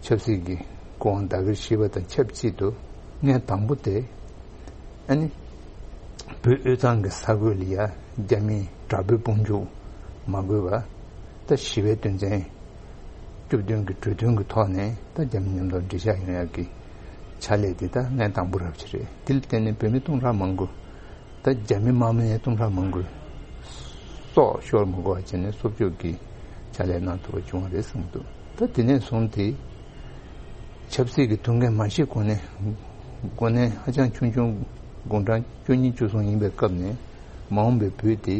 ཆབ་སྲིད་ཀྱི་སྐུ་དབང་བདག་གིར་བཞེས་པ་དང་ཆབས་ཅིག་ཏུ། ངས་དང་པོ་དེ་ཨ་ནི་བོད་དབུས་གཙང་གི་ས་ཁུལ་ལ་ཡ་རྒྱ་མིའི་དྲག་པོའི་དཔུང་འཇུག་མ་དགོས་པ། ད་ཞི་བའི་དོན་ཚན་བཅུ་བདུན་གྱི་གྲོས་མཐུན་གྱི་ཐོག་ནས་ད་རྒྱ་མི་མཉམ་དུ་འགྲིག་ཆགས་ཡོང་ཡག་གི་ཕྱག་ལས་དེ་ད་ངས་དང་པོ་རབ་ཅིག་རེད། དེ་ལ་བརྟེན་ནས་བོད་མི་སྟོང་ཕྲག་མང་པོ། ད་རྒྱ་མི་དམག་མི་ཡང་སྟོང་ཕྲག་མང་པོས་སྲོག་ཤོར་མ་དགོས་པ་བྱས་ནས་གསོ་སྐྱོབ་ཀྱི་ཕྱག་ལས་གནང་ཐུབ་པ་བྱུང་བ་རེད་བསམ་གྱི་འདུག་ད་དེ་ནས་བཟུང་སྟེ་ཆབ་སྲིད་ཀྱི་ཐུགས་འགན་མ་བཞེས་གོང་ནས། གོང་ནས་ཧ་ཅང་ཆུང་ཆུང་། དགུང་གྲངས་བཅུ་གཉིས་བཅུ་གསུམ་ཡིན་པའི་སྐབས་ནས་མ་འོངས་པའི་བོད་དེ་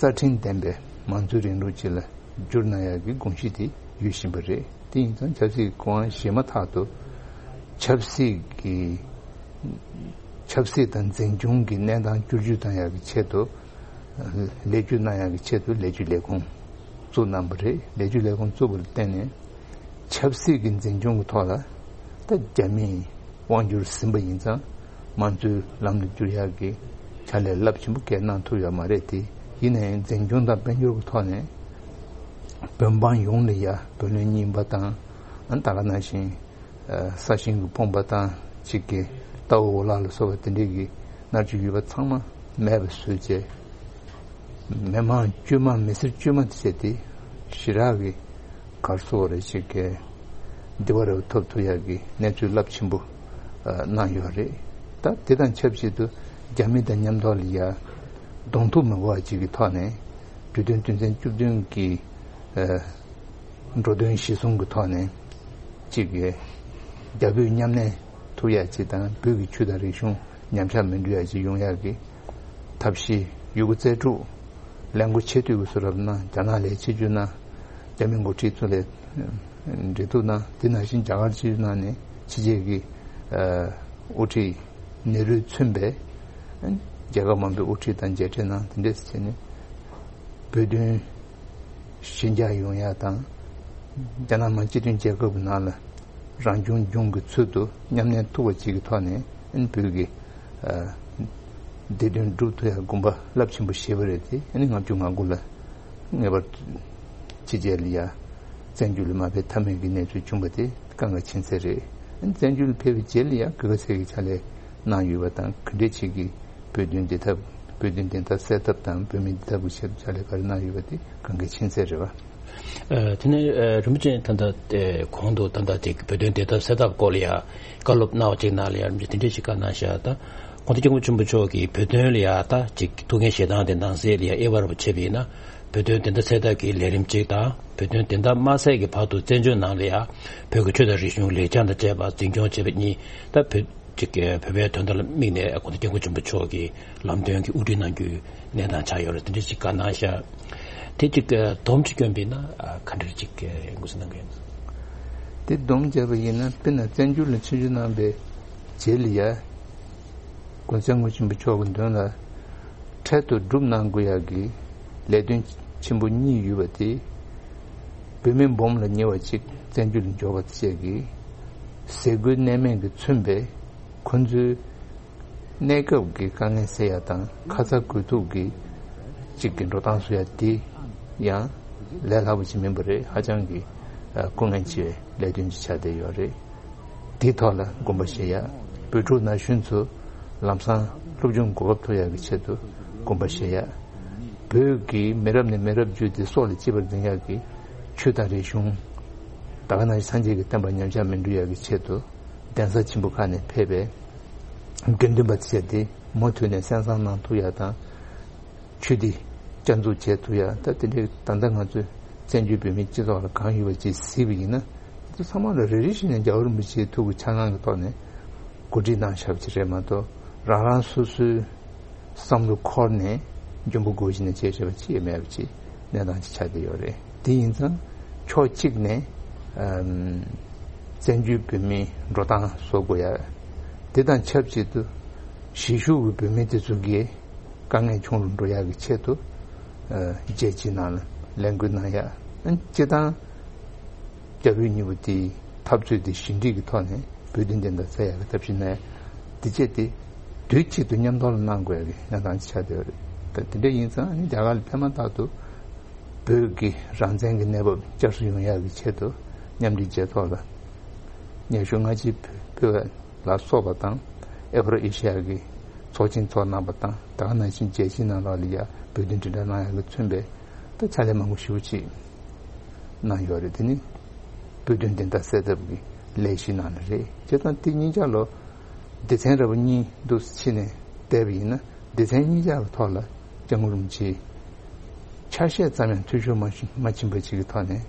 རྩ་ཁྲིམས་ལྡན་པའི་མང་གཙོའི་རིང་ལུགས་ཅིག་ལ་བསྒྱུར་གནང་ཡག་གི་དགོངས་གཞི་དེ་ཡོད་བཞིན་པ་རེད། དེ་ཡིན་ཙང་ཆབ་སྲིད་སྐུ་དབང་བཞེས་མ་ཐག་ཏུ་ཆབ་སྲིད་ཀྱི་ཆབ་སྲིད་དང་འཛིན་སྐྱོང་གི་གནས་སྟངས་བསྒྱུར་བཅོས་གཏོང་ཡག་གི་ཆེད་དུ། ལས་བཅོས་གནང་ཡག་གི་ཆེད་དུ་ལས་བཅོས་ལས་ཁུངས་བཙུགས་གནང་བ་རེད། ལས་བཅོས་ལས་ཁུངས་བཙུགས་པ་ལ་བརྟེན་ནས་ཆབ་སྲིད་ཀྱི་འཛིན་སྐྱོང་གི་ཐོག་ལ་ད་རྒྱ་མིས་དབང་བསྒྱུར་ཟིན་པ་ཡིན་ཙང་། མང་གཙོའི་ལམ་དུ་བསྒྱུར་ཡག་གི་ཕྱག་ལས་རླབས་ཆེན་པོ་གང་གནང་ཐུབ་ཡོད་མ་རེད་དེ། ཡིན་ནའི་འཛིན་སྐྱོང་དང་དཔལ་འབྱོར་གྱི་ཐོག་ནས་བོད་འབངས་ཡོངས་ལ་ཡ་བུ་ལོན་རྙིང་པ་དང་། ཨ་ནི་ད་ག་ནང་བཞིན་ས་ཞིང་གི་ཕོངས་པ་དང་། གཅིག་གི་རྟ་འོག་འོ་ལག་ལ་སོགས་པ་དེ་འདྲས་ཀྱི་མནར་གཅོད་ཡོད་པ་ཚང་མ་མེད་པ་བཟོས་བྱས། མི་མང་བཅོས་མ་མི་སེར་བཅོས་མ་དེ་བྱས་ཏེ་ཞེ་དྲག་གི་གར་སོགས་རེ་ཞིག་གི་བདེ་བ་རེ་བ་ཐོབ་ཐུབ་ཡག་གི་གནས་ཚུལ་རླབས་ཆེན་པོ་གནང་ཡོད་རེད། ད་དེ་དང་ཆབས་ཅིག་ཏུ་རྒྱ་མི་དང་མཉམ་ཐོག་ལ་ཡ་གདོང་ཐུག་མི་དགོས་པ་ཅིག་གི་ཐོག་ནས་གྲོས་མཐུན་དོན་ཚན་བཅུ་བདུན་གྱི་འགྲོ་དོན་གཞི་བཟུང་གི་ཐོག་ནས་ཅིག་གི་རྒྱ་བོད་མཉམ་གནས་ཐུབ་ཡག་ཅིག་དང་། བོད་ཀྱི་ཆོས་དང་རིག་གཞུང་ཉམས་ཆག་མི་འགྲོ་ཡག་ཅིག་ཡོང་ཡག་གི་ཐབས་ཤེས་ཡོད་རྒུ་རྩལ་སྤྲུགས། ལས་འགུལ་ཆེ་བསྟོད་ཀྱི་བཟོ་འདྲ་གནང་། རྒྱ་ནག་ལ་ཆེད་བསྒྱུར་གནང་། རྒྱ་མི་འགོ་ཁྲིད་ཚོ་ལ་འབྲེལ་གཏུག་གནང་། དེ་ནང་བཞིན་རྒྱ་གར་ཆེད་བསྒྱུར་གནང་ནས་ཕྱི་རྒྱལ་གྱི་དབུ་ཁྲིད་ནེ་རུས་མཚོན་པའི་རྒྱལ་ཁབ་མང་པོའི་དབུ་ཁྲིད་དང་མཇལ་འཕྲད་གནང་། དེ་འདྲས་བྱས་ནས་བོད་དོན་ཞི་འཇགས་ཡོང་ཡག་དང་། རྒྱ་ནག་མི་དམངས་སྤྱི་མཐུན་རྒྱལ་ཁབ་ཀྱི་ནང་ལ་རང་སྐྱོང་ལྗོངས་ཀྱི་ཚུལ་དུ་མཉམ་གནས་ཐུབ་པ་ཅིག་གི་ཐོག་ནས་ཨ་ནི་བོད་ཀྱི་ཨ་བདེ་དོན་སྒྲུབ་ཐུབ་ཡག་དགོངས་པ་རླབས་ཆེན་པོ་བཞེས་པ་རེད་དེ། ཨ་ནི་ལྔ་བཅུ་ང་དགུ་ལ་ངེས་པར་དུ་ཕྱི་རྒྱལ་ལ་ཡ་བཙན་བྱོལ་ལ་མ་ཕེབས་ཐབས་མེད་ཀྱི་གནས་ཚུལ་བྱུང་བ་དེ་སྐབས་འགའ་ཕྱིན་ཚར་རེད། ཨ་ནི་བཙན་བྱོལ་ལ་ཕེབས་པའི་རྗེས་ལ་ཡ་ག་ག་ཚད་ཀྱི་ཕྱག་ལས་གནང་ཡོད་པ་དང་། ག་འདྲས་ཅིག་གི་བོད་དོན་བདེ་ཐབས། བོད་དོན་བདེན་མཐའ་གསལ་ཐབས་དང་། བོད་མི་བདེ་ཐབས་ཀྱི་ཆེད་དུ་ཕྱག་ལས་ག་རེ་གནང་ཡོད་པ་དེ་གང་གི་མཁྱེན་གསལ་རེད་བ། ཨ་དེ་ནས་ཨ་རིན་པོ་ཆེ་ད་ལྟ་ཨ་གོང་དུ་ད་ལྟ་དེ་བོད་དོན་བདེན་མཐའ་གསལ་ཐབས་སྐོར་ལ་ཡ་བཀའ་སློབ་གནང་བ་ཅིག་ནང་ལ་ཡ་རིན་པོ་ཆེ་དེ་འདྲས་ཞིག་བཀའ་གནང་བཞག་ད་གོང་ས་སྐྱབས་མགོན་ཆེན་པོ་མཆོག་གིས་བོད་དོན་ལ་ཡ་ད་ཅིག་ཐུགས་འགན་བཞེས་སྟངས་དེ་ནང་གསེས་ལ་ཡ་དབྱེ་བ་རིམ་པ་ཕྱེ་བ་ཡིན་ན། བོད་དོན་བདེན་མཐའ་གསལ་ཐབས་ཀྱི་ལས་རིམ་གཅིག་དང་། བོད་དོན་བདེན་མཐའ་མ་གསལ་གྱི་བར་དུ་བཙན་བྱོལ་ནང་ལ་ཡ་བོད་ཀྱི་ཆོས་དང་རིག་གཞུང་ལེགས་བཅངས་དང་བཅས་པ་འཛིན་སྐྱོང་བྱེད་པ་གཉིས། ད་བོད་ཅིག་གི་བོད་པའི་དོན་དག་ལ་དམིགས་ནས་གོང་ས་སྐྱབས་མགོན་ཆེན་པོ་མཆོག་གིས་ལམ་སྟོན་གྱི་དབུ་ཁྲིད་གནང་རྒྱུའི་གནས་སྟངས་ཆགས་ཡོད་རེད། དེ་འདྲ་ཞིག་བཀའ་གནང་ཤག་དེ་ཅིག་སྡོམ་ཅིག་བསྐྱོན་པ་ཡིན་ན་ག་འདྲ་ཅིག་ངོས་འཛིན་གནང་གི་ཡིན། དེ་སྡོམ་བརྒྱབ་པ་ཡིན་ན། དཔེར་ན་བཙན་བྱོལ་ལ་ཆིབས་བསྒྱུར་གནང་པའི་རྗེས་ལ་ཡ་གོང་ས་སྐྱབས་མགོན་ཆེན་པོ་མཆོག་གི་མདུན་ལ་འཕྲལ་དུ་སྒྲུབ་གནང་དགོས་ཡག་གི་ལས་དོན་ཆེན་པོ་གཉིས་ཡོད་པ་དེ། བོད་མི་འབུམ་ལ་ཉེ་བ་ཅིག་བཙན་བྱོལ་ལ་འབྱོར་བ་བཅས་ཀྱི་ཟས་གོས་གནས་མལ་གྱིས་མཚོན་པའི་ཁོང་ཚོའི་གནས་སྐབས་ཀྱི་དཀའ་ངལ་སེལ་ཡ་དང་། ཁ་ཚ་དགོས་གཏུགས་ཀྱི་གཅིག་གི་འགྲོ་སྟངས་བཟོ་ཡ་དེ་ཡང་ལས་སླ་པོ་ཅིག་མིན་པ་རེད། ཧ་ཅང་གི་ཨ་སྐུ་ངལ་ཆེ་བའི་ ལས་དོན་ཅིག་ཆགས་བསྡད་ཡོད་རེད། དེའི་ཐོག་ལ་དགོངས་པ་བཞེས་ཡ། བོད་ཕྲུག་ན་གཞོན་ཚོ་ལམ་སང་སློབ་སྦྱོང་གོ་སྐབས་ཐོབ་ཡག་གི་ཆེད་དུ་དགོངས་པ་བཞེས་ཡ། བོད་ཀྱི་མི་རབས་ནས་མི་རབས་བརྒྱུད་དེ་སྲོག་ལ་གཅེས་པར་འཛིན་ཡག་གི་ཆོས་དང་རིག་གཞུང་། ད་ག་ནང་བཞིན་སངས་རྒྱས་ཀྱི་བསྟན་པ་ཉམས་ཆག་མི་འགྲོ་ཡག་གི་ཆེད་དུ་གདན་ས་ཆེན་པོ་ཁག་ནས་ཕེབས་པའི་དགེ་འདུན་པ་བྱས་ཏེ་མུ་མཐུད་ནས་གསན་བསམ་གནང་ཐུབ་ཡག་དང་། ཆོས་འདི་བསྐྱར་འཛུགས་བྱེད་ཐུབ་ཡ། ད་དེ་འདྲའི་ད་ལྟ་ང་ཚོས་བཙན་བྱོལ་བོད་མིའི་སྤྱི་ཚོགས་ལ་གང་ཡོད་པ་ཅིག་གཟིགས་པ་ཡིན་ན། དེ་ཚོ་ཚང་མ་ལ་རེ་རེ་བཞིན་ནས་རྒྱལ་བ་རིན་པོ་ཆེའི་ཐུགས་ཀྱི་འཆར་སྣང་གི་ཐོག་ནས་གོ་སྒྲིག་གནང་བཞག་པ་ཅིག་རེད་མ་གཏོགས། རང་རང་སོ་སོའི་བསམ་བློ་འཁོར་ནས་འཇོན་པོ་དགོས་བཞིན་ནས་བྱས་བཞག་པ་ཅིག་ཡང་མེད་པ་ཅིག་གནས་སྟངས་ཅིག་ཆགས་བསྡད་ཡོད་རེད། དེ་ཡིན་ཙང་ཕྱོགས་གཅིག་ནས་ཨམ་བཙན་བྱོལ་བོད་མིའི་འགྲོ་སྟངས་བཟོ་དགོས་ཡ། དེ་དང་ཆབས་ཅིག་ཏུ་གཞིས་བཞུགས་ཀྱི་བོད་མི་དེ་ཚོ་གིས་དཀའ་ངལ་ཆུང་རུ་འགྲོ་ཡག་གི་ཆེད་དུ། ཨ་རྒྱལ་སྤྱིའི་ནང་ལ་ལས་འགུལ་གནང་ཡག། ཨ་སྤྱིར་བཏང་རྒྱ་བོད་གཉིས་པོ་དེའི་འཐབ་རྩོད་དེ་ཞི་འགྲིག་གི་ཐོག་ནས་བོད་དོན་བདེན་མཐའ་གསལ་ཡག་གི་ཐབས་ཤེས་གནང་ཡག་དེ་བྱས་ཏེ། དུས་གཅིག་ཏུ་མཉམ་དུ་ལ་གནང་དགོས་ཡག་གི་གནས་སྟངས་ཅིག་ཆགས་བསྡད་ཡོད་རེད། ད་དེ་འདྲ་ཡིན་ཙང་ཨ་ནི་རྒྱ་གར་ལ་ཕན་མ་ཐག་ཏུ་བོད་ཀྱི་རང་བཙན་གྱི་གནས་བབ་བསྐྱར་གསོ་ཡོང་ཡག་གི་ཆེད་དུ་མཉམ་འབྲེལ་རྒྱལ་ཚོགས་ལ་སྙན་ཞུ་སྔ་ཕྱི་ཕུལ་བ་ལ་སོགས་པ་དང་། ཨེ་ཕོ་རི་ཨེ་ཤི་ཡ་གི་ཚོགས་ཆེན་ཚོགས་གནང་བ་དང་། ད་ག་ནང་བཞིན་རྒྱལ་སྤྱིའི་ནང་ལོགས་ལ་ཡ་བོད་དོན་དྲིལ་བསྒྲགས་གནང་ཡག་གི་མཚོན་པའི་ད་ཕྱག་ལས་མང་པོ་ཞེ་པོ་ཅིག་གནང་ཡོད་རེད། དེ་ནི་བོད་དོན་བདེན་མཐའ་གསལ་ཐབས་ཀྱི་ལས་གཞིའི་ནང་ནས་རེད། བྱས་ཙང་དེ་གཉིས་ཆ་ལོ་སྡེ་ཚན་ར་བ་གཉིས་འདུག་ཕྱེ་ནས་བལྟས་པ་ཡིན་ན། སྡེ་ཚན་གཉིས་ཆ་གི་ཐོག་ལ་སྐྱབས་མགོན་རིན་པོ་ཆེའི་ཆ་ཤས་ཙམ་ཡང་འཐུས་ཤོར་མ་ཕྱིན་པ་ཅིག་གི་ཐོག་ནས།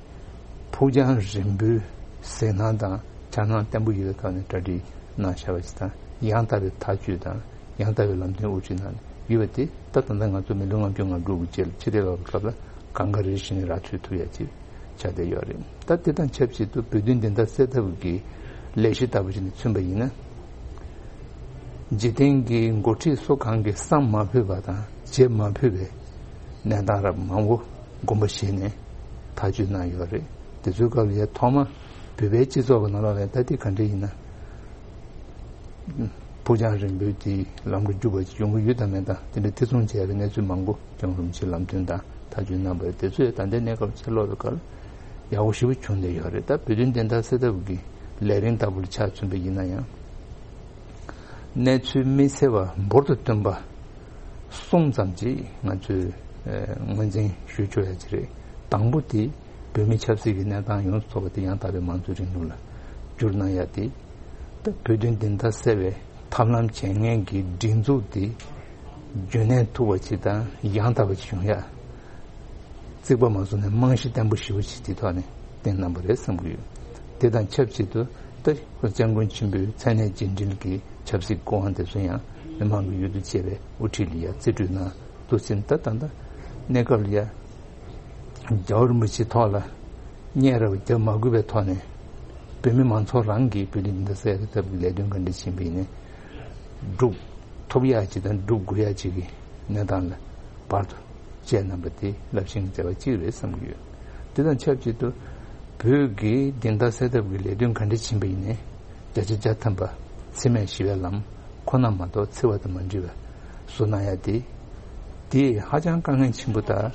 ཕུགས་རྒྱང་རིང་པོའི་གཟིགས་སྣང་དང་འཆར་སྣང་བརྟན་པོ་ཡོད་པའི་ཐོག་ནས་གྲ་སྒྲིག་གནང་བཞག་པ་ཅིག་དང་། ཡང་དག་པའི་ཐག་གཅོད་དང་ཡང་དག་པའི་ལམ་སྟོན་དབུ་ཁྲིད་གནང་ཡོད་པ་དེ། ད་ད་ལྟ་ང་ཚོ་མི་ལོ་ལྔ་བཅུ་ང་དྲུག་གི་རྗེས་ལ་ཕྱི་བལྟས་པའི་སྐབས་ལ་གང་ག་རེ་བཞིན་ར་འཕྲོད་ཐུབ་ཡ་ཅིག་ཆགས་བསྡད་ཡོད་རེད། ད་དེ་དང་ཆབས་ཅིག་ཏུ་བོད་དོན་བདེན་མཐའ་གསལ་ཐབས་ཀྱི་ལས་གཞི་ལྟ་བུ་ཞིག་ནས་མཚོན་པ་ཡིན་ན། འཇིག་རྟེན་གྱི་འགོ་ཁྲིད་སུ་གང་གིས་བསམ་མ་ཕོད་པ་དང་བྱེད་མ་ཕོད་པའི་གནས་སྟངས་རབ་མང་པོ་དགོངས་པ་བཞེས་ནས་ཐག་གཅོད་གནང་ཡོད་རེད། དེ་ཚོའི་སྐབས་ལ་ཡ་ཐོག་མ་བོད་པའི་སྤྱི་ཚོགས་ཀྱི་ནང་ལོགས་ལ་ད་ལྟའི་ག་འདྲ་ཡིན་ན། ཕུགས་རྒྱང་རིང་པོའི་དེའི་ལམ་དུ་འཇུག་པ་ཅིག་ཡོང་གི་ཡོད་དམ་མེད་དང་། དེ་འདྲ་ཐེ་ཚོམ་བྱེད་ཡ་གི་གནས་ཚུལ་མང་པོ་སྐྱབས་མགོན་རིན་པོ་ཆེའི་ལམ་སྟོན་དང་ཐག་གཅོད་གནང་བ་རེད། དེ་ཚོ་ཡང་ད་ལྟའི་གནས་སྐབས་ཕྱིར་ལོག་པའི་སྐབས་ཡག་པོ་ཞེ་པོ་བྱུང་བསྡད་ཡོད་རེད། ད་བོད་དོན་བདེན་མཐའ་གསལ་ཐབས་ཀྱི་ལས་རིམ་ལྟ་བུ་ལ་ཆ་མཚོན་པ་ཡིན་ན་ཡང་། གནས་ཚུལ་དམིགས་བསལ་བ་འབུར་དུ་བཏོན་པ་གསུམ་ཙམ་ཅིག་ང་ཚོས་ཨ་ངོས་འཛིན་ཞུ་ཆོག་ཡ་ཅིག་རེད། དང་པོ་དེ་བོད་མི་ཆབ་སྲིད་ཀྱི་གནས་སྟངས་ཡོངས་སུ་རྫོགས་པ་དེ་ཡང་དག་པའི་མང་གཙོའི་རིང་ལུགས་ལ་བསྒྱུར་གནང་ཡ་དེ། ད་བོད་དོན་བདེན་མཐའ་གསལ་བའི་ཐབས་ལམ་བྱེད་མཁན་གྱི་སྒྲིག་འཛུགས་དེ་རྒྱུན་གནས་ཐུབ་པ་ཅིག་དང་ཡང་དག་པ་ཅིག་བྱུང་ཡ། རྩིག་པ་མ་བཟོ་ནས་རྨང་གཞི་བརྟན་པོ་ཞེ་པོ་ཅིག་དེ་ཐོག་ནས་བཏིང་གནང་བ་རེད་བསམ་གྱི་ཡོད། དེ་དང་ཆབས་ཅིག་ཏུ་ད་སྐྱབས་མགོན་ཆེན་པོའི་མཚན་གནས་རྗེས་འབྲེལ་གྱི་ཆབ་སྲིད་སྐུ་དབང་དེ་ཚོ་ཡང་མི་མང་གི་ཡུལ་དུ་བཅས་པའི་དབུ་ཁྲིད་ལ་ཡ་རྩིས་སྤྲོད་གནང་འདུག་ཟིན། ད་ད་ལྟ་གནས་སྐབས་ལ་ཡ་རྒྱལ་བ་རིན་པོ་ཆེའི་ཐོག་ལ་བརྙས་ར་བ་རྒྱབ་མ་དགོས་པའི་ཐོག་ནས་བོད་མི་མང་ཚོགས་རང་གིས་བོད་དོན་བདེན་མཐའ་གསལ་ཐབས་ཀྱི་ལས་དོན་ག་འདྲ་ཕྱིན་པ་ཡིན་ནའི་སྒྲུབ་ཐུབ་ཡག་ཅིག་དང་སྒྲུབ་དགོས་ཡག་ཅིག་གི་གནས་སྟངས་ལ་བར་དུ་བཅས་གནང་པ་དེ་རླབས་ཆེན་གྱི་མཛད་པ་གཅིག་རེད་བསམ་གྱི་ཡོད། དེ་དང་ཆབས་ཅིག་ཏུ་བོད་ཀྱི་བདེན་མཐའ་གསལ་ཐབས་ཀྱི་ལས་དོན་ག་འདྲ་ཕྱིན་པ་ཡིན་ནའི་བརྒྱ་ཆ་བརྒྱ་ཐམ་པ་འཚེ་མེད་ཞི་བའི་ལམ་ཁོ་ན་མ་གཏོགས་འཚེ་བ་དང་མ་འདྲེས་པ་བཟོ་གནང་ཡ་དེ། དེ་ཧ་ཅང་དཀའ་ངལ་ཆེན་པོ་དང་།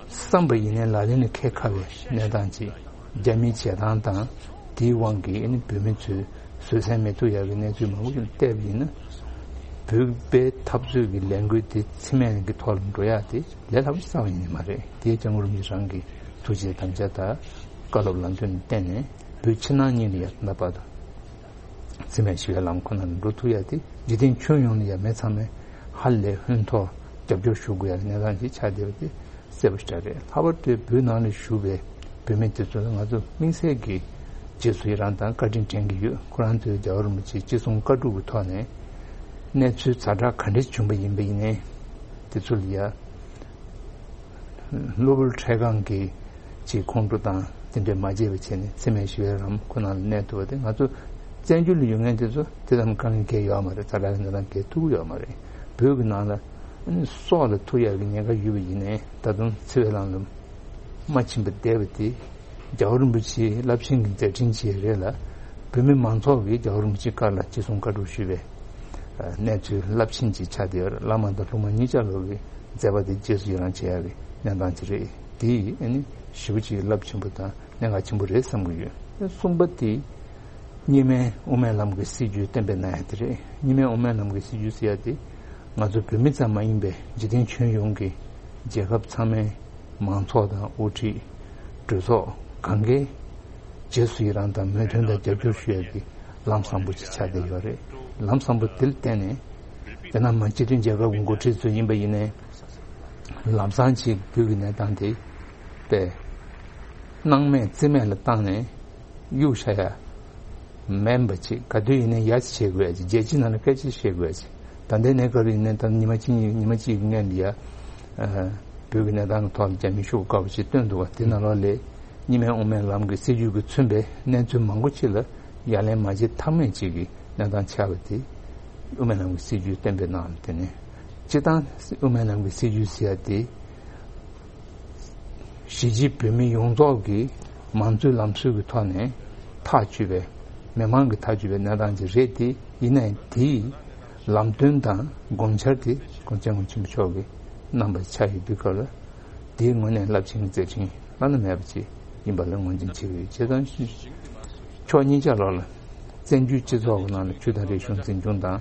བསམ་པ་ཡིན་ནའི་ལག་ལེན་ལ་འཁེལ་ཁག་པའི་གནས་སྟངས་ཅིག་རྒྱ་མིའི་བྱེད་སྟངས་དང་། དེའི་དབང་གིས་ཨ་ནི་བོད་མི་ཚོས་བཟོད་བསྲན་མི་ཐུབ་ཡག་གི་གནས་ཚུལ་མང་པོ་ཞིག་བལྟས་པ་ཡིན་ན། བོད་པའི་འཐབ་རྩོད་ཀྱི་ལས་འགུལ་དེ་འཚེ་མེད་ཀྱི་ཐོག་ལ་འགྲོ་ཡག་དེ་ལས་སླ་པོ་ཞིག་རྩ་བ་ཉིད་ནས་མ་རེད། དེ་སྐྱབས་མགོན་རིན་པོ་ཆེ་རང་གི་ཐུགས་རྗེ་དམ་བཅའ་དང་བཀའ་སློབ་ལམ་སྟོན་ལ་བརྟེན་ནས་བོད་ཕྱི་ནང་གཉིས་ལ་ཡ་ད་ལྟ་བར་དུ་འཚེ་མེད་ཞི་བའི་ལམ་ཁོ་ན་ལ་འགྲོ་ཐུབ་ཡ་དེ། འཇིག་རྟེན་ཁྱོན་ཡོངས་ནས་ཡ་མི་ཚང་མས་ཧ་ལས་ཧོན་ཐོར་རྒྱབ་སྐྱོར་ཞུ་དགོས་ཡ་གི་གནས་སྟངས་ཤིག་ཆགས་བསྡད་པ་དེ་གསལ་པོ་ཞེ་དྲག་རེད། ལྷག་པར་དུ་བོད་ནང་ལ་བཞུགས་པའི་བོད་མི་དེ་ཚོ་ལ་ང་ཚོ་དམིགས་བསལ་གྱི་རྗེས་སུ་ཡི་རང་དང་བཀའ་དྲིན་དྲན་གྱི་ཡོད། ཁོ་རང་ཚོས་རྒྱལ་བ་རིན་པོ་ཆེའི་ཅི་གསུང་བཀའ་སྒྲུབ་ཀྱི་ཐོག་ནས་གནས་ཚུལ་ཛ་དྲག་ག་འདྲ་བྱུང་བ་ཡིན་པ་ཡིན་ནའི་དེ་ཚོ་ལ་ཡ། གློ་བུར་འཕྲལ་སྒང་གི་ཅིག་ཁོང་ཁྲོ་དང་དེ་འདྲས་མ་བྱས་པ་བྱས་ནས་འཚེ་མེད་ཞི་བའི་ལམ་ཁོ་ན་ལ་གནས་ཐུབ་པ་དེ། ང་ཚོ་བཙན་བྱོལ་ལ་ཡོད་མཁན་དེ་ཚོ་དེ་ཙམ་དཀའ་ངལ་འགེལ་ཡོད་མ་རེད། ཛ་དྲག་གི་གནས་སྟངས་འགེལ་ཐུབ་ཀྱི་ཡོད་མ་རེད། བོད་ཀྱི་ནང་ལ་ཨ་ནི་སྲོག་ལ་ཐུག་ཡག་གི་ཉེན་ཁ་ཡོད་པ་ཡིན་ནའི་ད་དུང་འཚེ་བའི་ལམ་ལ་མ་ཕྱིན་པར་བསྡད་པ་དེ་རྒྱལ་བ་རིན་པོ་ཆེའི་རླབས་ཆེན་གྱི་མཛད་འཕྲིན་ཅིག་རེད་ལ། བོད་མི་མང་ཚོགས་ཀྱིས་རྒྱལ་བ་རིན་པོ་ཆེའི་བཀའ་ལ་ཅི་གསུང་བཀའ་སྒྲུབ་ཞུས་པའི་གནས་ཚུལ་རླབས་ཆེན་ཅིག་ཆགས་བསྡད་ཡོད་རེད། བླ་མ་དང་སློབ་མ་གཉིས་ཆ་ལོག་གི་མཛད་པ་དེ་རྗེས་སུ་ཡི་རང་བྱེད་ཡག་གི་གནས་སྟངས་ཅིག་རེད། དེ་ཡིས་ཨ་ནི་ཞེ་པོ་ཅིག་རླབས་ཆེན་པོ་དང་གནད་འགག་ཆེན་པོ་རེད་བསམ་གྱི་ཡོད། གསུམ་པ་དེ་གཉིས་སྨན་དབུ་མའི་ལམ་གྱི་སྲིད་བྱུས་གཏན་འབེབས་གནང་ཡ་དེ་རེད། གཉིས་སྨན་དབུ་མའི་ལམ་གྱི་སྲིད་བྱུས་ཟེར་ཡ་དེ་ང་ཚོ་བོད་མི་ཙམ་མ་ཡིན་པའི་འཇིག་རྟེན་ཁྱོན་ཡོངས་ཀྱི་རྒྱལ་ཁབ་ཚང་མའི་མང་ཚོགས་དང་དབུ་ཁྲིད་གྲོས་ཚོགས་གང་གའི་རྗེས་སུ་ཡི་རང་དང་མོས་མཐུན་དང་རྒྱབ་སྐྱོར་ཞུ་ཡ་གི་ལམ་བཟང་པོ་ཅིག་ཆགས་བསྡད་ཡོད་རེད། ལམ་བཟང་པོ་དེ་ལ་བརྟེན་ནས་རྒྱ་ནག་མི་དམངས་སྤྱི་མཐུན་རྒྱལ་ཁབ་ཀྱི་འགོ་ཁྲིད་ཚོ་ཡིན་པ་ཡིན་ནའི་ལམ་སང་ཅིག་བོད་ཀྱི་གནས་སྟངས་དེ་དཔེ་སྣང་མེད་རྩིས་མེད་ལ་བཏང་ནས་གཡུག་བཞག་ཡ་མིན་པ་ཅིག་ག་དུས་ཡིན་ནའི་ཡ་ཅིག་བྱེད་དགོས་ཡ་ཅིག་རྒྱལ་སྤྱིའི་ནང་ལ་སྐད་ཆ་བཤད་དགོས་ཡ་ཅིག་ད་ལྟའི་གནས་སྐབས་ཡིན་ནའི་ད་ཉི་མ་གཅིག་ཉི་མ་གཅིག་གི་སྔོན་ལ་ཡ་བོད་ཀྱི་གནས་སྟངས་ཀྱི་ཐོག་ལ་རྒྱ་མི་ཤོག་བུ་དཀར་པོ་ཅིག་བཏོན་འདུག་བ། དེ་ནང་ལོགས་ལས་གཉིས་སྨན་དབུ་མའི་ལམ་གྱི་སྲིད་བྱུས་ཀྱིས་མཚོན་པའི་གནས་ཚུལ་མང་པོ་ཅིག་ལ་ཡ་ལན་མ་བྱེད་ཐབས་མེད་ཅིག་གི་གནས་སྟངས་ཆགས་པ་དེ་དབུ་མའི་ལམ་གྱི་སྲིད་བྱུས་གཏན་འབེབས་གནང་བ་དེ་ནི་སྤྱིར་བཏང་དབུ་མའི་ལམ་གྱི་སྲིད་བྱུས་ཟེར་ཡ་དེ་གཞིས་བྱེས་བོད་མི་ཡོངས་རྫོགས་ཀྱི་མང་གཙོའི་ལམ་སྲོལ་གྱི་ཐོག་ནས་ཐག་གཅོད་པའི་མི་མང་གིས་ཐག་གཅོད་པའི་གནས་སྟངས་ཅིག་རེད་དེ། ཡིན་ནའི་དེའི་ལམ་སྟོན་དང་དགོངས་འཆར་དེ་༸གོང་ས་༸སྐྱབས་མགོན་ཆེན་པོ་མཆོག་གིས་གནང་བ་ཆགས་ཡོད་དུས་སྐབས་ལ་དེའི་ངོས་ནས་རླབས་ཆེན་གྱི་མཛད་འཕྲིན་བླ་ན་མེད་པ་ཅིག་ཡིན་པ་ལ་ངོས་འཛིན་བྱེད་ཀྱི་ཡོད། བྱས་ཙང་ཕྱོགས་གཉིས་ཆ་ལོགས་ལ་བཙན་བྱོལ་སྤྱི་ཚོགས་ཀྱི་ནང་ལ་ཆོས་དང་རིག་གཞུང་འཛིན་སྐྱོང་དང་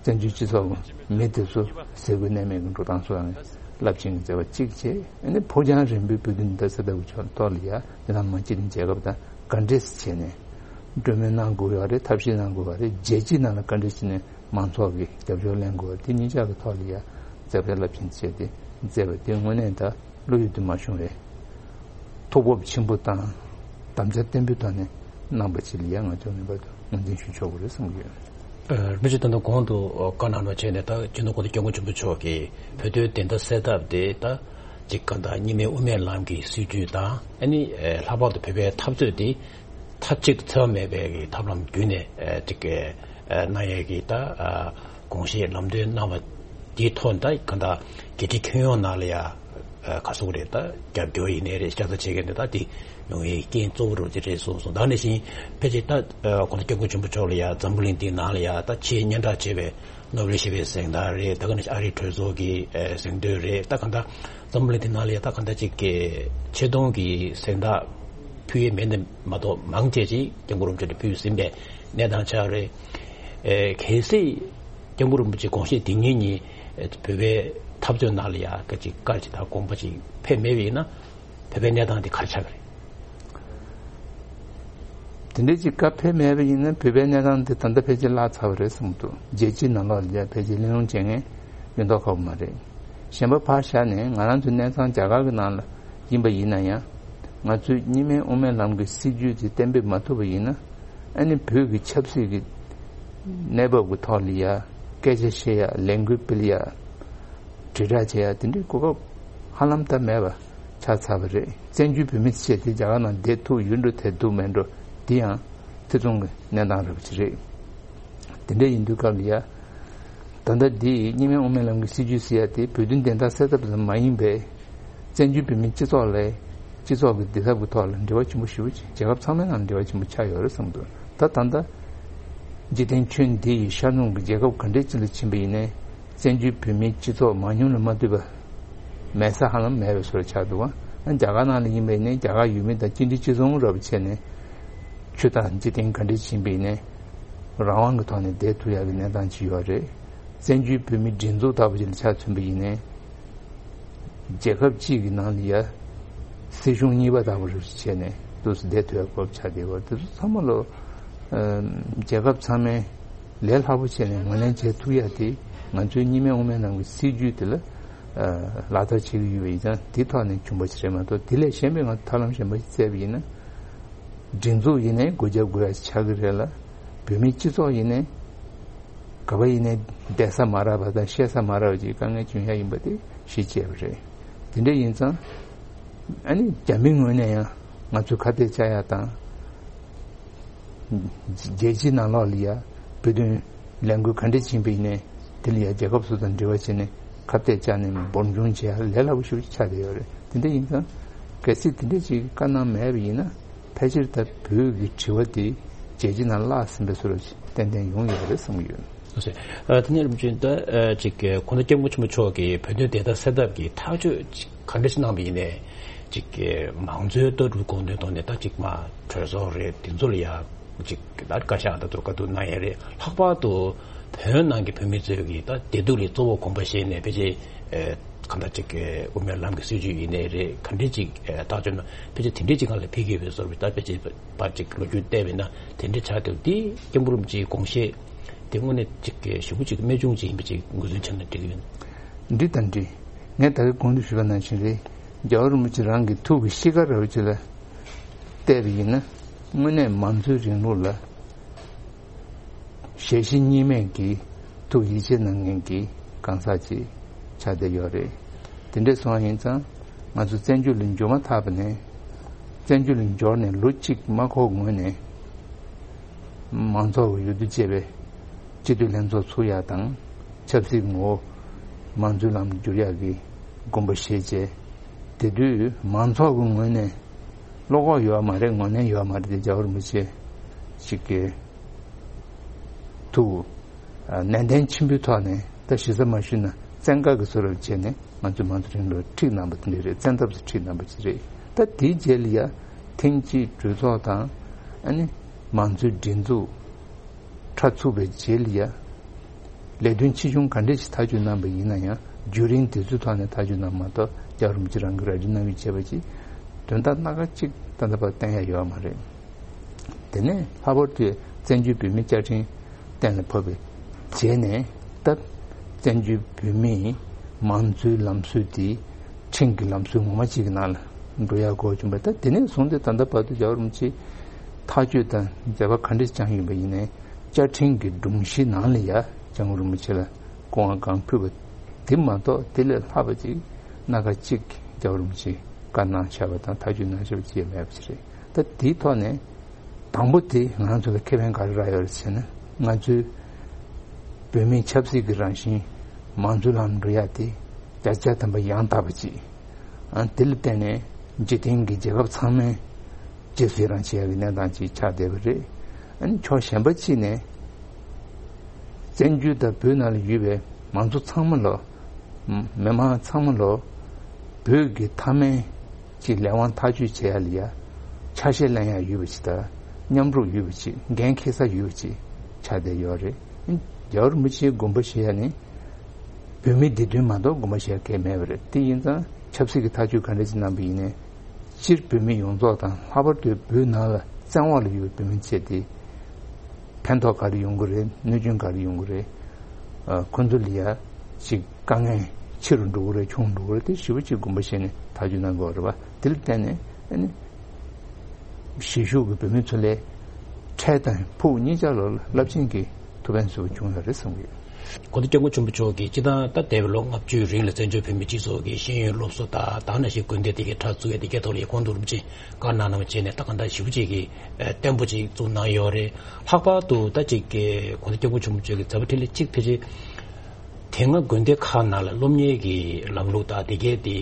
བཙན་བྱོལ་སྤྱི་ཚོགས་ཀྱི་མི་དེ་ཚོ་ཟས་གོས་གནས་མལ་གྱི་འགྲོ་སྟངས་སོགས་ལ་རླབས་ཆེན་གྱི་མཛད་པ་གཅིག་བྱས། ཨ་ནི་ཕུགས་རྒྱང་རིང་པོའི་བོད་དོན་བདེན་མཐའ་གསལ་ཐབས་ཀྱི་ཕྱོགས་ཐོག་ལ་ཡ་འདི་ནང་མ་སྤྱི་མཐུན་རྒྱལ་ཁབ་དང་ག་འདྲས་བྱས་ནས་གྲོས་མོལ་གནང་དགོས་ཡོད་རེད། ཐབས་ཤེས་གནང་དགོས་པ་རེད། རྒྱལ་སྤྱིའི་ནང་ལ་ག་འདྲས་བྱས་ནས་མང་ཚོགས་ཀྱི་རྒྱབ་སྐྱོར་ལེན་དགོས་པ་དེ་གཉིས་ཆ་གི་ཐོག་ལ་ཡ་མཛད་པ་རླབས་ཆེན་བྱས་ཏེ་མཛད་པ་དེ་དངོས་གནས་ད་བློ་ཡུལ་དུ་མ་བྱུང་བའི་ཐུགས་སྤོབས་ཆེན་པོ་དང་དམ་བཅའ་བརྟན་པོའི་ཐོག་ནས་གནང་པ་ཅིག་ལ་ཡ་ང་ཚོ་ངེས་པར་དུ་ངོས་འཛིན་ཞུ་ཆོག་གི་རེད་བསམ་གྱི་ཡོད། རིན་པོ་ཆེ་ད་ལྟ་གོང་དུ་བཀའ་གནང་རོགས་བྱས་ནས་ད་སྤྱི་ནོར་༸གོང་ས་༸སྐྱབས་མགོན་ཆེན་པོ་མཆོག་གིས་བོད་དོན་བདེན་མཐའ་གསལ་ཐབས་དེ་ད་ཅིག་ག་ད་གཉིས་སྨན་དབུ་མའི་ལམ་གྱི་སྲིད་བྱུས་དང་ཨ་ནི་ལྷག་པར་དུ་བོད་པའི་འཐབ་རྩོད་དེ་མཐའ་གཅིག་ཏུ་འཚེ་བ་མེད་པའི་གི་ཐབས་ལམ་བརྒྱུད་ནས་ཅིག་གནང་ཡས་ཀྱི་ད་དགོངས་བཞེས་ལམ་སྟོན་གནང་བ་དེའི་ཐོག་ནས་ད་ག་ད་རྒྱལ་སྤྱིའི་ཁྱོན་ཡོངས་ནང་ལ་ཡ་ག་སོགས་རེད། ད་རྒྱབ་སྐྱོར་ཡིན་ནའི་རེད། ཤ་ཚ་བྱེད་མཁན་དེ་ད་དེ་ཡོང་ཡའི་རྐྱེན་གཙོ་བོ་རུ་དེ་རེད་གསུངས་སོང་། ད་ནང་བཞིན་ཕལ་ཆེར་ད་༸གོང་ས་༸སྐྱབས་མགོན་ཆེན་པོ་མཆོག་ལ་ཡ་འཛམ་བུ་གླིང་འདིའི་ནང་ལ་ཡ་ད་ཆེས་སྙན་གྲགས་ཆེ་བའི་ནོ་བེལ་ཞི་བའི་གཟེངས་རྟགས་རེད། ད་ག་ནང་བཞིན་ཨ་རིའི་གྲོས་ཚོགས་ཀྱི་གཟེངས་བསྟོད་རེད། ད་ག་ད་འཛམ་བུ་གླིང་འདིའི་ནང་ལ་ཡ་ད་ག་ད་ཅིག་གི་ཆེ་མཐོང་གི་གཟེངས་རྟགས་ཕུལ་ཡས་མེད་ནས་མ་གཏོགས་མང་ཆེ་ཅིག་༸སྐྱབས་མགོན་རིན་པོ་ཆེ་ལ་ཕུལ་ཟིན་པའི་གནས་སྟངས་ཆགས་རེད། གལ་སྲིད་༸སྐྱབས་མགོན་རིན་པོ་ཆེ་དགོངས་བཞེས་དེ་ཉིད་ཉིད་བོད་པའི་འཐབ་རྩོད་ནང་ལ་ཡ་སྐད་ཅིག་བཀར་ཅིག་དང་དགོངས་པ་ཅིག་ཕེབས་མེད་པ་ཡིན་ན་བོད་པའི་གནས་སྟངས་དེ་ག་རེ་ཆགས་ཀྱི་རེད། དེ་འདྲའི་ཅིག་བཀའ་ཕེབས་མེད་པ་ཡིན་ན་བོད་པའི་གནས་སྟངས་དེ་ད་ལྟ་ཕལ་ཆེར་བརླག་ཚར་བ་རེད་བསམ་འདུག་རྒྱལ་སྤྱིའི་ནང་ལོགས་ལ་ཡ་ཕལ་ཆེར་གླེང་སློང་བྱེད་མཁན་ཡོད་མདོག་ཁ་པོ་མ་རེད། གཞན་པ་ཕར་བཞག་ནས་ང་རང་ཚོའི་གནས་ཚང་རྒྱ་གར་གྱི་ནང་ལ་ཡིན་པ་ཡིན་ན་ཡང་། ང་ཚོས་གཉིས་སྨན་དབུ་མའི་ལམ་གྱི་སྲིད་བྱུས་དེ་གཏན་འབེབས་མ་ཐུབ་པ་ཡིན་ན། ཨ་ནི་བོད་ཀྱི་ཆབ་སྲིད་ཀྱི་གནས་བབ་ཀྱི་ཐོག་ལ་ཡ་སྐད་ཆ་བཤད་ཡ། ལས་འགུལ་སྤེལ་ཡ། དྲིལ་བསྒྲགས་བྱེད་ཡ་དེ་འདྲའི་གོ་སྐབས་ཧ་ལམ་ད་མེད་པ་ཆགས་ཚར་བ་རེད། བཙན་བྱོལ་བོད་མི་བྱས་ཏེ་རྒྱ་གར་ནང་བསྡད་ཐུབ་ཡོད་འགྲོ་བསྡད་ཐུབ་མེད་འགྲོ་དེ་ཡང་ཐེ་ཚོམ་གྱི་གནས་སྟངས་རེད་པ་ཅིག་རེད། དེ་འདྲ་ཡིན་དུས་སྐབས་ལ་ཡ། ད་ལྟ་འདི་གཉིས་སྨན་དབུ་མའི་ལམ་གྱི་སྲིད་བྱུས་ཟེར་ཡ་དེ་བོད་དོན་བདེན་མཐའ་གསལ་ཐབས་ཙམ་མ་ཡིན་པའི་བཙན་བྱོལ་བོད་མིའི་སྤྱི་ཚོགས་ལ་སྤྱི་ཚོགས་ཀྱི་བདེ་ཐབས་ཀྱི་ཐོག་ལ་འབྲེལ་བ་ཆེན་པོ་ཞེ་པོ་ཅིག་རྒྱལ་ཁབ་ཚང་མའི་ནང་འབྲེལ་བ་ཆེན་པོ་ཆགས་ཡོད་རེད་བསམ་འདུག་ད་ད་ལྟ་འཇིག་རྟེན་ཁྱོན་འདི་ཡི་ཤར་ནུབ་ཀྱི་རྒྱལ་ཁབ་ག་འདྲའི་ཅིག་ལ་ཕྱིན་པ་ཡིན་ནའི་བཙན་བྱོལ་བོད་མིའི་སྤྱི་ཚོགས་མང་ཉུང་ལ་མ་ལྟོས་པ་མེད་ས་ཧ་ལམ་མེད་པའི་བཟོ་འདྲ་ཆགས་འདུག་བ། རྒྱ་གར་ནང་ལ་ཡིན་པ་ཡིན་ནའི་རྒྱ་གར་ཡུལ་མི་དང་གཅིག་འདྲ་གཅིག་མཚུངས་འདྲ་པོ་བྱས་ནས་ཆོས་དང་འཇིག་རྟེན་ག་འདྲའི་ཕྱིན་པ་ཡིན་ནའི་རང་དབང་གི་ཐོག་ནས་བསྡད་ཐུབ་ཡག་གི་གནས་སྟངས་ཅིག་ཡོད་རེད། བཙན་བྱོལ་བོད་མིའི་སྒྲིག་འཛུགས་ལྟ་བུ་ཅིག་ལ་ཆ་མཚོན་པ་ཡིན་ནའི། རྒྱལ་ཁབ་གཅིག་གི་ནང་ལ་ཡ་སྲིད་གཞུང་གཉིས་པ་ལྟ་བུ་རེ་བྱས་ནས་འདུག་སེ་བསྡད་ཐུབ་ཡག་གི་གོ་སྐབས་ཆགས་བསྡད་ཡོད་རེད། དེ་ཚོ་ཚང་མ་ལོ་རྒྱལ་ཁབ་ཚང་མས་ལས་སླ་པོ་བྱས་ནས་ངོས་ལེན་བྱེད་ཐུབ་ཡག་དེ་ང་ཚོའི་གཉིས་སྨན་དབུ་མའི་ལམ་གྱི་སྲིད་བྱུས་དེ་ལ་ལག་བསྟར་བྱེད་ཀྱི་ཡོད་པ་ཡིན་ཙང་དེ་ཐོག་ནས་བྱུང་བ་ཞིག་རེད་མ་གཏོགས། དེ་ལས་གཞན་པའི་ང་ཚོ་ཐབས་ལམ་གཞན་པ་ཞིག་བཙལ་བ་ཡིན་ན། སྒྲིག་འཛུགས་ཡིན་ནའི་སྒོ་རྒྱབ་དགོས་ཡ་ཆགས་ཀྱི་རེད་ལ། བོད་མིའི་སྤྱི་ཚོགས་ཡིན་ནའི་ག་པ་ཡིན་ནའི་བསྡད་ས་མ་རག་པ་དང་བཤད་ས་མ་རག་པ་ཅིག་དཀའ་ངལ་བྱུང་ཡ་ཡིན་པ་དེ་གཞི་བཅས་པ་རེད། དེ་འདྲ་ཡིན་ཙང་ཨ་ནི་རྒྱ་མིའི་ངོས་ནས་ཡང་ང་ཚོས་ཁ་གཏད་བཅག་ཡ་དང་རྒྱལ་སྤྱིའི་ནང་ལོགས་ལ་ཡ་བོད་དོན་ལས་འགུལ་ག་འདྲ་ཕྱིན་པ་ཡིན་ནའི་དེ་ལ་ཡ་རྒྱལ་ཁབ་སོ་སོ་དང་འབྲེལ་བ་བྱས་ནས་ཁ་གཏད་བཅག་ནས་འབོར་འབྱུང་བྱེད་ཡ་ལས་སླ་པོ་ཞེ་པོ་ཅིག་ཆགས་བསྡད་ཡོད་རེད། དེ་འདྲ་ཡིན་ཙང་གལ་སྲིད་དེ་འདྲ་ཅིག་བཀའ་གནང་མེད་པ་ཡིན་ན། ཕལ་ཆེར་ད་བོད་ཀྱི་དྲི་བ་དེ་རྒྱལ་སྤྱིའི་ནང་བརླག་ཟིན་པའི་བཟོ་འདྲ་ཞིག་ཏན་ཏན་ཡོང་ཡོད་རེད་བསམ་གྱི་ཡོད། ལགས་སོ། ཨ་དེ་ནས་རིམ་བཞིན་ད་ཨ་ཅིག་༸གོང་ས་༸སྐྱབས་མགོན་ཆེན་པོ་མཆོག་གིས་བོད་དོན་བདེན་མཐའ་གསལ་ཐབས་ཀྱི་ཐག་གཅོད་ཅིག་ག་འདྲ་ཞིག་གནང་བ་ཡིན་ནའི་ ཅིག་གི་མང་གཙོའི་ལྟ་གྲུབ་དགོངས་དོན་ཐོག་ནས་ད་ཅིག་མ་གྲོས་ཚོགས་རེད། དེ་ཚོ་ལ་ཡ་ཅིག་ད་བཀའ་ཤག་ད་ཚོ་བཀའ་བསྡུར་གནང་ཡས་རེད། ལྷག་པར་དུ་བོད་ནང་གི་བོད་མི་ཚོས་ཀྱི་ད་བདེ་སྡུག་ལ་གཙོ་བོ་དགོངས་པ་བཞེས་ནས་ཕལ་ཆེར་གང་ལྟར་ཅིག་གི་དབུ་མའི་ལམ་གྱི་སྲིད་བྱུས་ཡིན་ནའི་རེད། ག་འདྲས་ཅིག་ཐག་གཅོད་ན་ཕལ་ཆེར་དེ་འདྲས་ཅིག་སྒང་ལ་ཕེབས་ཀྱི་ཡོད་པའི་བཟོ་འདྲ། ད་ཕལ་ཆེར་ཕར་ཅིག་ལོ་རྒྱུས་བལྟས་པས་ན་དེ་འདྲས་ཆགས་བསྡད་པ་འདི་སྐྱབས་མགོན་རིན་པོ་ཆེའི་དགོངས་བཞེད་དེ་དངོས་གནས་ཅིག་གི་ཞེ་པོ་ཅིག་རྨད་བྱུང་ཅིག་ཡིན་པ་ཅིག་ངོས་འཛིན་བྱས་ན་འགྲིག་གི་ཡོད། འདི་དང་འདི་ངས་ད་རེས་གོང་དུ་ཞུས་པ་ནང་བཞིན་རེད། རྒྱལ་བ་རིན་པོ་ཆེ་རང་གི་ཐུགས་ཀྱི་གཤིས་ཀ་འདྲ་བོ་ཅིག་ལ་བལྟས་པ་ཡིན་ན། དངོས་གནས་མང་གཙོའི་རིང་ལུགས་ལ་ཞལ་བཞེས་གཉིས་མེད་ཀྱི་ཐུགས་ཡིད་ཆེས་གནང་མཁན་གྱི་གང་ཟག་ཅིག་ཆགས་བསྡད་ཡོད་རེད། དེ་འདྲས་སོང་བ་ཡིན་ཙང་ང་ཚོ་བཙན་བྱོལ་ལ་འབྱོར་མ་ཐག་པ་ནས། བཙན་བྱོལ་ལ་འབྱོར་ནས་ལོ་གཅིག་མ་འཁོར་སྔོན་ནས་མང་ཚོགས་ཀྱི་འོས་བསྡུ་བྱས་པའི་སྤྱི་འཐུས་ལྷན་ཚོགས་ཚུགས་ཡག་དང་། ཆབ་སྲིད་ངོ་བོ་མང་གཙོའི་ལམ་བསྒྱུར་ཡག་གི་དགོངས་པ་བཞེས་བྱས། དེ་དུས་མང་ཚོགས་ཀྱི་ངོས་ནས་བློ་ཁོག་ཡོད་མ་རེད། ངོས་ལེན་ཡོད་མ་རེད་དེ། རྒྱལ་བ་རིན་པོ་ཆེ་ཞིག་གི་ཐུགས་ནན་ཏན་ཆེན་པོའི་ཐོག་ནས། ད་གཞི་རྩ་མ་ཞུས་ན་བཙན་བཀའ་གི་བཟོ་འདྲ་བྱས་ནས་ང་ཚོའི་མང་གཙོའི་རིང་ལུགས་ཁྲིད་གནང་པ་དེ་འདྲ་རེད། བཙན་ཐབས་སུ་ཁྲིད་གནང་པ་ཅིག་རེད། ད་དེའི་རྗེས་ལ་ཡ་ཐེངས་གཅིག་གྲོས་ཚོགས་དང་། ཨ་ནི་མང་གཙོའི་སྒྲིག་འཛུགས་ཁྲ་ཚུགས་པའི་རྗེས་ལ་ཡ། ལས་དོན་ཆེ་ཆུང་ག་འདྲས་ཤིག་ཐག་གཅོད་གནང་པ་ཡིན་ན་ཡང་། བརྒྱུད་རིམ་དེ་ཚོའི་ཐོག་ནས་ཐག་གཅོད་གནང་མ་གཏོགས། རྒྱལ་བ་རིན་པོ་ཆེ་རང་གིས་ར་སྤྲོད་གནང་ཡོད་བྱས་པ་ཅིག་དོན་དག་སྣ་ཁ་གཅིག་ད་ལྟ་བར་བསྟན་ཡ་ཡོད་མ་རེད། དེ་ནས་ལྷག་པར་དུ་བཙན་བྱོལ་བོད་མིའི་བཅའ་ཁྲིམས་གཏན་ལ་ཕབ་པའི་རྗེས་ནས། ད་བཙན་བྱོལ་བོད་མིའི་མང་གཙོའི་ལམ་སྲོལ་དེ་ཁྲིམས་ཀྱི་ལམ་སྲོལ་ངོ་མ་གཅིག་གི་ནང་ལ་འགྲོ་ཡག་གོ་བྱུང་བས། ད་དེ་ནས་བཟུང་སྟེ་ད་ལྟ་བར་དུ་རྒྱལ་བ་རིན་པོ་ཆེས་ཐག་གཅོད་དང་མཛད་པ་ག་འདྲས་བསྐྱངས་ཡོད་པ་ཡིན་ནའི། བཅའ་ཁྲིམས་ཀྱི་སྒྲོམ་གཞི་ནང་ལ་ཡ་སྐྱབས་མགོན་རིན་པོ་ཆེ་ལ་སྐུ་དབང་གང་ཕུལ་བ་དེ་མ་གཏོགས། དེ་ལས་ལྷག་པ་ཅིག་སྣ་ཁ་གཅིག་རྒྱལ་བ་རིན་པོ་ཆེས་བཀའ་གནང་བཞག་པ་དང་ཐག་གཅོད་གནང་བཞག་པ་ཅིག་མེད་པ་ཅིག་རེད། ད་དེའི་ཐོག་ནས། དང་པོ་དེ་ང་ཚོ་ལ་ཁེ་ཕན་ག་རེ་རག་ཡོད་རེད་ཟེར་ན། ང་ཚོའི་བོད་མིའི་ཆབ་སྲིད་ཀྱི་རང་བཞིན་མང་གཙོའི་ལམ་འགྲོ་ཡ་དེ་བརྒྱ་ཆ་བརྒྱ་ཐམ་པ་ཡང་དག་པ་ཅིག་ཨ། དེ་ལ་བརྟེན་ནས་འཇིག་རྟེན་གྱི་རྒྱལ་ཁབ་ཚང་མས་རྗེས་སུ་ཡི་རང་བྱེད་ཡ་གི་གནས་སྟངས་ཅིག་ཆགས་བསྡད་པ་རེད། ཨ་ནི་ཕྱོགས་གཞན་པ་གཅིག་ནས་བཙན་བྱོལ་དང་བོད་ནང་ལ་ཡོད་པའི་མང་གཙོ་ཚང་མ་ལོ། མི་མང་ཚང་མ་ལོ། བོད་ཀྱི་མཐའ་མའི་ཀྱི་ལས་དབང་ཐག་གཅོད་བྱེད་ཡ་ལ་ཡ་ཆ་ཤས་ལེན་ཡ་ཡོད་པ་ཅིག་དང་། མཉམ་རུབ་ཡོད་པ་ཅིག་འགན་འཁྱེར་ས་ཡོད་པ་ཅིག་ཆགས་བསྡད་ཡོད་རེད། རྒྱལ་བ་རིན་པོ་ཆེའི་དགོངས་པ་བཞེས་ཡ་ནི་བོད་མིའི་བདེ་དོན་མ་གཏོགས་དགོངས་པ་བཞེས་ཡ་གང་ཡང་མེད་པ་རེད། དེ་ཡིན་ཙང་ཆབ་སྲིད་ཀྱི་ཐག་གཅོད་ག་འདྲ་ཅིག་གནང་པ་ཡིན་ནའི། སྤྱིར་བོད་མི་ཡོངས་རྫོགས་དང་། ལྷག་པར་དུ་བོད་ནང་ལ་བཙན་འོག་ལ་ཡོད་པའི་བོད་མི་བཅས་ཏེ། ཕན་ཐོགས་ག་རེ་ཡོང་གི་རེད། གནོད་སྐྱོན་ག་རེ་ཡོང་གི་རེད། ཨ། ཁོ་ཚོ་ལ་ཡ་ཅིག་དཀའ་ངལ་ཆེ་རུ་འགྲོ་གི་རེད། ཆུང་རུ་འགྲོ་གི་རེད། དེ་ཞེ་པོ་ཅིག་དགོངས་པ་བཞེས་ནས་ཐག་གཅོད་གནང་དགོས་རེད་པ། དེ་ལ་བརྟེན་ནས་ཨ་ནི་གཞིས་བཞུགས་ཀྱི་བོད་མི་ཚོ་ལ་འཕྲལ་དང་ཕུགས་གཉིས་ཆ་ལ་རླབས་ཆེན་གྱི་ཐུགས་ཕན་གསོས་པ་བྱུང་ཡོད་རེད་བསམ་གྱི་ཡོད། དགོངས་དོན་སྐྱབས་མགོན་ཆེན་པོ་མཆོག་གིས་སྤྱིར་བཏང་ད་འདས་པའི་ལོ་ལྔ་བཅུའི་རིང་ལ་བཙན་བྱོལ་བོད་མིའི་སྤྱི་ཚོགས་ཀྱི་ཤེས་ཡོན་སློབ་གསོ་དང་། ད་ག་ནང་བཞིན་དགོན་སྡེ་དེ་གའི་ཁྲ་ཚུགས་ཡ་དེ་གའི་ཐོག་ལ་ཡ་གོང་དུ་རིན་པོ་ཆེས་བཀའ་གནང་གནང་བ་བྱས་ནས། ད་གང་ལྟར་ཞེ་པོ་ཅིག་གི་བརྟན་པོ་ཅིག་བཙུགས་གནང་ཡོད་རེད། ལྷག་པར་དུ་ད་ཅིག་གི་དགོངས་དོན་སྐྱབས་མགོན་ཆེན་པོ་མཆོག་གི་མཛད་པ་འཕྲིན་ལས་གཅིག་ཕལ་ཆེར་དེ་སྔ་དགོན་སྡེ་ཁག་ནང་ལ་སློབ་གཉེར་གྱི་ལམ་ལུགས་དང་དེ་གའི་དེ་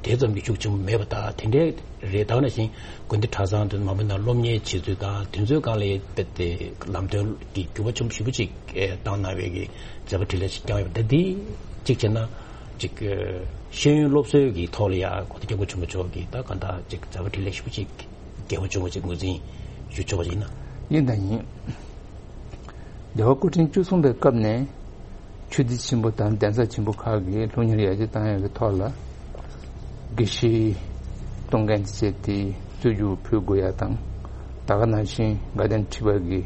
དེ་ཙམ་གྱི་ཤུགས་ཆེན་པོ་མེད་པ་དང་། དེ་འདྲའི་རེད། ད་ག་ནང་བཞིན་དགོན་སྡེ་གྲྭ་ཚང་དུ་མང་པོའི་ནང་སློབ་གཉེར་བྱེད་ཚུལ་དང་། དེ་ཚོའི་སྒང་ལ་ཡ་དཔེ་དེ་ལམ་སྟོན་གྱི་འགྱུར་བ་ཆེན་པོ་ཞེ་པོ་ཅིག་བཏང་གནང་བའི་གི་མཛད་པ་འཕྲིན་ལས་ཤིག་བསྐྱངས་ཡོད་པ། ད་འདི་གཅིག་བྱས་ན་ཅིག་ཤེས་ཡོན་སློབ་གསོའི་གི་ཐོག་ལ་ཡ་དགོངས་དོན་སྐྱབས་མགོན་ཆེན་པོ་མཆོག་གིས་ད་གང་ལྟར་ཅིག་མཛད་པ་འཕྲིན་ལས་ཞེ་པོ་ཅིག་རྒྱས་པོ་བྱུང་བ་ཅིག་ངོས་འཛིན་ཞུ་ཆོག་པ་ཡིན་ན། ཡིན་དང་ཡིན། རྒྱལ་བ་སྐུ་ཕྲེང་བཅུ་གསུམ་པའི་སྐབས་ནས་ཆོས་སྡེ་ཆེན་པོ་དང་གདན་ས་ཆེན་པོ་ཁག་གིས་སློབ་གཉེར་ཡར་རྒྱས་བཏང་ཡག་གི་ཐོག་ལ་དགེ་བཤེས་གཏོང་མཁན་བཅས་དེ་རྩོད་རྒྱུགས་ཕུལ་དགོས་ཡ་དང་། ད་ག་ནང་བཞིན་དགའ་ལྡན་ཁྲི་པ་གི་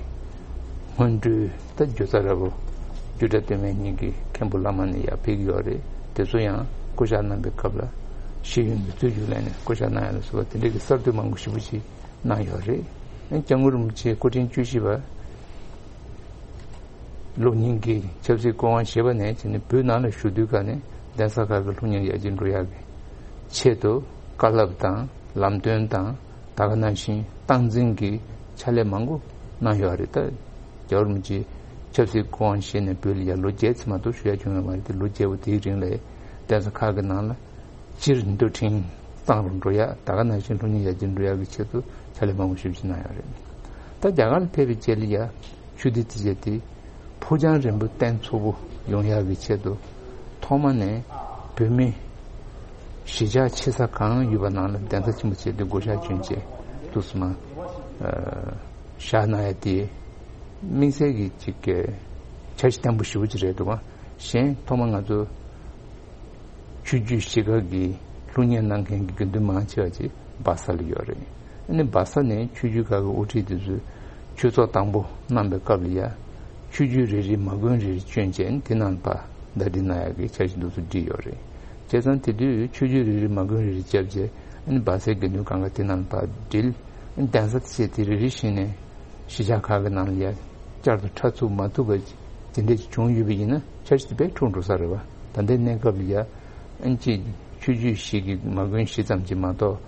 སྔོན་འགྲོའི་ད་རྒྱུ་རྩ་ར་བོ་རྒྱུད་གྲྭ་སྟོད་སྨད་གཉིས་ཀྱི་མཁན་པོ་བླ་མ་ནས་ཡར་ཕེབས་ཀྱི་ཡོད་རེད། དེ་ཚོ་ཡང་བསྐོ་བཞག་གནང་པའི་སྐབས་ལ་ཤེས་ཡོན་གྱི་རྩོད་རྒྱུགས་ལེན་ནས་བསྐོ་བཞག་གནང་ཡ་ལ་སོགས་པ་དེ་འདྲ་གི་གསར་གཏོད་མང་པོ་ཞེ་པོ་ཅིག་གནང་ཡོད་རེད། སྐྱབས་མགོན་རིན་པོ་ཆེ་སྐུ་ཕྲེང་བཅུ་བཞི་པ་ལོ་ཉིན་གྱི་ཆབ་སྲིད་སྐུ་དབང་བཞེས་པ་ནས་བྱས་ནས་བོད་ནང་ལ་བཞུགས་དུས་ཀ་ནས་གདན་ས་ཁག་གི་སློབ་གཉེར་ཡར་རྒྱས་འགྲོ་ཡག་གི་ཆེད་དུ་བཀའ་སློབ་དང་ལམ་སྟོན་དང་། ད་ག་ནང་བཞིན་སྟངས་འཛིན་གྱི་ཕྱག་ལས་མང་པོ་གནང་ཡོད་རེད། ད་རྒྱལ་བ་རིན་པོ་ཆེ་ཆབ་སྲིད་སྐུ་དབང་བཞེས་ནས་བོད་ལ་ཡར་ལོ་བརྒྱད་ཙམ་མ་གཏོགས་བཞུགས་ཡ་བྱུང་ཡོད་མ་རེད་དེ། ལོ་བརྒྱད་པོ་དེའི་རིང་ལ་གདན་ས་ཁག་གི་ནང་ལ་སྤྱིར་མདོ་ཁྲིམས་གཙང་རུ་འགྲོ་ཡ། ད་ག་ནང་བཞིན་སློབ་གཉེར་ཡར་རྒྱས་འགྲོ་ཡ་གི་ཆེད་དུ་ཕྱག་ལས་མང་པོ་ཞེ་པོ་ཅིག་གནང་ཡོད་རེད། ད་རྒྱ་གར་ལ་ཕེབས་པའི་རྗེས་ལ་ཡ་ཆོས་སྡེ་དེ་བྱས་ཏེ་ཕུགས་རྒྱང་རིང་པོ་བརྟན་ཚུགས་པོ་ཡོང་ཡག་གི་ཆེད་དུ་ཐོག་མ་ནས་བོད་མི་ གཞིས་ཆགས་ཆེ་ས་གང་ཡོད་པ་ནང་ལ་གདན་ས་ཆེན་པོ་བྱས་ཏེ་བགོ་བཤའ་བསྐྱོན་བྱས་འདུག་སེ་མར་བཞག་གནང་ཡ་དེ་དམིགས་བསལ་གྱི་ཅིག་གི་འཆར་གཞི་བརྟན་པོ་ཞེ་པོ་ཅིག་རེད་འདུག་ག་གཞན་ཐོག་མ་ང་ཚོ་ཆོས་བརྒྱུད་གཞིས་ཀ་གི་སློབ་གཉེར་གནང་མཁན་གྱི་དགེ་འདུན་མང་ཆེ་བ་ཅིག་སྦག་ས་ལ་ཡོད་རེད། ཨ་ནི་སྦག་ས་ནས་ཆོས་བརྒྱུད་ཁག་གི་དབུ་ཁྲིད་དེ་ཚོས་ཆོས་ཚོགས་དང་པོ་གནང་པའི་སྐབས་ལ་ཡ། ཆོས་བརྒྱུད་རེ་རེའི་མ་དགོན་རེ་རེ་བསྐྱོན་བྱས་དེ་ནང་ལ་ཕར་ཟླ་སྒྲིལ་གནང་ཡག་གི་འཆར་གཞི་འདུག་སེ་བསྒྲིགས་ཡོད་རེད། བྱས་ཙང་དེ་དུས་ཆོས་བརྒྱུད་རེ་རེའི་མ་དགོན་རེ་རེ་བརྒྱབ་བྱས་ཨ་ནི་སྦག་སའི་དགེ་འདུན་གང་ག་དེ་ནང་ལ་ཕར་སྒྲིལ། ཨ་ནི་གདན་ས་བྱས་དེ་རེ་རེ་བཞིན་ནས་གཞིས་ཆགས་ཁག་གི་ནང་ལ་ཡ་བསྐྱར་དུ་འཁྲབ་ཚུགས་མ་ཐུབ་པ་དེ་འདྲས་ཅིག་བྱུང་ཡོད་པ་ཡིན་ན་འཆར་གཞི་དེ་དཔེ་འཁྲུག་འགྲོ་ས་རེད་བ། ད་ལྟའི་གནས་སྐབས་ལ་ཡ་ཨ་ནི་ཅིག་ཆོས་བརྒྱུད་བཞི་གི་མ་དགོན་བཞི་ཙམ་ཅིག་མ་གཏོགས་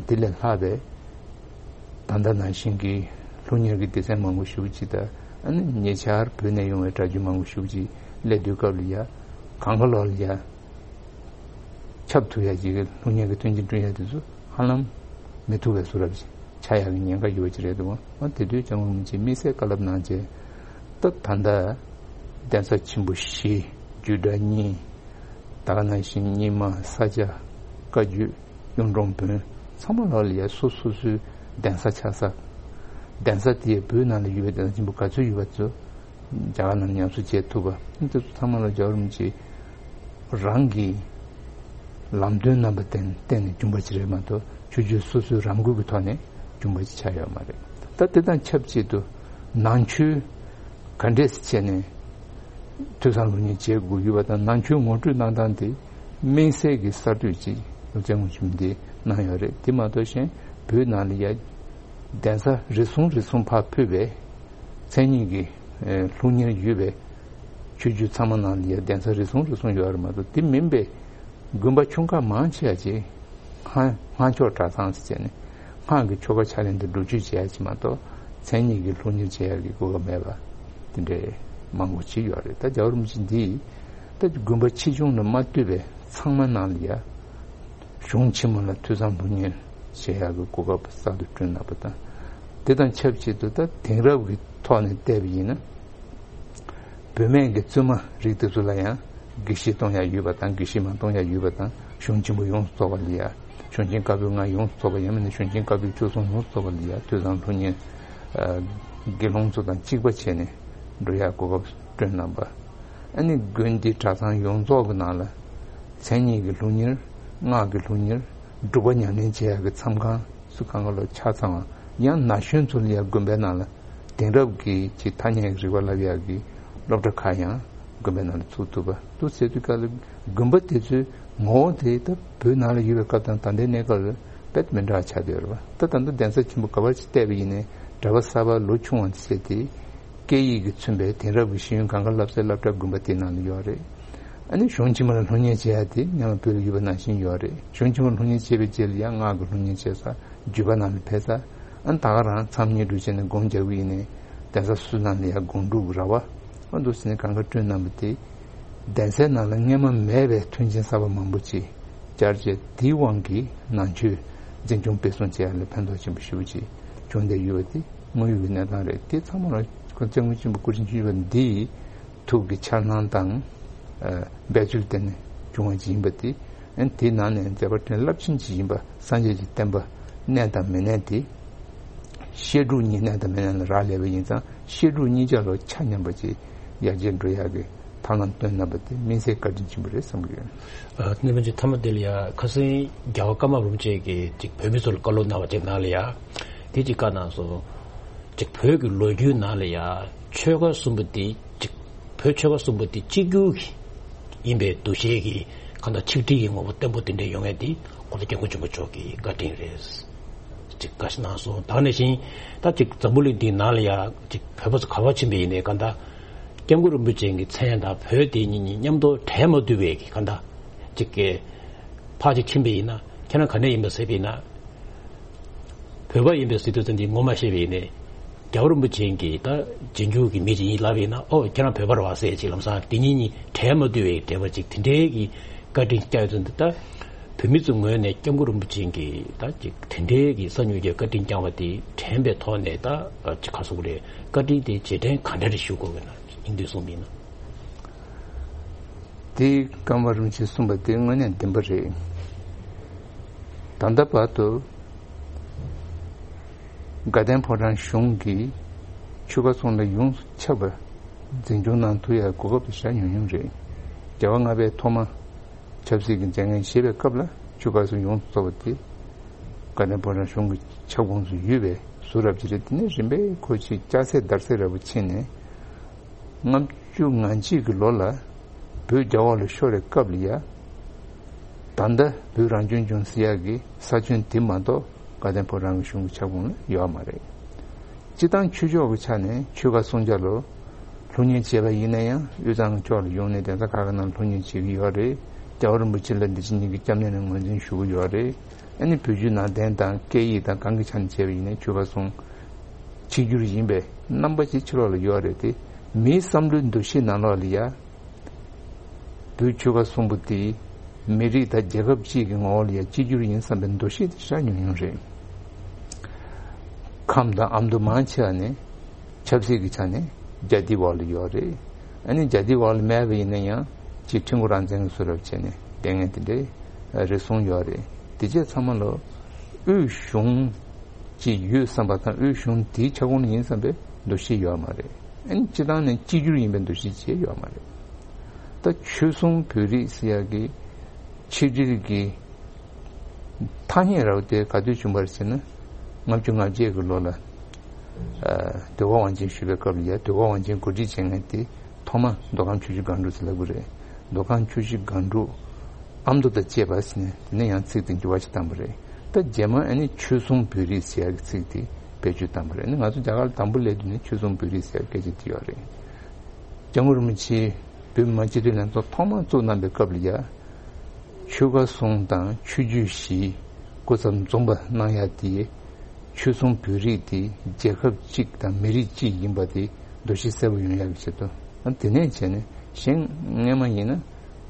དེ་ལས་ལྷག་པའི་ད་ལྟ་ནང་བཞིན་གྱི་སློབ་གཉེར་གྱི་སྡེ་ཚན་མང་པོ་ཞེ་པོ་ཅིག་དང་ཨ་ནི་ཉེ་ཆར་བོད་ནས་ཡོང་བའི་གྲྭ་རྒྱུན་མང་པོ་ཞེ་པོ་ཅིག་སླེབས་དུས་སྐབས་ལ་ཡ་གང་ག་ལོག་ལ་ཡ་ཁྱབ་ཐུབ་ཡ་ཅིག་གི་སློབ་གཉེར་གྱི་མཐུན་རྐྱེན་བསྐྲུན་ཡ་དེ་ཚོ་ཧ་ལམ་མི་ཐུབ་པའི་བཟོ་འདྲ་ཅིག་ཆགས་ཡག་གི་ཉེན་ཁ་ཡོད་པ་ཅིག་རེད་འདུག་ཨ་དེ་དུས་སྐྱབས་མགོན་རིན་པོ་ཆེས་དམིགས་བསལ་བཀའ་སློབ་གནང་བྱས་ད་ད་ལྟ་གདན་ས་ཆེན་པོ་བཞི་རྒྱུད་གྲྭ་གཉིས། ད་ག་ནང་བཞིན་རྙིང་མ་ས་སྐྱ་བཀའ་བརྒྱུད་གཡུང་དྲུང་བོན་ཚང་མ་ལོག་ལ་ཡ་སོ་སོ་སོའི་གདན་ས་ཆགས་ས། གདན་ས་དེ་བོད་ནང་ལ་ཡོད་པའི་གདན་ས་ཆེན་པོ་ག་ཚོད་ཡོད་པ་ཚོ་རྒྱ་གར་ནང་ཉམས་གསོ་བྱེད་ཐུབ་པ་དེ་ཚོ་ཚང་མ་ལ་རྒྱལ་བ་རིན་པོ་ཆེ་རང་གི་ལམ་སྟོན་རྣམ་པ་བསྟན་བསྟན་ནས་བྱུང་བ་ཅིག་རེད་མ་གཏོགས་ཆོས་བརྒྱུད་སོ་སོའི་རང་འགུལ་གྱི་ཐོག་ནས་བྱུང་བ་ཅིག་ཆགས་ཡོད་མ་རེད། ད་དེ་དང་ཆབས་ཅིག་ཏུ་ནང་ཆོས་ག་འདྲས་སེ་བྱས་ནས་ཐོས་བསམ་སློབ་གཉེར་བྱེད་དགོས་ཡོད་པ་དང་ནང་ཆོས་ངོ་སྤྲོད་གནང་སྟངས་དེ་དམིགས་བསལ་གྱི་གསར་གཏོད་ཅིག་སློབ་ཚན་ངོ་ཤེས་འདི་གནང་ཡོད་རེད། དེ་མ་གཏོགས་གཞན་བོད་ནང་ལ་ཡ་གདན་ས་རེ་ཟུང་རེ་ཟུང་ཕར་ཕུད་པའི་མཚན་ཉིད་ཀྱི་ཨེ་སློབ་གཉེར་ཡོད་པའི་ཆོས་བརྒྱུད་ཚང་མ་ནང་ལ་ཡ་གདན་ས་རེ་ཟུང་རེ་ཟུང་ཡོད་རེད་མ་གཏོགས་དེ་མིན་པའི་དགོན་པ་ཆུང་ཁག་མང་ཆེ་བ་ཅིག་སྔགས་སྔགས་ཆོས་གྲྭ་ཚང་ཟེར་བྱས་ནས་སྔགས་ཀྱི་ཆོ་ག་ཕྱག་ལེན་དུ་སྒྲུབ་མཆོད་བྱེད་ཡ་ཅིག་མ་གཏོགས་མཚན་ཉིད་ཀྱི་སློབ་གཉེར་བྱེད་ཡ་གི་གོ་སྐབས་མེད་པ་དེ་འདྲའི་མང་པོ་ཅིག་ཡོད་རེད། ད་རྒྱལ་བ་རིན་པོ་ཆེ་འདིས་ད་དགོན་པ་ཆེ་ཆུང་ལ་མ་ལྟོས་པའི་ཚང་མ་ནང་ལ་ཡ་གཞུང་ཆེན་མོ་ལ་ཐོས་བསམ་སློབ་གཉེར་བྱེད་ཡག་གི་གོ་སྐབས་གསར་དུ་བསྐྲུན་གནང་པ་དང་། དེ་དང་ཆབས་ཅིག་ཏུ་ད་དེང་རབས་ཀྱི་ཐོག་ནས་བལྟས་པ་ཡིན་ན། བུད་མེད་ཀྱི་བཙུན་མ་རིགས་དེ་ཚོ་ལ་ཡང་དགེ་བཤེས་གཏོང་ཡག་ཡོད་པ་དང་དགེ་བཤེས་མ་གཏོང་ཡག་ཡོད་པ་དང་གཞུང་ཆེན་པོ་ཡོངས་སུ་རྫོགས་པ་ལ་ཡ་གཞུང་ཆེན་བཀའ་པོད་ལྔ་ཡོངས་སུ་རྫོགས་པ་ཡང་མིན་ན་གཞུང་ཆེན་བཀའ་པོད་བཅུ་གསུམ་ཡོངས་སུ་རྫོགས་པ་ལ་ཡ་ཐོས་བསམ་སློབ་གཉེར་དགེ་སློང་ཚོ་དང་གཅིག་པ་བྱས་ནས་འགྲོ་ཡག་གོ་སྐབས་བསྐྲུན་གནང་པ། ཨ་ནི་དགོན་སྡེ་གྲྭ་ཚང་ཡོངས་རྫོགས་ཀྱི་ནང་ལ་མཚན་ཉིད་ཀྱི་སློབ་གཉེར་སྔགས་ཀྱི་སློབ་གཉེར་སྒྲུབ་པ་ཉམས་ལེན་བྱེད་ཡག་གི་མཚམས་ཁང་སུ་གང་ག་ལ་ཆ་ཚང་བ་ཡང་ན་གཞོན་ཚོ་ལ་ཡང་དགོན་པའི་ནང་ལ་དེང་རབས་ཀྱི་ཅིག་ཐ་སྙད་ཀྱི་རིག་པ་བསླབ་ཡག་གི་སློབ་གྲྭ་ཁག་ཡང་དགོན་པའི་ནང་ལ་ཚུགས་ཐུབ་པ་འདུག་ཟེར་དུས་སྐབས་ལ་དགོན་པ་དེ་ཚོའི་ངོ་བོ་དེ་ད་བོད་ནང་ལ་ཡོད་པའི་སྐབས་དང་ད་ལྟའི་གནས་སྐབས་ལ་དཔེ་མི་འདྲ་བ་ཆགས་བསྡད་ཡོད་རེད་བ། ད་ད་ལྟ་གདན་ས་ཆེན་པོ་ག་པར་ཅིག་བལྟས་པ་ཡིན་ནའི་གྲྭ་པ་གསར་པ་ལོ་ཆུང་བ་ཚོ་དེ་སྐད་ཡིག་གིས་མཚོན་པའི་དེང་རབས་ཀྱི་ཤེས་ཡོན་གང་ག་བསླབ་སའི་སློབ་གྲྭ་དགོན་པ་དེའི་ནང་ལ་ཡོད་རེད། ཨ་ནི་གཞུང་ཆེན་མོ་ལ་སློབ་གཉེར་བྱེད་ཡ་དེ་སྔོན་མ་བོད་ལ་ཡོད་པ་ནང་བཞིན་ཡོད་རེད། གཞུང་ཆེན་མོ་ལ་སློབ་གཉེར་བྱས་པའི་རྗེས་ལ་ཡང་སྔགས་ཀྱི་སློབ་གཉེར་བྱེད་ས་བརྒྱུད་པ་ནང་ལ་ཕེབས་ས། ཨ་ནི་ད་ག་རང་མཚམས་བསྙེན་སྒྲུབ་བྱས་ནས་སྒོམ་རྒྱག་གི་ཡིན་ནའི་གདན་ས་སུ་ནང་ལ་ཡང་སྒོམ་སྒྲུབ་ཀྱི་ར་བ་ཨ་འདུག་ཟེར་ནས་གང་ག་བསྐྲུན་གནང་པ་དེ། གདན་སའི་ནང་ལ་སྔོན་མ་མེད་པའི་མཐུན་རྐྱེན་གསར་པ་མང་པོ་ཅིག་བསྐྱར་བཅོས་དེའི་དབང་གིས་ནང་ཆོས་འཛིན་སྐྱོང་སྤེལ་གསུམ་བྱེད་ཡ་ལ་ཕན་ཐོགས་ཆེན་པོ་ཞེ་པོ་ཅིག་བྱུང་བསྡད་ཡོད་པ་དེ་དངོས་ཡོད་ཀྱི་གནས་སྟངས་རེད། དེ་ཚང་མ་ལ་སྐུ་སྐྱབས་མགོན་ཆེན་པོ་སྐུ་ཕྲེང་བཅུ་བཞི་པ་འདིའི་ཐུགས་ཀྱི་འཆར་སྣང་དང་འབད་རྩོལ་བརྟེན་ནས་བྱུང་བ་ཅིག་ཡིན་པ་དེ། ཨན་དེའི་ནང་ནས་མཛད་པ་ཕྲན་རླབས་ཆེན་ཅིག་ཡིན་པ་སངས་རྒྱས་ཀྱི་བསྟན་པ་གནས་དང་མི་གནས་དེ། བཤད་སྒྲུབ་གཉིས་གནས་དང་མི་གནས་ལ་རག་ལས་པ་ཡིན་ཙང་བཤད་སྒྲུབ་གཉིས་ཆ་ལ་ཆ་མཉམ་པ་ཅིག་ཡར་རྒྱས་འགྲོ་ཡག་གི་ཐབས་ལམ་སྟོན་གནང་པ་དེ་དམིགས་བསལ་བཀའ་དྲིན་ཆེན་པོ་རེད་བསམ་གྱི་ཡོད། ཨ་གནས་མ་ཅིག་ཐ་མ་དེ་ལ་ཡ་ཁ་སང་རྒྱལ་བ་ཀརྨ་རིན་པོ་ཆེ་གིས་ཅིག་བོད་མི་ཚོ་ལ་བཀའ་སློབ་གནང་བ་ཅིག་ནང་ལ་ཡ་དེ་ཅིག་བཀའ་གནང་སོང་། ཅིག་བོད་ཀྱི་ལོ་རྒྱུས་ནང་ལ་ཡ་ཆོལ་ཁ་གསུམ་པོ་དེ་ཅིག་བོད་ཆོལ་ཁ་གསུམ་པོ་དེ་གཅིག་གྱུར་གྱི་ཡིན་པའི་འདུ་ཤེས་ཀྱི་གང་ལྟར་ཆིག་སྒྲིལ་གྱི་ངོ་བོ་བརྟན་པོ་དེ་འདྲ་ཡོང་ཡས་དེ་ཁོ་ཚོ་སྐྱབས་མགོན་ཆེན་པོ་མཆོག་གི་བཀའ་དྲིན་རེད། ཅིག་བཀའ་གནང་སོང་། ད་ག་ནང་བཞིན་ད་ཅིག་འཛམ་བུ་གླིང་འདིའི་ནང་ལ་ཡ་ཅིག་བོད་པ་ཚོ་ག་པར་ཕྱིན་པ་ཡིན་ནའི་གང་ལྟར་སྐྱབས་མགོན་རིན་པོ་ཆེ་གི་མཚན་དང་བོད་དེ་གཉིས་གཉིས་མཉམ་དུ་བྲལ་མ་བཏུབ་པའི་གི་གང་ལྟར་ཅིག་གི་ཕར་ཅིག་ཕྱིན་པ་ཡིན་ན་ཁྱེད་རང་ག་ནས་ཡིན་པ་ཟེར་བ་ཡིན་ན། བོད་པ་ཡིན་པའི་ཟེར་དུས་ཙམ་དེ་ངོ་མ་ཤེས་པ་ཡིན་ནའི། རྒྱལ་བ་རིན་པོ་ཆེ་གིས་ད་རྗེས་འཇུག་གི་མི་ཅིག་ཡིན་ལབ་པ་ཡིན་ན་ཨོ་ཁྱེད་རང་བོད་པ་རེད་བ་ཟེར་ཅིག་ལམ་སང་དེ་གཉིས་གཉིས་བྲལ་མ་བཏུབ་པའི་འབྲེལ་བ་ཅིག་དེ་འདྲའི་གི་བཀའ་དྲིན་བསྐྱངས་ཡོད་ཙང་ད་བོད་མི་ཚོའི་ངོས་ནས་སྐྱབས་མགོན་རིན་པོ་ཆེ་གིས་ད་ཅིག་དེ་འདྲའི་གི་གསར་འགྱུར་གྱི་བཀའ་དྲིན་བསྐྱངས་པ་དེ་དྲན་པའི་ཐོག་ནས་ད་ཅིག་ག་རེ་ཟེར་དགོས་རེད། བཀའ་དྲིན་དེ་རྗེས་དྲན་ག་འདྲ་རེ་ཞུ་དགོས་ཀྱི་ན་སྙིང་བསྡུས་གསུངས་པ་ཡིན་ན། དེ་ཀརྨ་རིན་པོ་ཆེས་གསུངས་པ་དེ་དངོས་གནས་བདེན་པ་རེད། ད་ལྟ་བར་དུ་དགའ་ལྡན་ཕོ་བྲང་གཞུང་གིས་ཆོལ་ཁ་གསུམ་ལ་ཡོངས་སུ་ཁྱབ་པ་འཛིན་སྐྱོང་གནང་ཐུབ་ཡ་གོ་སྐབས་དེ་ཞེ་དྲག་ཉུང་ཉུང་རེད། རྒྱལ་བ་ལྔ་པས་ཐོག་མ་ཆབ་སྲིད་ཀྱི་མཛད་འགན་བཞེས་པའི་སྐབས་ལ་ཆོལ་ཁ་གསུམ་ཡོངས་སུ་རྫོགས་པ་དེ་དགའ་ལྡན་ཕོ་བྲང་གཞུང་གི་ཁྱབ་ཁོངས་སུ་ཡོད་པའི་བཟོ་འདྲ་ཅིག་རེད། དེ་ནས་རིམ་པས་ཁོ་ཅིག་སྐྱ་སེར་དར་སེར་འདྲ་པོ་ཕྱིན་ནས། ལྔ་བཅུ་ང་གཅིག་གི་ལོ་ལ་བོད་རྒྱ་འོག་ལ་ཤོར་བའི་སྐབས་ལ་ཡ། ད་ལྟ་བོད་རང་སྐྱོང་ལྗོངས་ཟེར་ཡག་གི་ས་ཁྱོན་དེ་མ་གཏོགས་དགའ་ལྡན་ཕོ་བྲང་གི་གཞུང་གི་ཁྱབ་ཁོངས་ལ་ཡོད་མ་རེད། སྤྱི་བཏང་ཆོས་ཕྱོགས་ཀྱི་ཆ་ནས་ཆོལ་ཁ་སུམ་ཅུ་ལ་སློབ་གཉེར་བྱས་པ་ཡིན་ན་ཡང་དབུས་གཙང་གི་ཕྱོགས་ལ་ཡོང་ནས་གདན་ས་ཁག་གི་ནང་སློབ་གཉེར་བྱེད་ཀྱི་ཡོད་རེད། རྒྱལ་བ་རིན་པོ་ཆེ་ལ་འདི་ཕྱི་གཉིས་ཀྱི་སྐྱབས་གནས་ནས་ངོས་འཛིན་ཞུ་གི་ཡོད་རེད། ཨ་ནི་བོད་བརྒྱུད་ནང་བསྟན་དང་སྐད་ཡིག་དང་གང་གི་ཆ་ནས་བྱས་པ་ཡིན་ན་ཆོལ་ཁ་གསུམ་གཅིག་གྱུར་ཡིན་པའི་རྣམ་པ་ཅིག་ཕྱི་ལོགས་ལ་ཡོད་རེད་དེ། མིའི་བསམ་བློའི་འདུ་ཤེས་ནང་ལོགས་ལ་ཡ། བོད་ཆོལ་ཁ་གསུམ་པོ་དེ་མི་རིགས་དང་རྒྱལ་ཁབ་གཅིག་གི་ངོ་བོ་ལ་ཡ་གཅིག་གྱུར་ཡིན་བསམ་པའི་འདུ་ཤེས་དེ་ཞེ་དྲག་ཉུང་ཉུང་རེད། ཁམས་དང་ཨ་མདོ་མང་ཆེ་བ་ནི་ཆབ་སྲིད་ཀྱི་ཆ་ནས་རྒྱ་འདི་འོག་ལ་ཡོད་རེད། ཨ་ནི་རྒྱ་འདི་འོག་ལ་མེད་པ་ཡིན་ན་ཡང་ཅིག་ཁྲིམས་ཁང་རང་བཙན་གྱི་བཟོ་འདྲ་བྱས་ནས་བསྡད་མཁན་དེ་འདྲའི་རེ་ཟུང་ཡོད་རེད། དེ་རྗེས་ཚང་མ་ལོ་དབུས་གཞུང་ཅིག་ཡོད་བསམ་པ་དང་དབུས་གཞུང་དེའི་ཁྱབ་ཁོངས་ལ་ཡིན་བསམ་པའི་འདུ་ཤེས་ཡོད་མ་རེད། ཨ་ནི་སྤྱི་བཏང་ནས་གཅིག་གྱུར་ཡིན་པའི་འདུ་ཤེས་ཅིག་ཡོད་མ་རེད། ད་ཆོལ་གསུམ་བོད་རིགས་ཟེར་ཡག་གི་ཆིག་སྒྲིལ་གྱི་ཐ་སྙད་ར་བ་དེ་ག་དུས་བྱུང་བ་རེད་ཟེར་ན། ལྔ་བཅུ་ང་བརྒྱད་ཀྱི་ལོ་ལ་ཨ་ཟློས་གར་དབང་ཆེན་ཞུས་པའི་སྐབས་ལ་ཡ། ཟློས་གར་དབང་ཆེན་གོ་སྒྲིག་བྱེད་མཁན་དེ་ཐོག་མ་མདོ་ཁམས་ཆུ་བཞི་སྒང་དྲུག་ཟེར་ལབ་ཀྱི་རེད། མདོ་ཁམས་ཆུ་བཞི་སྒང་དྲུག་ཨ་མདོ་དང་བཅས་པ་ཟེར་ནས་དེ་ནས་ཡང་ཚིག་དེ་འགྱུར་བ་ཞིག་བཏང་བ་རེད། ད་རྗེས་མ་ཨ་ནི་ཆོལ་གསུམ་བོད་རིགས་ཟེར་ཡག་གི་ཚིག་དེ་བེད་སྤྱོད་བཏང་བ་རེད། ཨ་ནི་ང་ཚོ་རྒྱ་གར་ལ་དང་པོ་སླེབས་དུས་ནས་ཆོལ་གསུམ་བོད་རིགས་ཟེར་ཡག་སྐད་ཆ་དེ་ཡོད་རེད། སྐྱབས་མགོན་རིན་པོ་ཆེས་བོད་མི་མང་སྤྱི་འཐུས་ལྷན་ཚོགས་ཐོག་མར་བཙུགས་གནང་པའི་སྐབས་ལ་ཡ། ཆོལ་ཁ་གསུམ་དང་ཆོས་བརྒྱུད་བཞི་སྐུ་ཚབ་འཛོམས་པ་གནང་ཡ་དེ། ཆོལ་གསུམ་བོད་རིགས་དེ་རྒྱལ་ཁབ་གཅིག་དང་མི་རིགས་གཅིག་ཡིན་པ་དེ་འདུ་ཤེས་གསལ་པོ་ཡོང་ཡག་གི་ཆེད་དུ། ཨ་དེ་ནས་བྱས་ནས་གཞན་སྔོན་མ་ཡིན་ན་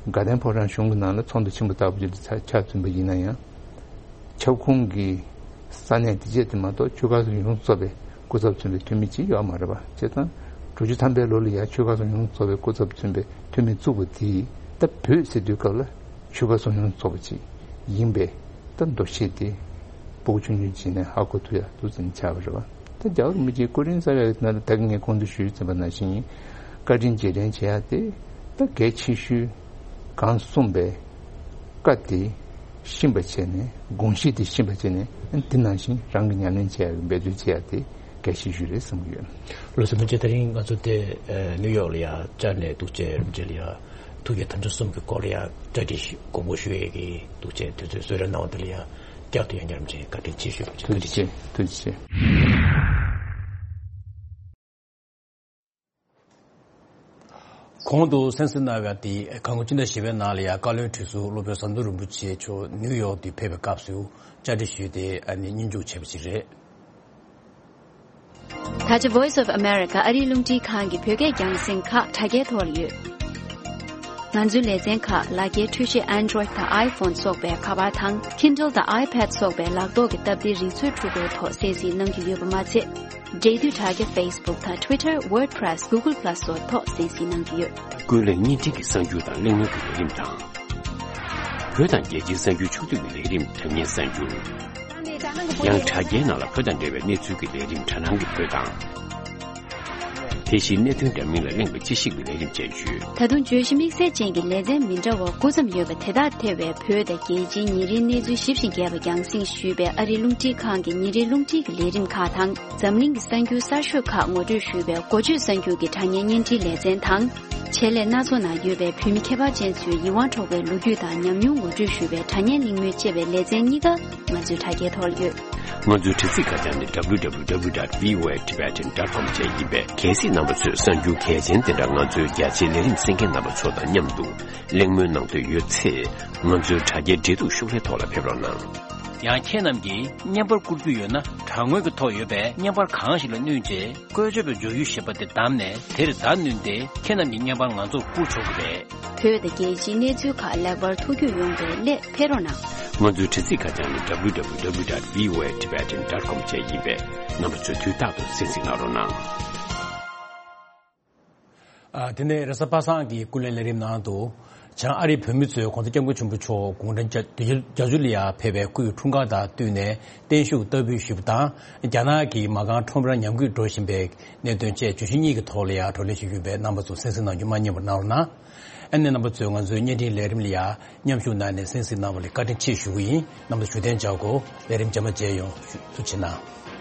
དགའ་ལྡན་ཕོ་བྲང་གཞུང་གི་ནང་ལ་ཚོགས་འདུ་ཆེན་པོ་ལྟ་བུ་ཅིག་ལ་ཆ་ཆ་ཚུད་པ་ཡིན་ན་ཡང་། ཁྱབ་ཁོངས་ཀྱི་ས་གནས་དེ་བཅས་དེ་མ་གཏོགས་ཆོལ་ཁ་གསུམ་ཡོངས་སུ་རྫོགས་པའི་སྐུ་ཚབ་མཚོན་པའི་འཐུས་མི་གཅིག་ཡོད་མ་རེད་པ། བྱས་ཙང་དྲུག་ཅུ་ཐམ་པའི་ལོ་ལ་ཡང་ཆོལ་ཁ་གསུམ་ཡོངས་སུ་རྫོགས་པའི་སྐུ་ཚབ་མཚོན་པའི་འཐུས་མི་བཙུགས་པ་དེས་ད་བོད་ཟེར་དུས་སྐབས་ལ་ཆོལ་ཁ་གསུམ་ཡོངས་སུ་རྫོགས་པ་ཅིག་ཡིན་པའི་ད་འདུ་ཤེས་དེ་སྤུ་གུ་ཆུང་ཆུང་བྱས་ནས་ཧ་གོ་ཐུབ་ཡ་འདུག་ཟེར་ནས་ཆགས་པ་རེད་པ། ད་རྒྱལ་བ་རིན་པོ་ཆེའི་སྐུ་རིང་གསར་པའི་ནང་ལ་ད་གིན་ངས་གོང་དུ་ཞུས་ཟིན་པ་ནང་བཞིན་བཀའ་དྲིན་རྗེས་དྲན་བྱེད་ཡ་དེ་ད་གལ་ཆེ་ཤོས་གང་གསུངས་པའི་བཀའ་དེ་ཤེས་པ་བྱས་ནས་དགོངས་གཞི་དེ་ཤེས་པ་བྱས་ནས་དེ་ནང་བཞིན་རང་གི་ཉམས་ལེན་བྱེད་ཡ་འབད་རྩོལ་བྱེད་ཡ་དེ་གལ་ཆེ་ཤོས་རེད་བསམ་གྱི་ཡོད། ལགས་སོ། རིན་པོ་ཆེ། དེ་རིང་ང་ཚོ་དེ་ནིའུ་ཡོག་ལ་ཡ་བཅར་ནས་འདུག་བྱས། རིན་པོ་ཆེ་ལ་ཡ་ཐུགས་བསྐྱེད་དམ་བཅའ་གསུམ་གྱི་སྐོར་ལ་ཡ་གྲ་སྒྲིག་དགོངས་པ་ཞུ་ཡས་ཀྱི་འདུག་བྱས་དུས་ཚོད་གསོལ་རས་གནང་བ་དེ་ལ་ཡ་བསྐྱར་དུ་ཡང་བསྐྱར་རིན་པོ་ཆེ་བཀའ་དྲིན་ཆེ་ཞུ། ཐུགས་རྗེ་ཆེ། ཐུགས་རྗེ་ཆེ། གོང་དུ་གསན་གཟིགས་གནང་བ་དེ་གངས་སྐྱིད་ཟླ་བཞི་པའི་ནང་ལ་ཡང་བཀའ་བློན་ཁྲི་ཟུར་སློབ་དཔོན་ཟམ་གདོང་རིན་པོ་ཆེ་མཆོག་ནིའུ་ཡོག་ཏུ་ཕེབས་པའི་སྐབས་སུ་བཅར་འདྲི་ཞུས་ཏེ་ཨ་ནི་སྙན་ཞུ་བྱས་པ་ཞིག་རེད། ད་ཆ་Voice of America ཨ་རིའི་རླུང་འཕྲིན་ཁང་གི་བོད་སྐད་རྒྱང་སྲིང་ཁག་དྲ་རྒྱའི་ཐོག་ལ་ཡོད། ང་ཚོའི་ལེ་ཚན་ཁག་ལག་འཁྱེར་འཕྲུལ་ཆས་Android་དང་iPhone་སོགས་པའི་ཁ་པར་དང་Kindle་དང་iPad་སོགས་པའི་ལག་ཐོག་གི་སྟབས་བདེའི་རིག་མཛོད་འཕྲུལ་འཁོར་ཐོག་གསན་གཟིགས་གནང་རྒྱུ་ཡོད་པ་མ་ཚད། འབྲེལ་མཐུད་དྲ་རྒྱ་Facebook་དང་Twitter, WordPress, Google Plus་སོགས་ཐོག་གསན་གཟིགས་གནང་རྒྱུ་ཡོད། ཀུན་གླེང་བརྙན་འཕྲིན་གྱི་གསར་འགྱུར་དང་གླེང་མོལ་གྱི་ལས་རིམ་དང་། བོད་དང་རྒྱལ་སྤྱིའི་གསར་འགྱུར་ཕྱོགས་བསྡུས་ཀྱི་ལས་རིམ་དྲ་བརྙན་གསར་འགྱུར། ཡང་དྲ་རྒྱའི་ནང་ལ་བོད་དང་འབྲེལ་བའི་གནས་ཚུལ་གྱི་ལས་རིམ་དྲ་སྣང་གི་བོད་དང་། དེ་བཞིན་གནད་དོན་འདྲ་མིན་ལ་གླེང་བའི་དཔྱད་ཞིབ་ཀྱི་ལས་རིམ་བཅས་ཡོད། ད་དུང་བརྗོད་གཞི་དམིགས་བསལ་ཅན་གྱི་ལེ་ཚན་མི་འདྲ་བ་སྐུ་མཚམས་ཡོད་པ་དེ་དག་ཐེ་བའི་བོད་དང་རྒྱལ་སྤྱིའི་ཉིན་རེའི་གནས་ཚུལ་ཞིབ་ཅིང་རྒྱས་པ་རྒྱང་སྲིང་ཞུས་པའི་ཨ་རིའི་རླུང་འཕྲིན་ཁང་གི་ཉིན་རེའི་རླུང་འཕྲིན་གྱི་ལས་རིམ་ཁག་དང་། འཛམ་གླིང་གི་གསར་འགྱུར་གསར་ཤོས་ཁག་ངོ་སྤྲོད་ཞུས་པའི་འགོ་བརྗོད་གསར་འགྱུར་གྱི་དྲ་བརྙན་བརྙན་འཕྲིན་ལེ་ཚན་དང་། བྱེད་ལས་སྣ་ཚོགས་ནང་ཡོད་པའི་བོད་མི་ཁྱད་པར་ཅན་ཚོའི་ཡིད་དབང་འཕྲོག་པའི་ལོ་རྒྱུས་དང་ཉམས་མྱོང་ངོ་སྤྲོད་ཞུས་པའི་དྲ་བརྙན་གླེང་མོལ་བཅས་པའི་ལེ་ཚན་གཉིས་ཀ་ང་ཚོའི་དྲ་རྒྱའི་ཐོག་ལ་ཡོད། ང་ཚོའི་དྲ་ཚིགས་ཁ་བྱང་ནི་W W W dot V O A Tibetan dot com བཅས་ཡིན་པས། གལ་སྲིད་རྣམ་པ་ཚོས་གསར་འགྱུར་གལ་ཆེན་དེ་འདྲ་ང་ཚོའི་རྒྱ་ཆེའི་ལས་རིམ་གསན་མཁན་རྣམ་པ་ཚོ་དང་མཉམ་དུ་གླེང་མོལ་གནང་འདོད་ཡོད་ཚེ། ང་ཚོའི་དྲ་རྒྱའི་འབྲེལ་གཏུག་ཤོག་ལྷེ་ཐོག་ལ་ཕེབས་རོགས་གནང་། ཡང་ཁྱེད་རྣམས་ཀྱིས་བརྙན་པར་བསྐུར་རྒྱུ་ཡོད་ན། དྲ་ངོས་ཀྱི་ཐོག་ཡོད་པའི་བརྙན་པར་གང་ཞིག་ལ་བསྣུན་རྗེས། བཀོལ་སྤྱོད་པའི་སྦྱོར་ཡུལ་ཞེས་པ་དེ་བདམས་ནས། དེར་བརྡ་བསྣུན་ཏེ། ཁྱེད་རྣམས་ཀྱི་བརྙན་པར་ང་ཚོར་བསྐུར་ཆོག་གི་རེད། བོད་དང་རྒྱལ་སྤྱིའི་གནས་ཚུལ་ཁག་ལེགས་པར་ཐུགས་རྒྱུས་ཡོང་བའི་སླད་ཕེབས་རོགས་གནང་། ང་ཚོའི་དྲ་ཚིགས་ཁ་བྱང་ནི་W W W dot V O A Tibetan dot com བཅས་ཡིན་པས། རྣམ་པ་ཚོས་དུས་རྟག་ཏུ་གསན་གཟིགས་གནང་རོགས་གནང་། ཨ། དེ་ནས་རེས་གཟའ་པ་སངས་ཀྱི་ཀུན་གླེང་ལས་རིམ་ནང་དུ། བྱང་ཨ་རིའི་བོད་མི་ཚོས་༧གོང་ས་༧སྐྱབས་མགོན་ཆེན་པོ་མཆོག་དགུང་གྲངས་བརྒྱད་ཅུ་ལ་ཡ་ཕེབས་པའི་སྐུའི་འཁྲུངས་སྐར་དང་བསྟུན་ནས་བརྟན་བཞུགས་བསྟར་འབུལ་ཞུས་པ་དང་། རྒྱ་ནག་གི་མ་རྐང་ཁྲོམ་ར་ཉམས་རྒུད་འགྲོ་བཞིན་པའི་གནད་དོན་བཅས་བརྗོད་གཞི་གཉིས་ཀྱི་ཐོག་ལ་ཡ་བགྲོ་གླེང་ཞུས་ཡོད་པས། རྣམ་པ་ཚོ་གསན་གཟིགས་གནང་རྒྱུ་མ་བསྙེལ་བར་གནང་རོགས་གནང་། ཨ་ནེ་རྣམ་པ་ཚོས་ང་ཚོའི་བརྙན་འཕྲིན་ལས་རིམ་ལ་ཡ་མཉམ་ཞུགས་གནང་ནས་གསན་གཟིགས་གནང་བ་ལ་བཀའ་དྲིན་ཆེ་ཞུ་གི་ཡིན། རྣམ་པ་ཚོ་བཞུགས་གདན་འཇགས་དགོས། ལས་རིམ་རྗེས་མ་མཇལ་ཡོང་། ཐུགས་རྗེ་གནང་།